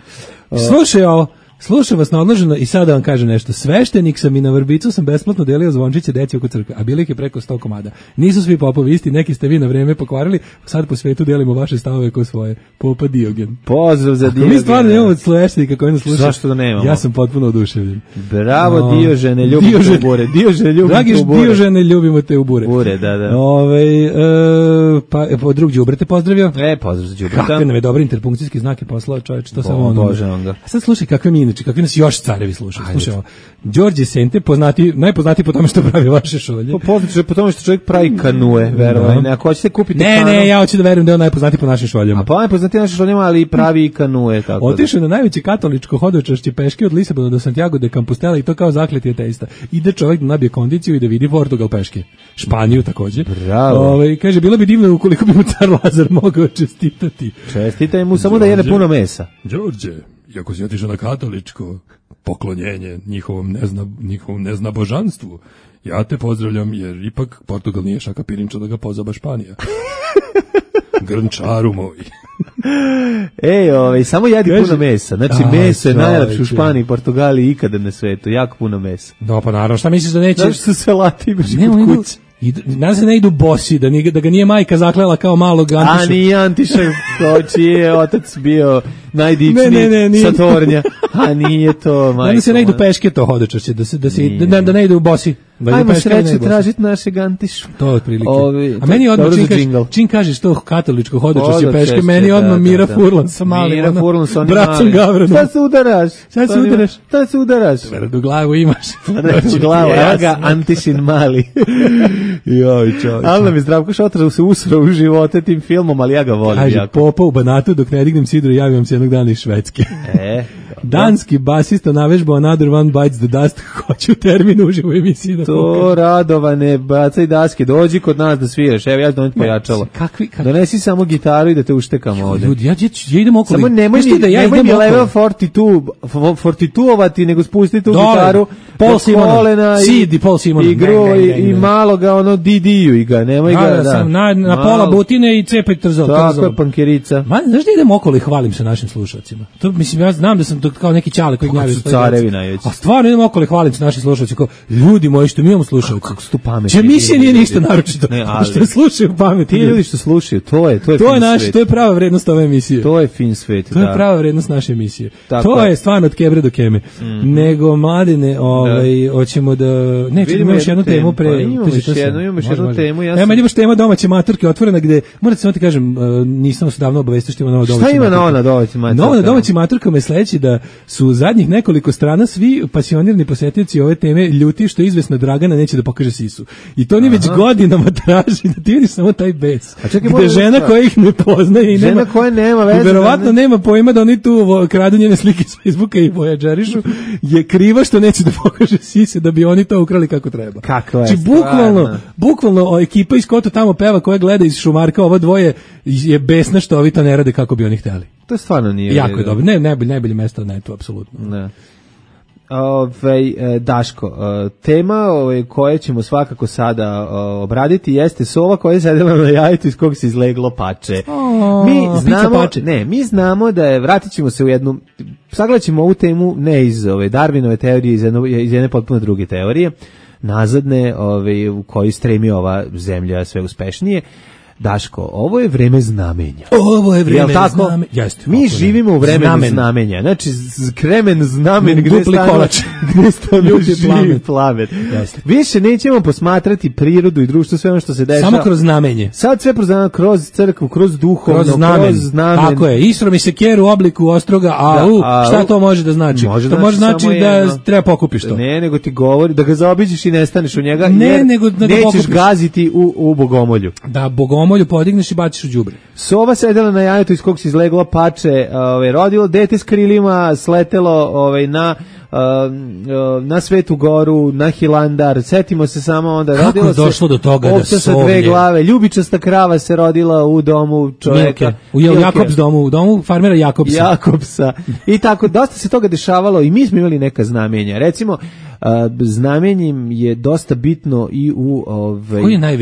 Slušaj ovo. Slušam vas naodloženo i sada vam kažem nešto. Sveštenik sam i na Vrbicu sam besplatno delio zvončiće deci oko crkve, a bilo ih je preko 100 komada. Nisu svi popovi isti, neki ste vi na vreme pokvarili, sad po svetu delimo vaše stavove kao svoje. Popa Diogen. Pozdrav za Diogena. Mi stvarno nemamo sveštenika koji nas sluša. Zašto da nemamo? Ja sam potpuno oduševljen. Bravo Diožene, ljubimo te u bure. Dragi Diožene, ljubimo te u bure. Bure, da. Pa drug Đubre te pozdravio. Pozdrav za Đubreta. Kakve nam je dobre interpunkcijski znake poslao, čovječ, to samo ono. A sad slušaj kakve mi kakvi nas još carevi slušaju. Slušaj ovo. Đorđe Sente, najpoznatiji po tome što pravi vaše šolje. Poznati po tome što čovjek pravi kanue, verovanje. Ako hoćete kupiti kanu... Ne, ja hoću da verujem da je on najpoznatiji po našim šoljama. A pa najpoznatiji našim šoljama, ali i pravi kanue. Otišao na najveće katoličko hodočašće peške od Lisabona do Santiago de Compostela i to kao zakleti ateista. Ide čovjek da nabije kondiciju i da vidi Portugal peške. Španiju takođe. Bravo. Kaže, bilo bi divno ukoliko bi mu car Lazar mogao čestitati. Čestitaj mu samo da jede puno mesa. Đorđe, iako si otišao na katoličko poklonjenje njihovom neznabožanstvu, ja te pozdravljam jer ipak Portugal nije šaka pirinča da ga pozaba Španija. Grnčaru moj. Samo jedi puno mesa. Znači, meso je najlepše u Španiji, Portugaliji ikada na svetu. Jako puno mesa. Da, pa naravno, šta misliš da neće? Znaš što se lati imaš kod kuće? Nadam se ne idu bosi, da ga nije majka zaklela kao malog Antiša. A nije Antiša, čiji je otac bio najdičniji sa Tornja. A nije to, majko. Nadam se ne idu peške to hodočašće, da ne idu bosi. Ajmo sreće tražiti našeg Antišu. To je otprilike. A meni odmah čim kažeš to katoličko hodočašće peške, meni odmah Mira Furlan sa malim. Mira Furlan sa onim bratom Gavranom. Šta se udaraš? Tvrdu glavu imaš. Tvrdu glavu, ja ga Antišin mali. Joj, čovječ. Ali nam je Zdravko Šotra se usrao u živote tim filmom, ali ja ga volim. Kaže, Popa u Banatu, dok ne dignem sidru, javim se jednog dana iz Švedske. Danski basista navežbao Another One Bites the Dust, hoću termin uživo u emisiji da to Radovane, bacaj daske, dođi kod nas da sviraš, evo ja ću doneti pojačalo. Donesi samo gitaru i da te uštekam ovdje. Ljudi, ja idem okolo. Samo nemoj mi level 42-ovati, nego spusti tu gitaru, Paul Simona, CD Paul Simona, igru i malo ga ono DD-u i ga, nemoj ga, da. Na pola butine i cepaj trzalo. Tako je, pankerica. Znaš da idem okolo i hvalim se našim slušalcima? To, mislim, ja znam da sam to kao neki ćale koji gnjavi su carevi najveći. A stvarno idemo okolo hvaliti naši slušalci kao ljudi moji što mi imamo slušalci. Kako su tu pametni. Emisija nije ništa naročito. Što slušaju pametni. Ti ljudi što slušaju, to je naš, to je prava vrednost ove emisije. To je fin svet, to je prava vrednost naše emisije. Tako to je stvarno od kebre do keme. Nego mladine, hoćemo da imamo još jednu temu pre. Imamo još jednu temu. Evo imaš tema domaće maturke otvorena gde morate samo ti kažem, nisam se davno obavestio što ima nova domaća. Šta ima nova domaća maturka? Nova domaća maturka me sledeći da su zadnjih nekoliko strana svi pasionirni posetioci ove teme ljuti što izvesna Dragana neće da pokaže sisu. I to oni već godinama traži da ti vidiš samo taj bes. Gde žena koja ih ne poznaje i žena koja nema veze. I verovatno nema pojma da oni tu kradu njene slike s Facebooka i vojađerišu je kriva što neće da pokaže sise da bi oni to ukrali kako treba. Kako je? Znači bukvalno ekipa iz Koto tamo peva koja gleda iz Šumarka, ovo dvoje je besna što ovi to ne rade kako bi oni hteli. To stvarno nije. Jako je dobro. Najbolje mesto na netu, apsolutno. Ne. Daško, tema koje ćemo svakako sada obraditi jeste sova koja je sedela na jajetu iz kog se izleglo pače. Mi znamo da je, vratit ćemo se u jednu, sagledat ćemo ovu temu ne iz Darwinove teorije, iz jedne potpuno druge teorije, nazadne u kojoj stremi ova zemlja sve uspešnije. Daško, ovo je vreme znamenja. Ovo je vreme znamenja. Mi živimo u vremenu znamenja. Znači, kremen znamen gde živi plamen. Više nećemo posmatrati prirodu i društvo, sve ono što se dešava. Samo kroz znamenje. Sad sve kroz crkvu, kroz duhovno, kroz znamen. Tako je, Isro mi se keru u obliku ostroga, šta to može da znači? To može znači da treba pokupiš to. Ne, nego ti govori da ga zaobiđeš i nestaneš u njega, jer nećeš gaziti u bogomolju. Da, bogomolju podigneš i baciš u đubre. Sova sedela na jajetu iz kog se izleglo pače, rodilo dete s krilima, sletelo na Svetu Goru, na Hilandar, setimo se samo onda. Kako je došlo do toga da sa dve glave, ljubičasta krava se rodila u domu čovjeka. U Jakobs domu, u domu farmera Jakobsa. I tako, dosta se toga dešavalo i mi smo imali neka znamenja. Recimo, znamenjem je dosta bitno i u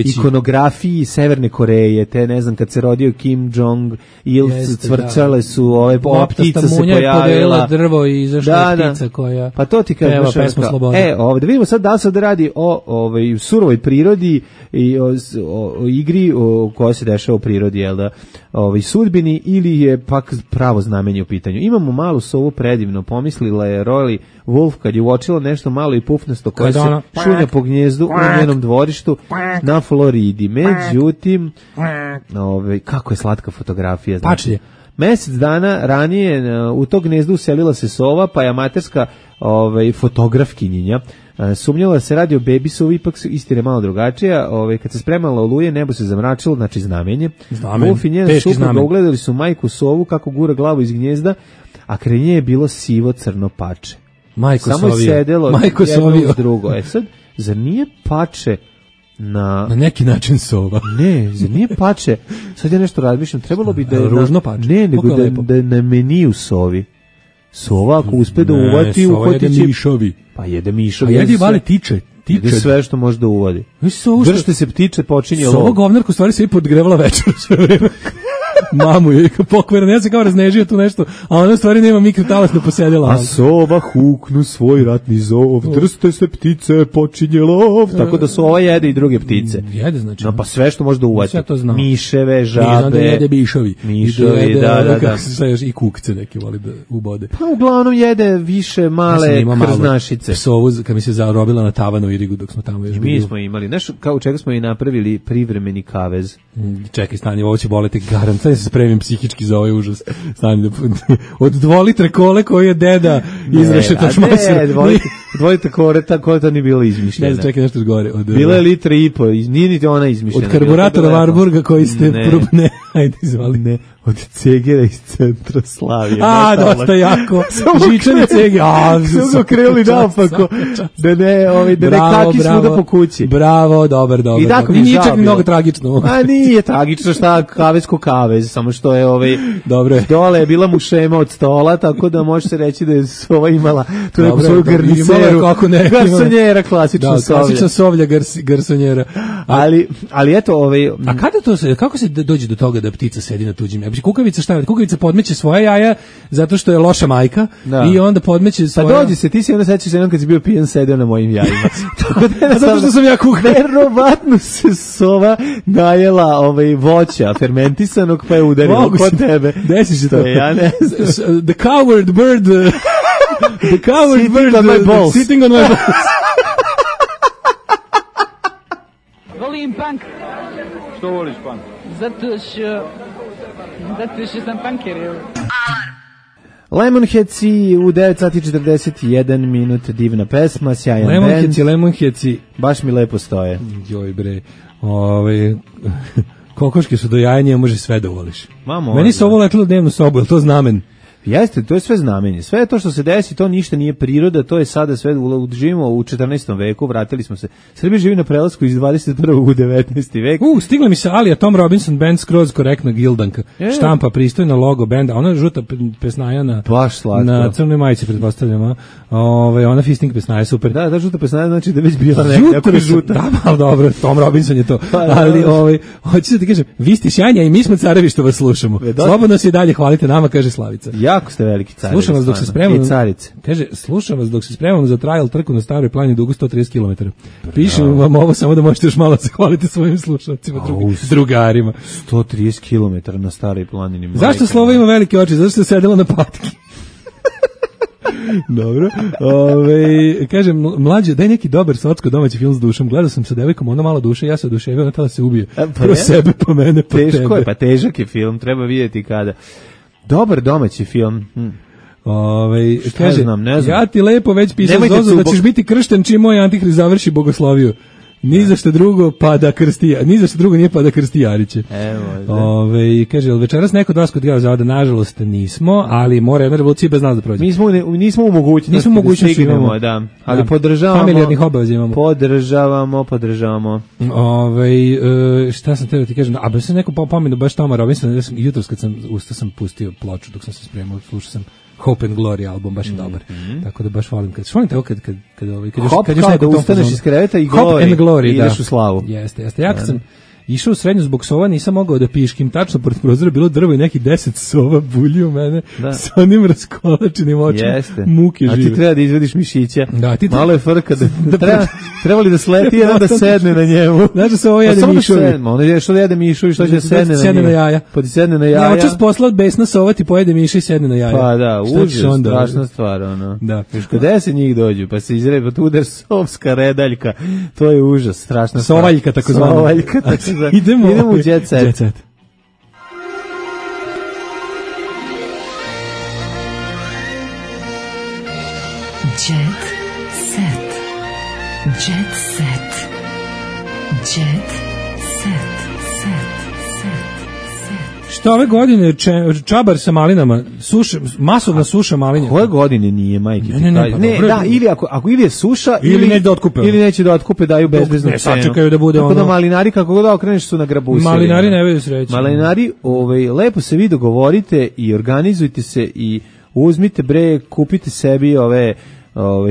ikonografiji Severne Koreje, te ne znam kad se rodio Kim Jong Il, cvrčale su ova ptica se pojavila, drvo i izašla ptica koja pa to ti kažem, ovdje vidimo sad da se radi o surovoj prirodi i o igri koja se dešava u prirodi, jel da, sudbini, ili je pak pravo znamenje u pitanju. Imamo malu sovu predivno, pomislila je Roy Wolf kad je uočila nešto malo i pufnasto koje se šunja po gnjezdu u njenom dvorištu na Floridi. Međutim, kako je slatka fotografija. Znači, mjesec dana ranije u to gnjezdu uselila se sova, pa je amaterska fotografkinjenja sumnjala se radi o bebi sovi, ipak istina je malo drugačija. Kad se spremala oluje, nebo se zamračilo, znači znamenje. Wolf i njena supruga ugledali su majku sovu kako gura glavu iz gnjezda, a kraj nje je bilo sivo crno pače. Samo je sedelo jedno uz drugo. Sad, zar nije pače na neki način sova? Ne, zar nije pače? Sad ja nešto razmišljam, trebalo bi da je ružno pače. Ne, nego da je na meniju sovi. Sova ako uspe da uvati, uhvatit će mišovi. Pa jede mišovi. A jedi vali tiče. Jede sve što može da uvodi. Držite se ptiče, počinje lov. Sova govnarku stvari se i podgrevala večer sve vreme. Mamu je pokvarena, ja sam kao raznežio tu nešto, a ona stvari nema mikrotalasno posedela. A sova huknu svoj ratni zov, drste se ptice, počinje lov. Tako da sova jede i druge ptice. Jede, znači. No, pa sve što može da uvati. Miševe, žabe. Znam da jede mišovi. Mišovi, da. I kukce neki voli da ubode. Pa uglavnom jede više male krznašice. Psovu, kad mi se zarobila na tavanu u Irigu dok smo tamo još bili. Mi smo imali, nešto kao u čega smo i napravili privremeni kavez. Čekaj, stani, ovo će boleti garant. Sad se spremim psihički za ovaj užas. Stani, od 2 litre kole koje je deda izrešetač masir. Ne, 2 litre kole, ta koleta nije bila izmišljena. Ne znam, čekaj nešto gore. Bila je 1,5 litre, nije niti ona izmišljena. Od karburatora Warburga koji ste probne. Ajde, izvali. Ne, od cegera iz centra Slavije. Dosta jako. Žičani ceger. Samo krenuli naopako. Da ne kaki svuda po kući. Bravo, dobar. I tako mi nije čak mnogo tragično. A nije tragično, šta kavez ko kavez, samo što je dobro. Dole je bila mušema od stola, tako da može se reći da je sova imala tu neku svoju garniceru. Garsonjera, klasična sovlja. Klasična sovlja garsonjera. Ali eto, a kako se dođe do toga da ptica sedi na tuđim? Znači kukavica šta? Kukavica podmeće svoje jaja zato što je loša majka i onda podmeće svoje. Pa dođi se, ti si onda sećaš jednom kad si bio pijan sedeo na mojim jajima. Tako da zato što sam ja kuhar. Verovatno se sova najela voća fermentisanog pa je udarila kod tebe. Desi se to. Ja ne znam. The coward bird the coward bird on my balls. Sitting on my balls. Volim punk. Što voliš punk? Zato što sam punker. Lemonheadsi u 9:41 divna pesma, sjajan band. Lemonheadsi. Baš mi lepo stoje. Joj bre, kokoške su do jajanja, može sve da voliš. Meni se ovo letilo dnevnu sobu, je li to znamen? Jeste, to je sve znamenje. Sve to što se desi, to ništa nije priroda, to je sada sve, živimo u 14. veku, vratili smo se. Srbija živi na prelasku iz 21. u 19. vek. Stigla mi se Alija Tom Robinson band skroz korektna gildanka. Štampa pristojna logo benda, ona žuta pesnaja na crnoj majici, pretpostavljamo. Ona fisting pesnaja, super. Da, žuta pesnaja znači da već bila neka žuta. Da, ali dobro, Tom Robinson je to. Ali, hoću da ti kažem, vi ste sjajni, i mi smo carevi što vas slušamo. Slobodno se i dalje hvalite nama, kaže Slavica. Jako ste veliki carevi. Slušam vas dok se spremamo. I carice. Kaže, slušam vas dok se spremamo za trial trku na Staroj planini dugu 130 km. Pišem vam ovo samo da možete još malo zahvaliti svojim slušalcima, drugarima. 130 km na Staroj planini. Zašto slovo ima velike oči? Zašto se sedela na patki? Dobro. Kažem, mlađe, daj neki dobar socko domaći film s dušom. Gledao sam sa devojkom, ona malo duše, ja se oduševio, ona tela se ubije. Pro sebe, po mene, po tebe. Teško je, pa težak je film, treba vidjeti kada. Dobar domaći film. Kaže, ne znam. Ja ti lepo već pisam Zozo da ćeš biti kršten čim moj Antihrist završi bogosloviju. Ni za što drugo pa da krsti, ni za što drugo nije pa da krsti Jariće. Kaže, jel večeras neko od vas kod Geo Zavoda? Nažalost nismo, ali mora jedna revolucija bez nas da prođe. Nismo u mogućnosti da stignemo, da. Ali podržavamo. Familijarnih obaveza imamo. Podržavamo. Šta sam teo ti kažem? A baš se neko pomenu baš Toma Robinson, jutros kad sam ustao sam pustio ploču dok sam se spremao, slušao sam Hope and Glory album, baš je dobar. Tako da baš volim kad još da ustaneš iz kreveta i Glory, ideš u slavu. Jeste. Ja kad sam išao u srednju zbog sova, nisam mogao da piškim, tačno pored prozora bilo drvo i neki 10 sova bulji u mene sa onim raskolačenim očima. Muke žive. A ti treba da izvediš mišića. Malo je frka trebali da sleti jedan da sedne na njemu. Znaš da se ovo jede mišovi. Ono je što da jede mišovi, što će sedne na jaja. Pa ti sedne na jaja. Očas poslat besna sova ti pojede miša i sedne na jaja. Pa da, užas, strašna stvar. Gde se njih dođu, pa se izrebe, tu udar sovska redaljka. To je užas, strašna stvar. Sovaljka tako zvana. Idemo u Jet Set. Jet Set. Jet Set. Jet Set. Što ove godine čabar sa malinama, masovna suša malinja. Koje godine nije, majke? Ili ako ili je suša ili neće da otkupe. Ili neće da otkupe, daju bezbeznu cenu. Sačekaju da bude ono. Tako da malinari kako god okreneš su na grabusi. Malinari ne vedu sreće. Malinari, lepo se vi dogovorite i organizujte se i uzmite kupite sebi ove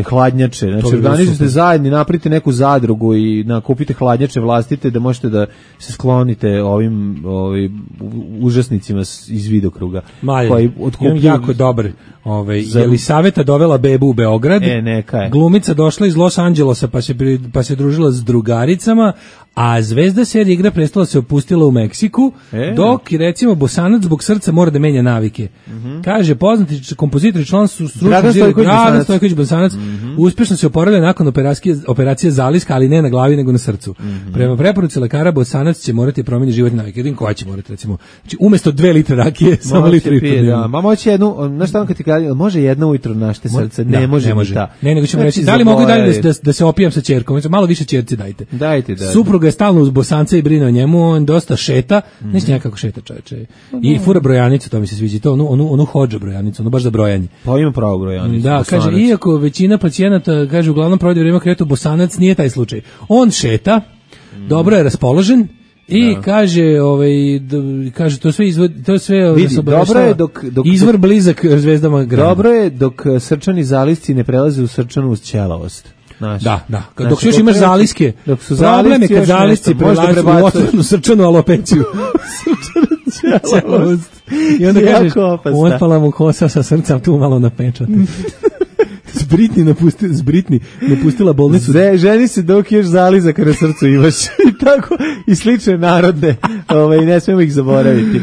hladnjače, znači organizujete zajedno, napravite neku zadrugu i kupite hladnjače vlastite da možete da se sklonite ovim užasnicima iz vidokruga. Koji otkupljuju jako dobar. Jelisaveta dovela bebu u Beograd. Neka je. Glumica došla iz Los Angelesa pa se družila s drugaricama, a zvezda serije Igra prestola se opustila u Meksiku, dok recimo Bosanac zbog srca mora da menja navike. Kaže poznati kompozitor i član Dragan Stojković Bosanac uspješno se oporavlja nakon operacije zaliska, ali ne na glavi nego na srcu. Prema preporuci lekara Bosanac će morati promijeniti životne navike. Jedin koja će morati recimo. Znači umjesto 2 litre rakije samo litru i pol. Ma moći jednu, znaš tamo kad ti kaže, može jedna ujutro našte srce, ne može. Ne, nego ćemo reći, da li mogu dalje da se opijam sa ćerkom, malo više ćerci dajte. Dajte. Supruga je stalno uz Bosanca i brine o njemu, on dosta šeta, neće nekako šeta čoveče. I fura brojanicu, to mi se sviđa, to onu hodža brojanicu, ono baš za brojanje. Pa ima pravo brojanicu. Da, kaže, iako većina pacijenata, kaže, uglavnom provodi vrijeme kretu, Bosanac nije taj slučaj. On šeta, dobro je raspoložen, i kaže, kaže to sve vidi, dobro je dok izvor blizak zvezdama grana. Dobro je dok srčani zalisci ne prelaze u srčanu ćelavost. Da. Dok još imaš zaliske, problem je kad zalisci prelaze u otvorenu srčanu alopeciju. Ćelavost. I onda kažeš, otpala mu kosa sa srca, tu malo napečate. Britni napustila bolnicu. Ženi se dok još zalizak na srcu imaš. I tako, i slične narodne. Ne smemo ih zaboraviti.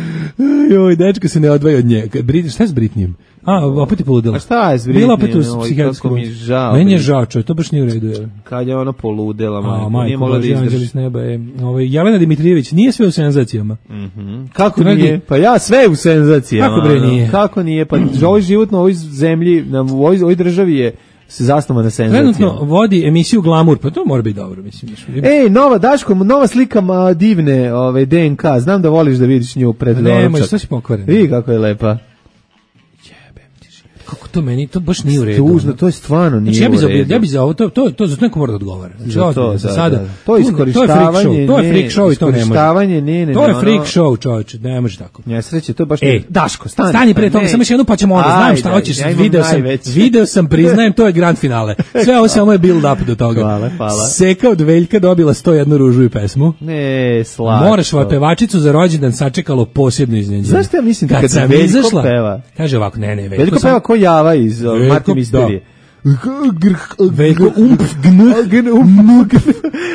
Joj, dečka se ne odvaja od nje. Šta je s Britnijem? Opet je poludela. A šta je s Britnijem? Bila opet u psihijatrskom. Meni je žao, to baš nije u redu. Kad je ona poludela, nije mogla da izdrži. Jelena Dimitrijević, nije sve u senzacijama. Kako nije? Pa ja sve u senzacijama. Kako bre nije? Kako nije? Pa ovaj život na ovoj zemlji, u ovoj državi je se zasnova na senzacijama. Trenutno vodi emisiju Glamour, pa to mora biti dobro, mislim. Nova slika divne DNK. Znam da voliš da vidiš nju pred doručak. Nemoj, što si pokvaren. Vidi kako je lepa. Kako to meni, to baš nije u redu. Tužno, to je stvarno nije u redu. Ja bi za ovo, to zato neko mora da odgovara. To je iskorištavanje, to je freak show i to ne može. To je freak show, čovječe, ne može tako. Nesreće, to je baš... Daško, stani pre toga, samo još jednu pa ćemo onda, znam šta hoćeš, video sam, priznajem, to je grand finale. Sve ovo samo je build up do toga. Hvala. Seka od Veljka dobila 101 ružu i pesmu. Ne, slatko. Moraš pevačicu za rođendan sačekalo posebno iznenađenje. Zašto ja mislim da kad Veljko peva? Kaže ovako, ne, Veljko peva ko Java iz Marti Misterije. Veljko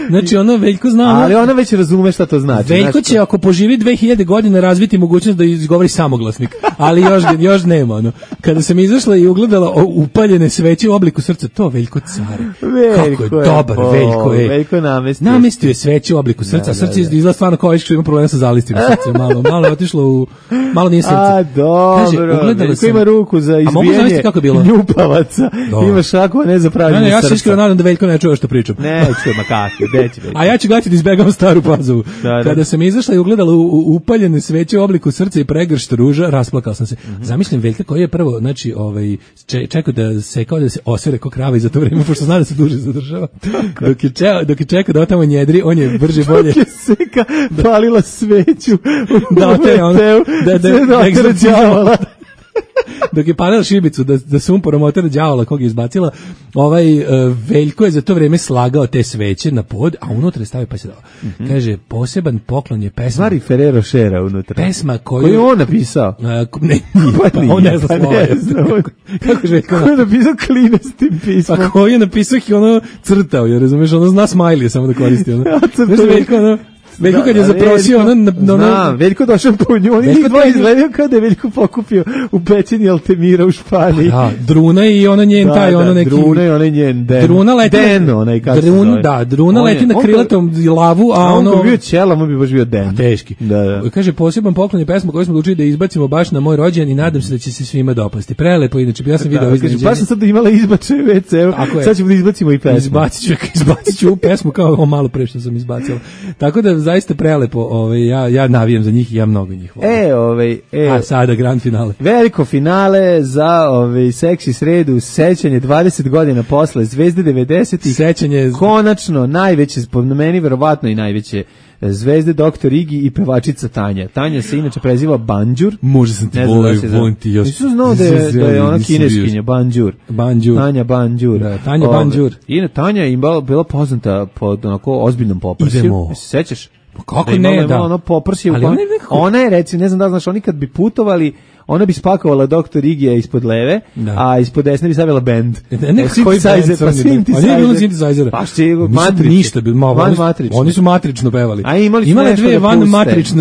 znači ono Veljko zna, ali ona već razume šta to znači. Veljko će ako poživi 2000 godina razviti mogućnost da izgovori samoglasnik, ali još nema ono. Kada sam izašla i ugledala upaljene sveće u obliku srca, to Veljko care. Kako je dobar Veljko je. Veljko namestio je sveće u obliku srca, srce izgleda stvarno kao što ima problema sa zalistima srca, malo je otišlo malo nije srce. A dobro. Veljko ima ruku za izbijanje njupavaca. Ima šakova ne za pravljenje srca. Ja se iskreno nadam da Veljko ne čuje što pričam. Ne čuje, ma kako, neće Veljko. A ja ću gledati da izbegavam Staru Pazovu. Kada sam izašla i ugledala upaljene sveće u obliku srca i pregršt ruža, rasplakao sam se. Zamislim Veljka koji je prvo, znači, čekao da se osere ko krava i za to vreme, pošto zna da se duže zadržava. Dok je čekao da otamo njedri, on je brže bolje. Dok je Seka palila sveću da oteo, da egzorcijavala. Dok je palila šibicu da sumporom otera đavola kog je izbacila, Veljko je za to vreme slagao te sveće na pod, a unutra je stavio pa se dao. Kaže, poseban poklon je pesma. Mari Ferrero Šera unutra. Pesma koju je on napisao. On ne zna slova. Kako je Veljko napisao klinestim pismom. Pa koju je napisao i ono crtao, jer razumeš, ono zna smajlije samo da koristi. Veljko kad je zaprosio Veljko došao po nju, oni dva izgledaju kao da je Veljko pokupio u pećini Altemira u Španiji. Da, Druna i ona njen taj, ono neki... Druna i ona njen Den. Druna leti, Druna leti na krilatom lavu, a ono... On bi bio ćelam, on bi baš bio Den. Teški. Kaže, poseban poklon je pesma koju smo odlučili da izbacimo baš na moj rođendan i nadam se da će se svima dopasti. Prelepo, inače, ja sam video iznenađenje. Baš sam sad imala izbačaj u WC-u, sad ćemo da izbacimo i pesmu. Izbacit ću pesmu kao malo pre što sam izbacila. Tako da zaista prelepo, ja navijam za njih i ja mnogo njih volim. A sada grand finale. Veliko finale za seksi sredu, sećanje 20 godina posle Zvezde 90-ih. Sećanje konačno najveće, po meni verovatno i najveće zvezde Dr. Igi i pevačica Tanja. Tanja se inače preziva Banđur. Možda sam ti voliti još. Nisu znao da je ona kineskinja, Banđur. Tanja Banđur. Da, Tanja Banđur. Tanja je bila poznata pod onako ozbiljnom poprsiju. Se sećaš? Kako ne, da. Ono poprsje, ona je, recimo, ne znam da znaš, oni kad bi putovali, ona bi spakovala Dr. Igija ispod leve, a ispod desne bi stavila band. Synthesizer, pa synthesizer. Pa ništa, oni su matrično pevali. A imali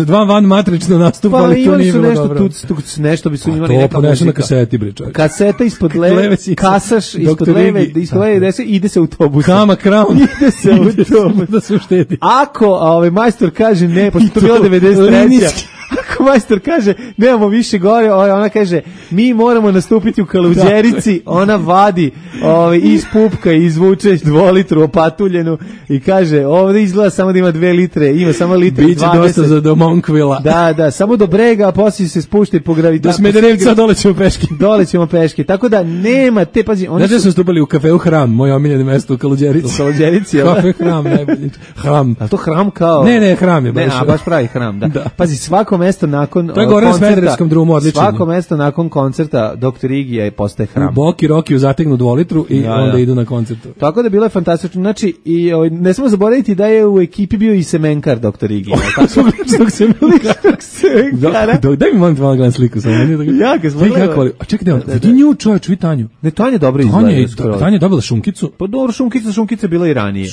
dva van matrično nastupa, ali to nije bilo dobro. Nešto bi su imali neka muzika. To ponešeno na kaseti, bre čovjek. Kaseta ispod leve, kasaš ispod leve, desne, ide se autobus. Kama Crown. Ide se autobus. Da se uštedi. Ako majstor kaže ne, pošto to bilo 93. Ako majstor kaže nemamo više gore, ona kaže mi moramo nastupiti u Kaluđerici, ona vadi iz pupka i izvuče 2 litru opatuljenu i kaže ovdje izgleda samo da ima 2 litre, ima samo litre 20. Biće dosta za do Monkvilla. Da, samo do brega, a poslije se spušta po gravitaciji. Do Smederevca dole ćemo peške. Tako da nema te, pazi, oni su nastupali u kafeu Hram, moje omiljeno mesto u Kaluđerici. U Kaluđerici, kafe Hram, najbolje. Hram. A to Hram kao? Ne, Hram je baš. Baš pravi Hram, da. Pazi, svako mesto nakon to je gore na Smederevskom drumu, odlično. Svako mesto nakon koncerta Dr. Igija postaje hram. U Boki Rokiju zategnu 2 litru i onda idu na koncertu. Tako da bilo je fantastično. Znači, i ne smemo zaboraviti da je u ekipi bio i semenkar Dr. Igija. Ličnog semenkara. Daj mi molim te malo gledam sliku. Ja ga smo a čekaj, vidi nju čovječ, vidi Tanju. Ne, Tanja dobro izgleda. Tanja je dobila šunkicu. Pa dobro, šunkica bila i ranije.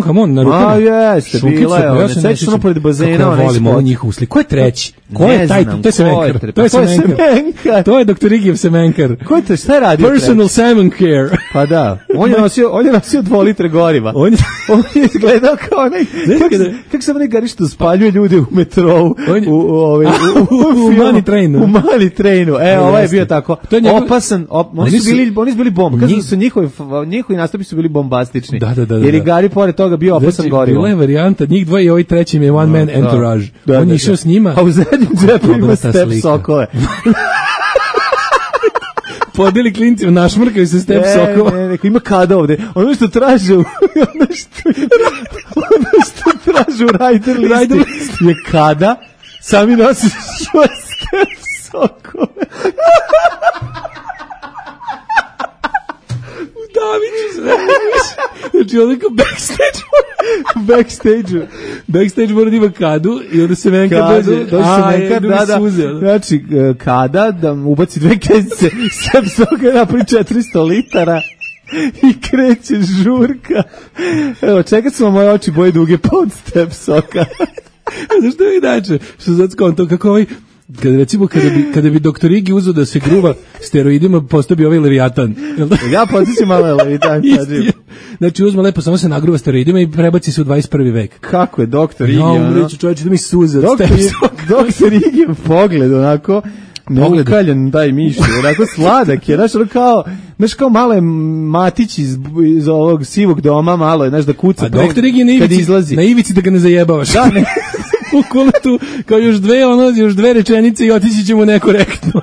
Hamon na rukama. Jeste, bila je. Ne sećaš samo pored bazena. Volim ovo njihovu sliku. Ko je treći? Ko je taj? To je semenkar. To je Dr. Igijev semenkar. Ko je to? Šta je radio? Personal salmon care. Pa da. On je nosio 2 litre goriva. On je izgledao kao onaj... Kako se onaj gari što spaljuje ljude u metrou? U Money Trainu. U Money Trainu. Ovaj je bio tako opasan. Oni su bili bomba. Kažu su njihovi nastupi su bili bombastični. Jer i gari pored toga bio opasan gorivo. Bila je varijanta, njih dvoje i ovaj trećim je one man entourage. On je išao s njima. A u zadnjem džepu ima step sokove. Podeli klincima, našmrkaju se step sokova. Ne, ima kada ovde. Ono što traže u rider listi je kada sami nosiš svoje step sokove. Daviću se znači onda kao backstage mora da ima kadu i onda se menka dođe suze. Znači kada da ubaci 2 kezice step soka napravi 400 litara i kreće žurka. Evo, čekaj su moje oči boje duge pod step soka. Zašto je inače? Što sad skonto kako ovaj kada bi Dr. Igi uzeo da se gruva steroidima, postao bi ovaj Leviatan. Ja podsjećam malo Leviatan. Znači uzme lepo, samo se nagruva steroidima i prebaci se u 21. vek. Kako je Dr. Igi? Reći čovječe da mi suze. Dr. Igi pogled onako neukaljan taj mišlj, onako sladak je, znaš kao malo je Matić iz ovog sivog doma, malo je, znaš da kuca a Dr. Igi na ivici da ga ne zajebavaš. Da, ne. Bukvalno tu, kao još 2 rečenice i otići ćemo nekorektno.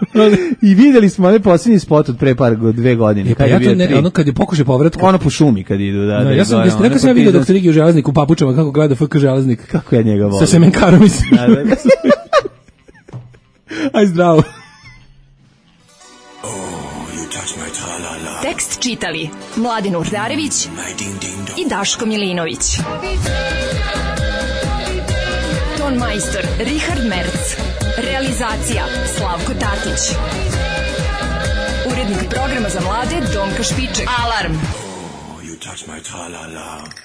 I videli smo onaj posljednji spot od pre 2 godine. Pa ja to ne, ono kad je pokušaj povratka. Ono po šumi kad idu, da. Ja sam vidio Dr. Igi u Železniku u papučama, kako gleda FK Železnik. Kako ja njega volim. Sa semenkarom mislim. Aj zdravo. Tekst čitali Mladin Urdarević i Daško Milinović. Ton majstor Richard Merc. Realizacija Slavko Tatić. Urednik programa za mlade Donka Špiček. Alarm! Oh, you touch my tra-la-la.